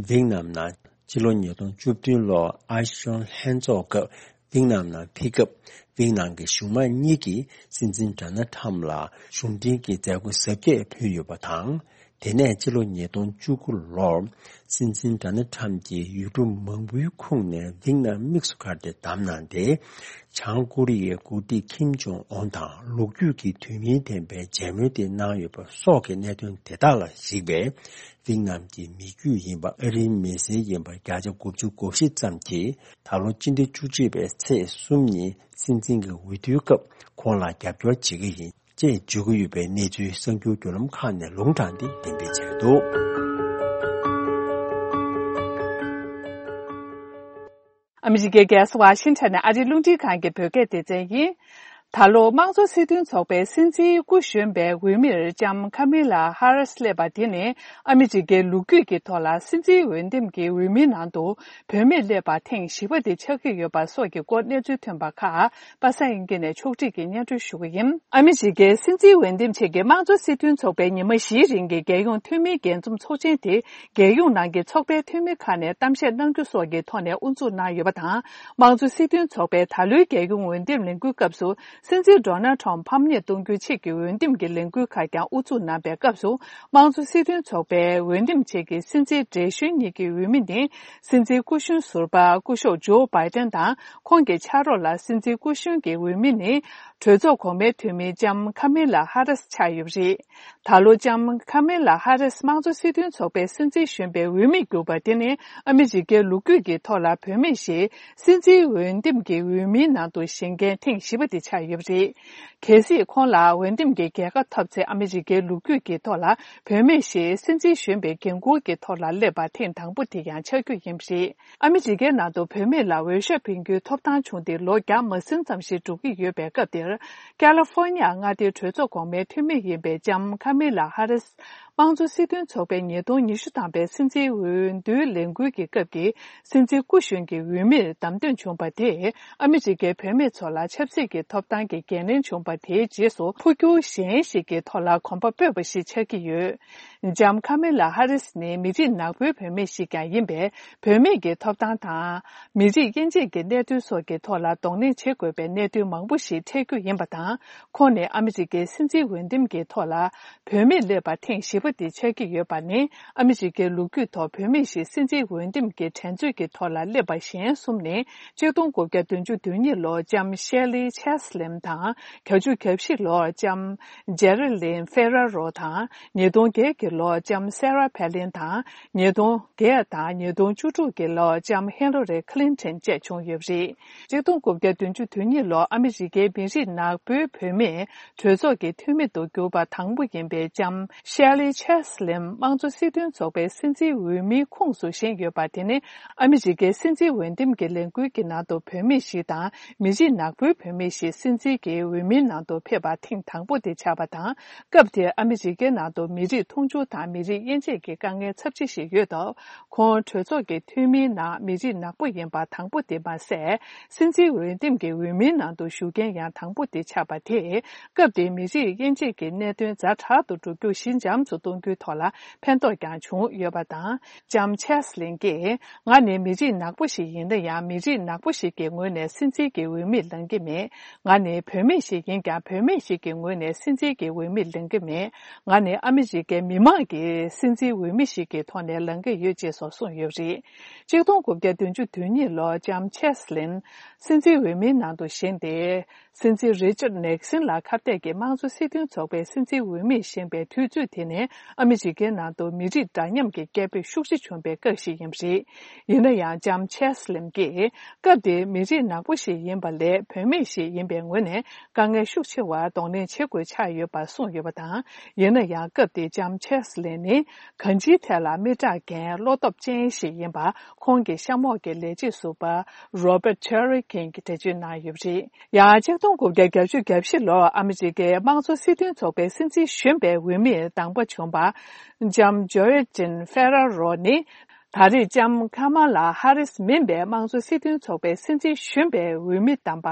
ཝིག་ནམ་ནང་སྤྱི་ལོ་ཉིས་སྟོང་བཅུ་བདུན་ལོར་ཨ་ཤོན་ལྷན་ཚོགས་སྐབས་ཝིག་ནམ་ནང་ཕེབས་སྐབས། ཝིག་ནམ་གྱི་གཞུང་མང་གཉིས་ཀྱིས་སྲིད་འཛིན་ཌོ་ནལ་ཁྲམ་ལ་གཞུང་འབྲེལ་གྱི་མཛད་སྒོ་གཟབ་རྒྱས་ཕུལ་ཡོད་པ་དང་། དེ་ནས་སྤྱི་ལོ་ཉིས་སྟོང་བཅུ་དགུ་ལོར་སྲིད་འཛིན་ཌོ་ནལ་ཁྲམ་གྱིས་ཡུལ་གྲུ་མང་པོའི་ཁོངས་ནས་ཝིག་ནམ་དམིགས་སུ་བཀར་ཏེ་བདམས་གནང་སྟེ། བྱང་ཀོ་རི་ཡའི་འགོ་ཁྲིད་ཁིམ་ཇོང་ཨོན་དང་ལོ་རྒྱུས་ཀྱི་དོན་སྙིང་ལྡན་པའི་མཇལ་མོལ་དེ་གནང་ཡོད་པ་སོགས་ཀྱི་གནད་དོན་དེ་དག་ལ་གཞིགས་པས། ཝིག་ནམ་གྱི་མི་རྒྱུད་ཡིན་པ་ཨ་རིའི་མི་སེར་ཡིན་པ་བརྒྱ་ཆ་དགུ་བཅུ་གོ་བཞི་ཙམ་གྱིས་ད་ལོ་སྤྱི་ཟླ་བཅུ་གཅིག་པའི་ཚེས་གསུམ་ཉིན་སྲིད་འཛིན་གྱི་འོས་བསྡུའི་སྐབས་ཁོང་ལ་རྒྱབ་སྐྱོར་བྱེད་ཀྱི་ཡིན། ཅེས་བརྗོད་ཀྱི་ཡོད་པའི་གནས་ཚུལ་གསར་འགྱུར་བརྒྱུད་ལམ་ཁག་ནས་ལུང་དྲངས་ཏེ་འགྲེམས་སྤེལ་བྱས་འདུག་ཨ་མི་རི་ཀའི་རྒྱལ་ས་ཝ་ཤིང་ཊོན་ནས་ཨ་རིའི་རླུང་འཕྲིན་ཁང་གི་བོད་སྐད་སྡེ་ཚན་ཡིན། ད་ལོ་དམངས་གཙོ་སྲིད་དོན་ཚོགས་པའི་སྲིད་འཛིན་སྐུ་གཞོན་པའི་འོས་མིར་ལྕམ་ཁ་མི་ལ་ཧ་རིས་སླེབས་པ་དེ་ནི་ཨ་མི་རི་ཀའི་ལོ་རྒྱུས་ཀྱི་ཐོག་ལ་སྲིད་འཛིན་འོས་འདེམས་ཀྱི་འོས་མིའི་ནང་དུ་བུད་མེད་སླེབས་པ་ཐེངས་བཞི་པ་དེ་ཆགས་ཀྱི་ཡོད་པ་སོགས་ཀྱི་སྐོར་གནས་ཚུལ་ཐོན་པ་ཁག་པ་སངས་དབྱངས་སྐྱིད་ནས་ཕྱོགས་སྒྲིག་གིས་སྙན་སྒྲོན་ཞུ་གི་ཡིན། ཨ་མི་རི་ཀའི་སྲིད་འཛིན་འོས་འདེམས་ཆེད་ཀྱི་དམངས་གཙོ་སྲིད་དོན་ཚོགས་པའི་ཉི་མ་བཞིའི་རིང་གི་རྒྱལ་ཡོངས་འཐུས་མིའི་རྒྱས་འཛོམས་ཚོགས་ཆེན་དེ་རྒྱལ་ཡོངས་ནང་གི་ཚོགས་པའི་འཐུས་མི་ཁག་ནས་གཏམ་བཤད་གནང་རྒྱུ་སོགས་ཀྱི་ཐོག་ནས་དབུ་འཛུགས་གནང་ཡོད་པ་དང་། དམངས་གཙོ་སྲིད་དོན་ཚོགས་པའི་ད་ལོའི་རྒྱལ་ཡོངས་འོས་འདེམས་ལས་འགུལ་སྐབས་སུ་སྲིད་འཛིན་ཌོ་ནལ་ཁྲོམ་ཕམ་ཉེས་གཏོང་རྒྱུའི་ཆེད་ཀྱི་འོས་འདེམས་ཀྱི་ལས་འགུལ་ཁག་ཀྱང་དབུ་འཛུགས་གནང་པའི་སྐབས་སུ། དམངས་གཙོ་སྲིད་དོན་ཚོགས་པའི་འོས་འདེམས་ཆེད་ཀྱི་སྲིད་འཛིན་བགྲེས་གཞོན་གཉིས་ཀྱི་འོས་མི་ནི། སྲིད་འཛིན་སྐུ་གཞོན་ཟུར་པ་སྐུ་ཞབས་ཇོ་བྷའི་ཏན་དང་ཁོང་གི་ཕྱག་རོགས་ལ་སྲིད་འཛིན་སྐུ་གཞོན་གྱི་འོས་མི་ནི་གྲོས་ཚོགས་གོང་མའི་འཐུས་མི་ལྕམ་ཁ་མི་ལ་ཧ་རིས་ཆགས་ཡོད་པ་རེད། ད་ལོ་ལྕམ་ཁ་མི་ལ་ཧ་རིས་དམངས་གཙོ་སྲིད་དོན་ཚོགས་པའི་སྲིད་འཛིན་གཞོན་པའི་འོས་མི་གྱུར་པ་དེ་ནི་ཨ་མི་རི་ཀའི་ལོ་རྒྱུས་ཀྱི་ཐོག་ལ་བུད་མེད་ཞིག་སྲིད་འཛིན་འོས་འདེམས་ཀྱི་འོས་མིའི་ནང་དུ་བཞེངས་མཁན་ཐེངས་བཞི་པ་དེ་ཆགས་ཡོད། ཡོད་པ་རེད། གལ་སྲིད་ཁོང་ལ་འོས་འདེམས་ཀྱི་རྒྱལ་ཁ་ཐོབ་ཚེ་ཨ་མི་རི་ཀའི་ལོ་རྒྱུས་ཀྱི་ཐོག་ལ་བུད་མེད་ཞིག་སྲིད་འཛིན་གཞོན་པའི་འགན་འཁུར་གྱི་ཐོག་ལ་སླེབས་པ་ཐེངས་དང་པོ་དེ་ཡང་ཆགས་རྒྱུ་ཡིན་པ་རེད། ཨ་མི་རི་ཀའི་ནང་དུ་བུད་མེད་ལ་འོས་ཤོག་འཕེན་རྒྱུའི་ཐོབ་ཐང་བྱུང་སྟེ་ལོ་བརྒྱ་མ་ཟིན་ཙམ་ཞིག་འགྲོ་གི་ཡོད་པའི་སྐབས་དེར། ཀ་ལི་ཧྥོར་ནི་ཡ་མངའ་སྡེའི་གྲོས་ཚོགས་གོང་མའི་འཐུས་མི་ཡིན་པའི་ལྕམ་ཁ་མི་ལ་ཧ་རིས། དམངས་གཙོ་སྲིད་དོན་ཚོགས་པའི་ཉིས་སྟོང་ཉི་ཤུ་ཐམ་པའི་སྲིད་འཛིན་འོས་བསྡུའི་ལས་འགུལ་གྱི་སྐབས་ཀྱི་སྲིད་འཛིན་སྐུ་གཞོན་གྱི་འོས་མིར་བདམས་ཐོན་བྱུང་བ་དེས་ཨ་མི་རི་ཀའི་བུད་མེད་ཚོ་ལ་ཆབ་སྲིད་ཀྱི་ཐོབ་ཐང་གི་འགན་ལེན་བྱུང་བ་དེའི་རྗེས་སུ་འཕོ་འགྱུར་གཞན་ཞིག་གི་ཐོག་ལ་གོམ་པ་སྤོས་པ་ཞིག་ཆགས་ཀྱི་ཡོད། ལྕམ་ཁ་མི་ལ་ཧ་རིས་ནི་མི་རིགས་ནག་པོའི་བུད་མེད་ཞིག་ཀྱང་ཡིན་པས། བུད་མེད་ཀྱི་ཐོབ་ཐང་དང་། མི་རིགས་དབྱེ་འབྱེད་ཀྱི་གནད་དོན་སོགས་ཀྱི་ཐོག་ལ་གདོང་ལེན་བྱེད་དགོས་པའི་གནད་དོན་མང་པོ་ཞིག་འཕྲད་རྒྱུ་ཡིན་པ་དང་། ཁོང་ནི་ཨ་མི་རི་ཀའི་སྲིད་འཛིན་འོས་འདེམས་ཀྱི་ཐོག་ལ་བུད་མེད་སླེབས་པ་ཐེངས་བཞི་པ་དེ་ཆགས་ཀྱི་ཡོད་པ་ནི། ཨ་མི་རི་ཀའི་ལོ་རྒྱུས་ཐོག་བུད་མེད་ཞིག་སྲིད་འཛིན་འོས་འདེམས་ཀྱི་འགྲན་རྩོད་ཀྱི་ཐོག་ལ་སླེབས་པ་གཞན་གསུམ་ནི། ཆིག་སྟོང་དགུ་བརྒྱ་བདུན་ཅུ་དོན་གཉིས་ལོར་ལྕམ་ཤེ་ལི་ཆེ་སི་ལིན་དང་། བརྒྱད་ཅུ་གྱ་བཞི་ལོར་ལྕམ་ཇེ་རི་ལིན་ཧྥེ་ར་རོ་དང་། ཉིས་སྟོང་བརྒྱད་ཀྱི་ལོར་ལྕམ་སེ་ར་ཕེ་ལིན་དང་། ཉིས་སྟོང་བརྒྱད་དང་ཉིས་སྟོང་བཅུ་དྲུག་གི་ལོར་ལྕམ་ཧི་ལ་རི་ཁི་ལིན་ཏོན་བཅས་བྱུང་ཡོད་པ་རེད། ཆིག་སྟོང་དགུ་བརྒྱ་བདུན་ཅུ་དོན་གཉིས་ལོར་ཨ་མི་རི་ཀའི་མི་རིགས་ནག་པོའི་བུད་མེད་གྲོས་ཚོགས་ཀྱི་འཐུས་མི་དུ་གྱུར་པ་དང་པོ་ཡིན་པའི་ལྕམ་ཤེ་ལི་ཆེ་སི་ལིན་དམངས་གཙོ་སྲིད་དོན་ཚོགས་པའི་སྲིད་འཛིན་འོས་མིའི་ཁོངས་སུ་བཞེངས་ཡོད་པ་དེ་ནི། ཨ་མི་རི་ཀའི་སྲིད་འཛིན་འོས་འདེམས་ཀྱི་ལས་འགུལ་གྱི་ནང་དུ་བུད་མེད་ཞིག་དང་མི་རིགས་ནག་པོའི་བུད་མེད་ཞིག་སྲིད་འཛིན་གྱི་འོས་མིའི་ནང་དུ་ཕེབས་པ་ཐེངས་དང་པོ་དེ་ཆགས་པ་དང་། སྐབས་དེར་ཨ་མི་རི་ཀའི་ནང་དུ་མི་རིགས་མཐོང་ཆུང་དང་མི་རིགས་དབྱེ་འབྱེད་ཀྱི་དཀའ་ངལ་ཚབས་ཆེ་ཞིག་ཡོད་སྟབས། ཁོང་གྲོས་ཚོགས་ཀྱི་འཐུས་མིའི་ནང་མི་རིགས་ནག་པོ་ཡིན་པ་དང་པོ་དེ་མ་ཟད། སྲིད་འཛིན་འོས་འདེམས་ཀྱི་འོས་མིའི་ནང་དུ་ཞུགས་མཁན་ཡང་དང་པོ་དེ་ཆགས་པ་དེས། སྐབས་དེའི་མི་རིགས་དབྱེ་འབྱེད་ཀྱི་གནད་དོན་ཛ་དྲག་ཏུ་འགྲོ་རྒྱུ་ཞི་འཇམ་དུ་གཏོང་རྒྱུའི་ཐོག་ལ་ཕན་ཐོགས་ཀྱང་བྱུང་ཡོད་པ་དང་། ལྕམ་ཆེ་སི་ལིན་གྱིས། ང་ནི་མི་རིགས་ནག་པོ་ཞིག་ཡིན་ན་ཡང་། མི་རིགས་ནག་པོ་ཞིག་གི་ངོས་ནས་སྲིད་འཛིན་གྱི་འོས་མིར་ལངས་ཀྱི་མེད། ང་ནི་བུད་མེད་ཞིག་ཡིན་ཀྱང་། བུད་མེད་ཞིག་གི་ངོས་ནས་སྲིད་འཛིན་གྱི་འོས་མིར་ལངས་ཀྱི་མེད། ང་ནི་ཨ་མི་རི་ཀའི་མི་མང་གི་སྲིད་འཛིན་འོས་མི་ཞིག་གི་ཐོག་ནས་ལངས་ཀྱི་ཡོད་ཅེས་སོགས་གསུངས་ཡོད་པ་རེད། ཆིག་སྟོང་དགུ་བརྒྱ་བདུན་ཅུ་དོན་གཉིས་ལོར་ལྕམ་ཆེ་སི་ལིན་སྲིད་འཛིན་འོས་མིའི་ནང་དུ་བཞེངས་ཏེ། སྲིད་འཛིན་རི་ཅར་ནེག་སིན་ལ་ཁ་གཏད་ཀྱིས་དམངས་གཙོ་སྲིད་དོན་ཚོགས་པའི་སྲིད་འཛིན་འོས་མིར་བཞེངས་པའི་དུས་ཚོད་དེ་ནི་ཨ་མི་རི་ཀའི་ནང་དུ་མི་རིགས་འདྲ་མཉམ་གྱི་སྐད་འབོད་ཤུགས་ཆེ་བྱུང་བའི་སྐབས་ཤིག་ཡིན་པ་རེད། ཡིན་ན་ཡང་ལྕམ་ཆེ་སི་ལིན་གྱིས་སྐབས་དེའི་མི་རིགས་ནག་པོ་ཞིག་ཡིན་པ་ལས་བུད་མེད་ཞིག་ཡིན་པའི་ངོས་ནས་དཀའ་ངལ་ཤུགས་ཆེ་བར་གདོང་ལེན་བྱེད་དགོས་ཆགས་ཡོད་པ་གསུངས་ཡོད་པ་དང་། ཡིན་ན་ཡང་སྐབས་དེའི་ལྕམ་ཆེ་སི་ལིན་ནི་གང་ཅིའི་ཐད་ལ་མི་དྲག་འགན་བློ་སྟོབས་ཅན་ཞིག་ཡིན་པ། ཁོང་གི་གཤམ་འོག་གི་ལས་བྱེད་ཟུར་པ་རོ་པར་ཅེ་རི་ཀིན་གྱིས་འགྲེལ་བརྗོད་གནང་ཡོད་པ་རེད། ཡང་ཆིག་སྟོང་དགུ་བརྒྱ་བརྒྱད་ཅུ་གྱ་བཞི་ལོར་ཨ་མི་རི་ཀའི་དམངས་གཙོ་སྲིད་དོན་ཚོགས་པའི་སྲིད་འཛིན་གཞོན་པའི་འོས་མིར་དང་པོ་བྱུང་བ་ལྕམ་ཇོ་ཡ་ཅིན་ཧྥེ་ར་རོ་ནི། ད་རེས་ལྕམ་ཁ་མ་ལ་ཧ་རིས་མིན་པའི་དམངས་གཙོ་སྲིད་དོན་ཚོགས་པའི་སྲིད་འཛིན་གཞོན་པའི་འོས་མི་དམ་པ་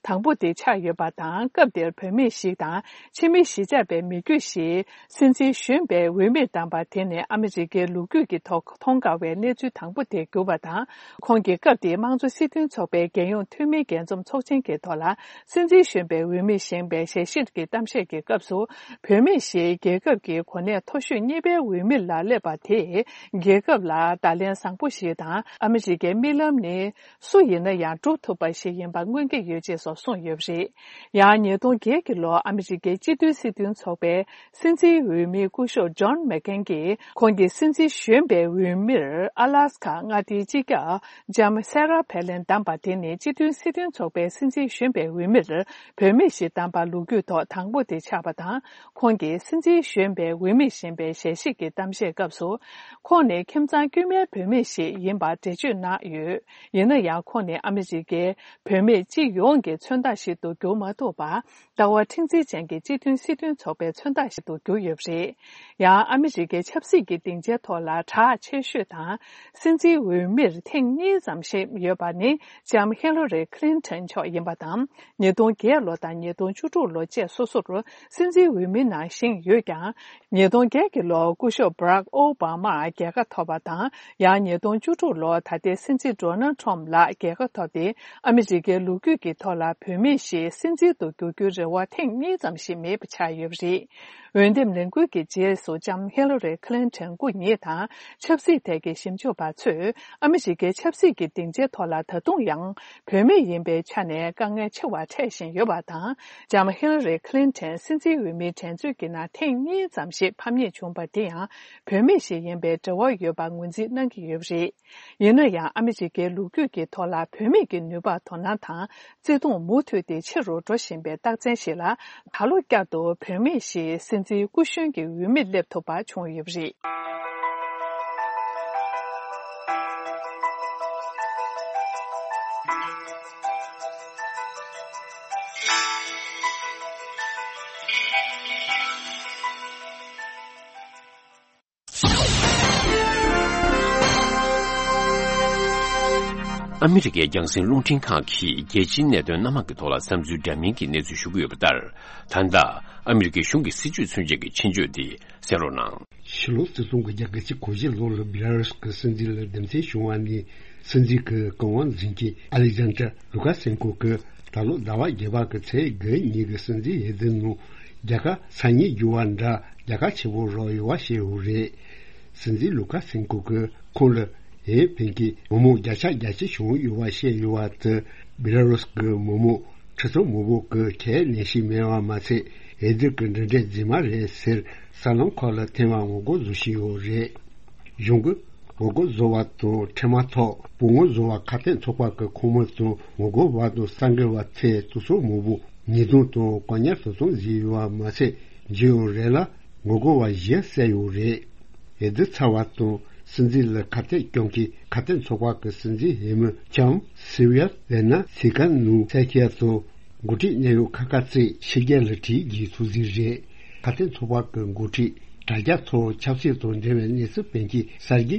དང་པོ་དེ་ཆགས་ཡོད་པ་དང་། སྐབས་དེར་བུད་མེད་ཞིག་དང་ཕྱི་མི་གཞིས་ཆགས་པའི་མི་རྒྱུད་ཞིག་སྲིད་འཛིན་གཞོན་པའི་འོས་མི་དམ་པ་དེ་ནི་ཨ་མི་རི་ཀའི་ལོ་རྒྱུས་ཀྱི་ཐོག་མཐོང་དཀའ་བའི་གནས་ཚུལ་དང་པོ་དེ་གྱུར་པ་དང་། ཁོང་གིས་སྐབས་དེའི་དམངས་གཙོ་སྲིད་དོན་ཚོགས་པའི་རྒྱལ་ཡོངས་འཐུས་མིའི་རྒྱས་འཛོམས་ཚོགས་ཆེན་གྱི་ཐོག་ལ་སྲིད་འཛིན་གཞོན་པའི་འོས་མི་བཞེངས་པའི་ཞལ་བཞེས་ཀྱི་གཏམ་བཤད་ཀྱི་སྐབས་སུ། བུད་མེད་ཞིག་རྒྱལ་ཁབ་ཀྱི་གོ་གནས་མཐོ་ཤོས་གཉིས་པའི་འོས་མི་ལ་སླེབས་པ་དེས་རྒྱལ་ཁབ་ལ་བརྡ་ལན་བཟང་པོ་ཞིག་དང་། ཨ་མི་རི་ཀའི་རྨི་ལམ་ནི་སུ་ཡིན་ན་ཡང་འགྲུབ་ཐུབ་པ་ཞིག་ཡིན་པ་མངོན་གྱི་ཡོད་ཅེས་སོགས་གསུངས་ཡོད་པ་རེད། ཡང་ཉིས་སྟོང་བརྒྱད་ཀྱི་ལོར་ཨ་མི་རི་ཀའི་སྤྱི་འཐུས་སྲིད་དོན་ཚོགས་པའི་སྲིད་འཛིན་འོས་མི་སྐུ་ཞབས་ཇོན་མེག་ཀེན་གྱིས་ཁོང་གི་སྲིད་འཛིན་གཞོན་པའི་འོས་མིར་ཨ་ལཱ་སི་ཁ་མངའ་སྡེའི་སྤྱི་ཁྱབ་ལྕམ་སེ་ར་ཕེ་ལིན་བདམས་པ་དེ་ནི་སྤྱི་མཐུན་སྲིད་དོན་ཚོགས་པའི་སྲིད་འཛིན་གཞོན་པའི་འོས་མིར་བུད་མེད་ཞིག་བདམས་པ་ལོ་རྒྱུས་ཐོག་དང་པོ་དེ་ཆགས་པ་དང་། ཁོང་གིས་སྲིད་འཛིན་གཞོན་པའི་འོས་མི་བཞེངས་པའི་ཞལ་བཞེས་ཀྱི་གཏམ་བཤད་སྐབས་སུ། ཁོང་ནི་ཁྱིམ་ཚང་དཀྱུས་མའི་བུད་མེད་ཞིག་ཡིན་པར་འགྲེལ་བརྗོད་གནང་ཡོད། ཡིན་ན་ཡང་ཁོང་ནི་ཨ་མི་རི་ཀའི་བུད་མེད་སྤྱི་ཡོངས་ཀྱི་མཚོན་རྟགས་ཤིག་ཏུ་གྱུར་མ་ཐུབ་པར། ལྟ་བ་མཁྲེགས་འཛིན་ཅན་གྱི་སྤྱི་མཐུན་སྲིད་དོན་ཚོགས་པའི་མཚོན་རྟགས་ཤིག་ཏུ་གྱུར་ཡོད་པ་རེད། ཡང་ཨ་མི་རི་ཀའི་ཆབ་སྲིད་ཀྱི་སྡིངས་ཆའི་ཐོག་ལ་གྲགས་ཆེ་ཤོས་དང་། སྲིད་འཛིན་འོས་མིར་ཐེངས་གཉིས་ཙམ་ཞིག་ཡོད་པ་ནི་ལྕམ་ཧི་ལ་རི་ཁི་ལིན་ཏོན་མཆོག་ཡིན་པ་དང་། ཉིས་སྟོང་བརྒྱད་ལོ་དང་ཉིས་སྟོང་བཅུ་དྲུག་ལོ་བཅས་སོ་སོར་སྲིད་འཛིན་འོས་མིའི་ནང་བཞེངས་ཡོད་ཀྱང་། ཉིས་སྟོང་བརྒྱད་ཀྱི་ལོར་སྐུ་ཞབས་བྷ་རག་ཨོ་བྷ་མར་རྒྱལ་ཁ་ཐོབ་པ་དང་། ཡང་ཉིས་སྟོང་བཅུ་དྲུག་ལོར་ད་ལྟའི་སྲིད་འཛིན་ཌོ་ནལ་ཊམ་ལགས་རྒྱལ་ཁ་ཐོབ་སྟེ། ཨ་མི་རི་ཀའི་ལོ་རྒྱུས་ཀྱི་ཐོག་ལ་བུད་མེད་ཞིག་སྲིད་འཛིན་དུ་འགྱུར་རྒྱུའི་རེ་བ་ཐེངས་གཉིས་ཙམ་ཞིག་མེད་པ་ཆགས་ཡོད་པ་རེད། འོས་འདེམས་ལས་འགུལ་གྱི་རྗེས་སུ་ལྕམ་ཧི་ལ་རི་ཁི་ལིན་ཏོན་སྐུ་ཉིད་དང་ཆབ་སྲིད་ཐད་ཀྱི་ཞིབ་འཇུག་པ་ཚོས་ཨ་མི་རི་ཀའི་ཆབ་སྲིད་ཀྱི་སྡིངས་ཆའི་ཐོག་ལ་ད་དུང་ཡང་བུད་མེད་ཡིན་པའི་ཆ་ནས་དཀའ་ངལ་ཆེ་བ་འཕྲད་བཞིན་ཡོད་པ་དང་། ལྕམ་ཧི་ལ་རི་ཁི་ལིན་ཏོན་སྲིད་འཛིན་འོས་མིའི་འགྲན་རྩོད་ཀྱི་ནང་ཐེངས་གཉིས་ཙམ་ཞིག་ཕམ་ཉེས་བྱུང་བ་དེ་ཡང་བུད་མེད་ཞིག་ཡིན་པའི་འབྲེལ་བ་ཡོད་པར་ངོས་འཛིན་ གནང་གི་ཡོད་པ་རེད། ཡིན་ན་ཡང་ཨ་མི་རི་ཀའི་ལོ་རྒྱུས་ཀྱི་ཐོག་ལ་བུད་མེད་ཀྱི་ནུས་པ་དོ་སྣང་དང་བརྩེ་དུང་མུ་མཐུད་དེ་ཆེ་རུ་འགྲོ་བཞིན་པའི་རྟགས་མཚན་ཞིག་ལ། ད་ལོ་བསྐྱར་དུ་བུད་མེད་ཞིག་སྲིད་འཛིན་སྐུ་གཞོན་གྱི་འོས་མིར་སླེབས་ཐུབ་པ་བྱུང་ཡོད་པ་རེད། ཨ་མི་རི་ཀའི་རྒྱང་སྲིང་རླུང་འཕྲིན་ཁང་གིས་རྒྱལ་སྤྱིའི་གནད་དོན་སྣ་མང་གི་ཐོག་ལ་བསམ་ཚུལ་འདྲ་མིན་གྱི་གནས་ཚུལ་ཞུ་གི་ཡོད་པ་ལྟར། ད་ལྟ་ཨ་མི་རི་ཀའི་གཞུང་གི་སྲིད་བྱུས་མཚོན་བྱེད་ཀྱི་ཆེད་བརྗོད་འདི་གསན་རོགས་གནང་། ཕྱི་ལོ་ཆིག་སྟོང་དགུ་བརྒྱ་གྱ་གཅིག་གོ་བཞི་ལོ་ལ་བི་ལ་རུ་སི་ཀྱི་སྲིད་འཛིན་ལ་འདེམས་ཐོན་བྱུང་བ་ནི། སྲིད་འཛིན་གྱི་རྐང་དབང་འཛིན་མཁན་ཨ་ལེག་ཛན་ཏྲ་ལུ་ཀ་སེན་ཀོ་གིས་ད་ལོ་ཟླ་བ་བརྒྱད་པ་གི་ཚེས་དགུ་ཉིན་གྱི་སྲིད་འཛིན་འོས་བསྡུ་ནང་རྒྱལ་ཁ་ས་ཉིལ་རྒྱུ་བ་འདྲ་རྒྱལ་ཁ་ཆེ་པོ་རག་ཡོད་པ་བཤད་ཡོད་རེད། སྲིད་འཛིན་ལུ་ཀ་སེན་ཀོ་གིས་ཁོང་ལ་འོས་འཕེན་མཁན་མི་མང་བརྒྱ་ཆ་བརྒྱད་ཅུ་བྱུང་ཡོད་པ་བཤད་ཡོད་པ་དེ། བི་ལ་རུ་སི་གི་མི་མང་ཁྲི་ཚོ་མང་པོ་གིས་ཁས་ལེན་བཞིན་མེད་པ་མ་ཚད། འོས་བསྡུ་གི་འབྲེལ་འདྲིས་རྫུན་མ་རེད་ཟེར་གསར་ལམ་ཁག་ལ་ཐེངས་མང་ངོ་རྒོལ་བཟོ་བཞིན་ཡོད་རེད། གཞུང་གིས་ངོ་རྒོལ་བཟོ་བ་དང་འཕྲལ་མ་ཐག་སྤོ་ངོ་བཟོ་བ་ཁ་གཏད་ཚོགས་པ་གི་ཁོངས་མི་དང་ངོ་རྒོལ་བ་དང་གསར་འགོད་པ་ཚོས་དུག་སོག་མང་པོ་ཉེས་རྡུང་དང་བཀག་ཉར་དོ་དམ་བཟོས་ཡོད་པ་མ་ཚད། འཇིགས་ཡོད་རེད་ལ་ངོ་རྒོལ་བ་བཞི་བསད་ཡོད་རེད། འོས་བསྡུ་ཚར་བ་དང་སྲིད་འཛིན་ལ་ཁ་གཏད་གཅོག་མཁན་ཁ་གཏད་ཚོགས་པ་གི་སྲིད་འཛིན་འོས་མི་ལྕམ་སིལ་ཝི་ཡ་ལེ་ན་སི་ཀན་ནུ་སེ་ཁི་ཡ་དང་འགོ་ཁྲིད་གནད་ཡོད་ཁག་ཁག་ཅིག་ཕྱི་རྒྱལ་ལ་བྲོས་རྒྱུའི་ཐུགས་འཛིན་རེད། ཁ་གཏད་ཚོགས་པ་གི་འགོ་ཁྲིད་དྲ་རྒྱ་ཐོག་ཆབ་སྲིད་དང་འབྲེལ་བའི་གནས་ཚུལ་སྤེལ་མཁན་གསར་བརྗེ་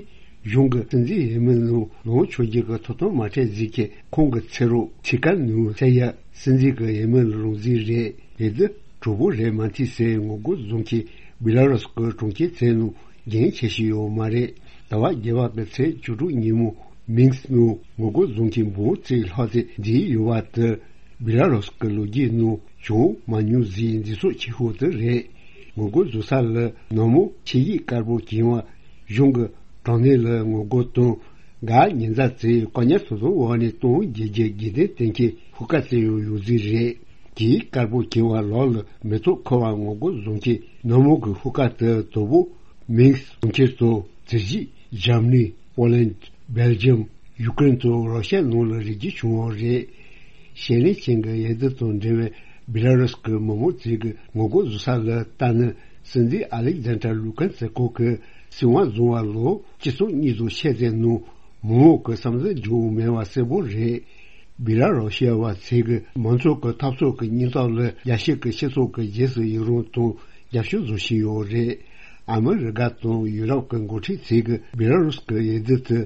གཞུང་གི་སྲིད་འཛིན་འོས་མི་ནང་ལངས་ཆོག་རྒྱུ་གི་ཐོབ་ཐང་མ་སྤྲད་ཟེར་མཁན་ཁོང་གི་ཚེ་རོགས་སི་ཀན་ནུ་སེ་ཡ་སྲིད་འཛིན་གྱི་འོས་མི་ལ་ལངས་རྩིས་རེད། འོས་བསྡུ་གྲུབ་པོ་རེད་མ་མཐུན་ཟེར་ངོ་རྒོལ་བཟོ་མཁན་བི་ལ་རུ་སི་གི་གྲོང་ཁྱེར་ཚོའི་ནང་རྒྱུན་ཆད་བཞིན་ཡོད་མ་རེད། ཟླ་བ་བརྒྱད་པ་གི་ཚེས་བཅུ་དྲུག་ཉིན་མོ་མིན་སི་ནང་ངོ་རྒོལ་བཟོ་མཁན་འབུམ་གཅིག་ལྷག་ཙམ་འདུས་ཡོད་པ་དེ་བི་ལ་རུ་སི་གི་ལོ་རྒྱུས་ནང་བྱུང་མ་མྱོང་ཟིག་འདི་ཚོ་ཆེ་ཤོས་དེ་རེད། ངོ་རྒོལ་བཟོ་ས་ལ་ནང་མི་ཆིངས་ཡིག་དཀར་པོ་གྱོན་པ། གཞུང་གི་དྲང་བདེན་ལ་ངོ་རྒོལ་དང་། འགའ་ཉེན་བརྡ་བྱས་བཀག་ཉར་དོ་དམ་འོག་ནས་གཏོང་རྒྱུ་གི་དགོས་འདུན་བསྟན་མཁན་ཤོག་ཁག་བཙལ་ཡོང་ཡོད་རྩིས་རེད། དེའི་དཀར་པོ་གྱོན་པ་ལག་ལ་མེ་ཏོག་འཁུར་བ་ངོ་རྒོལ་བཟོ་མཁན་ནང་མི་གི་ཤོག་ཁག་དེ་དོ་པོ་མིན་སི་གྲོང་ཁྱེར་དང་དེ་བཞིན་འཇར་མ་ནི། པོ་ལན། སྦེལ་ཇམ། ཡུ་ཀེ་རེན་དང་རོ་ཤ་ནང་ལ་རེག་རྒྱུ་བྱུང་བ་རེད། ཞལ་ལེན་ཅན་གྱི་འོས་བསྡུ་དང་འབྲེལ་བའི་བི་ལ་རུ་སི་གི་མི་མང་ཚོས་ཀྱི་ངོ་རྒོལ་བཟོ་ས་ལ་ལྟ་ན། སྲིད་འཛིན་ཨ་ལེག་ཛན་ཏྲ་ལུ་ཀན་སེ་ཀོ་གིས་སྲིད་དབང་བཟུང་བ་ལོ་ཆིག་སྟོང་གཉིས་དང་ཕྱེད་ཙམ་ནང་མི་མང་གི་བསམ་ཚུལ་འགྱུར་བ་མེད་པ་གསལ་པོ་རེད། བི་ལ་རུ་ཤི་ཡ་བ་ཚོས་ཀྱི་མང་ཚོགས་ཀྱི་འཐབ་རྩོད་ཀྱི་སྙིང་སྟོབས་ལ་རྒྱལ་སྤྱི་གི་སྤྱི་ཚོགས་ཀྱི་རྗེས་སུ་ཡི་རང་དང་རྒྱབ་སྐྱོར་བཟོ་བཞིན་ཡོད་རེད། ཨ་མི་རི་ཀ་དང་ཡུ་རོབ་ཀྱི་འགོ་ཁྲིད་ཚོས་ཀྱི་བི་ལ་རུ་སི་ཀྱི་འོས་བསྡུ་དེ་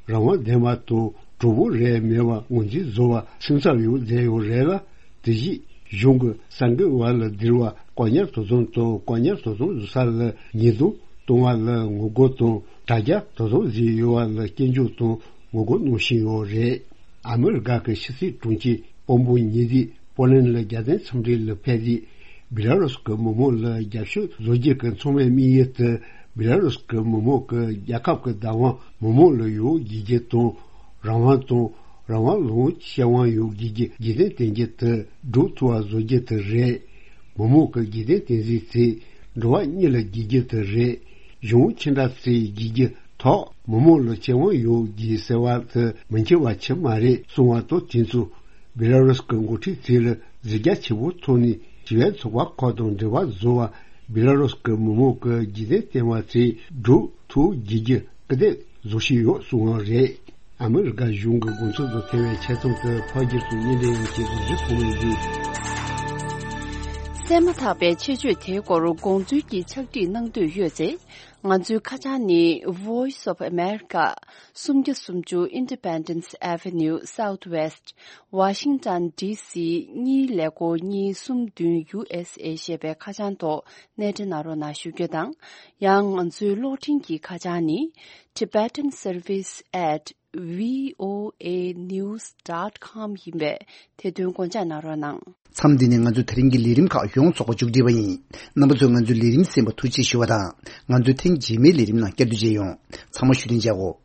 རང་དབང་ལྡན་པ་དང་གྲུབ་པོ་རེད་མེད་པ་ངོས་འཛིན་བཟོ་བར་སེམས་འཚབ་ཡོད་བསྡད་ཡོད་རེད་ལ། དེ་བཞིན་གཞུང་གི་གསར་འགོད་པ་ལ་འདྲི་བ་བཀག་ཉར་དོ་དམ་དང་བཀག་ཉར་དོ་དམ་བཟོ་ས་ལ་ཉེས་རྡུང་གཏོང་བ་ལ་ངོ་རྒོལ་དང་དྲ་རྒྱ་དོ་དམ་བཟོས་ཡོད་པ་ལ་སྐྱོན་བརྗོད་དང་ངོ་རྒོལ་གནང་བཞིན་ཡོད་རེད། ཨ་མི་རི་ཀ་གི་ཕྱི་སྲིད་དྲུང་ཆེ་དཔོན་པོ་ཉེ་དུས་པོ་ལན་ལ་རྒྱལ་བསྟན་འཚམས་འདྲི་ལ་ཕེབས་དུས་བི་ལ་རུ་སི་ཀི་མི་མང་ལ་རྒྱབ་སྐྱོར་བཟོ་རྒྱུ་གི་ཚང་མའི་དམིགས་ཡུལ་དེ་བི་ལ་རུ་སི་ཀི་མི་མང་གི་རྒྱལ་ཁབ་ཀྱི་བདག་དབང་མི་མང་ལ་ཡོད་དགོས་རྒྱུ་དང་། རང་དབང་དང་རང་དབང་ལུང་ཤེས་དབང་ཡོད་དགོས་རྒྱུ་དགོས་འདུན་བསྟན་རྒྱུ་དེ་སྒྲུབ་ཐུབ་པ་བཟོ་རྒྱུ་དེ་རེད། མི་མང་གི་དགོས་འདུན་བསྟན་འཛིན་ཚེ་འགྲོ་བ་གཉིས་ལ་དགོས་རྒྱུ་དེ་རེད། གཞུང་ཁྱི་འདྲ་ཚོས་དགོས་རྒྱུ་ཐོག་མི་མང་ལ་ཁེ་དབང་ཡོད་དགོས་ཟེར་བ་དེ་མི་འཁྱོངས་པ་ཆེ་མ་རེད་གསུང་བ་དང་དེ་ཚོ་བི་ལ་རུ་སི་ཀི་འགོ་ཁྲིད་ཚོས་ལ་གཟི་རྒྱ་ཆེ་པོ་ཐོག་ནས་ཞི་བའི་ཚོགས་པ་ཁག་དང་འབྲེལ་བ་བཟོ་བ། བི་ལ་རུ་སི་ཀི་མི་མང་གི་དགོས་འདུན་བསྟན་པ་ཚོས་སྒྲུབ་ཐུབ་དགོས་རྒྱུ་སྐུལ་འདེད་བཟོ་བཞིན་ཡོད་གསུངས་པ་རེད། ཨ་མི་རི་ཀ་གཞུང་གི་དགོངས་ཚུལ་དང་འཁེལ་བའི་ཆེད་རྩོམ་དེ་ཕ་གིར་སུ་གཉིས་ལྡན་ཡོད་ཀྱི་གཟུགས་གཞི་ཐོག་མའི་འདུས། གསན་མ་ཐག་པའི་ཆེད་བརྗོད་དེའི་སྐོར་དགོངས་ཚུལ་གྱི་ཕྱག་བྲིས་གནང་འདོད་ཡོད་ཚེ། ང་ཚོའི་ཁ་བྱང་ནི། Voice of America། སུམ་བརྒྱ་སུམ་ཅུ་Independence Avenue Southwest། Washington D C གཉིས་ཀླད་ཀོར་གཉིས་གསུམ་བདུན་U S A ཞེས་པའི་ཁ་བྱང་ཐོག་གནས་འདྲེན་གནང་རོགས་གནང་ཞུ་རྒྱུ་དང་། ཡང་ང་ཚོའི་གློག་འཕྲིན་གྱི་ཁ་བྱང་ནི། Tibetan Service at V O A news dot com ཡིན་པས་དེ་དོན་དགོངས་འཇགས་གནང་རོགས་གནང་། མཚམས་འདི་ནས་ང་ཚོའི་དེ་རིང་གི་ལས་རིམ་ཁག་ཡོངས་རྫོགས་པ་མཇུག་སྒྲིལ་བ་ཡིན། རྣམ་པ་ཚོས་ང་ཚོའི་ལས་རིམ་གསན་པར་ཐུགས་རྗེ་ཆེ་ཞུ་བ་དང་། ང་ཚོའི་ཐེངས་རྗེས་མའི་ལས་རིམ་ནང་བསྐྱར་དུ་མཇལ་ཡོང་། ཚང་མ་བཞུགས་གདན་འཇགས་སྒོ།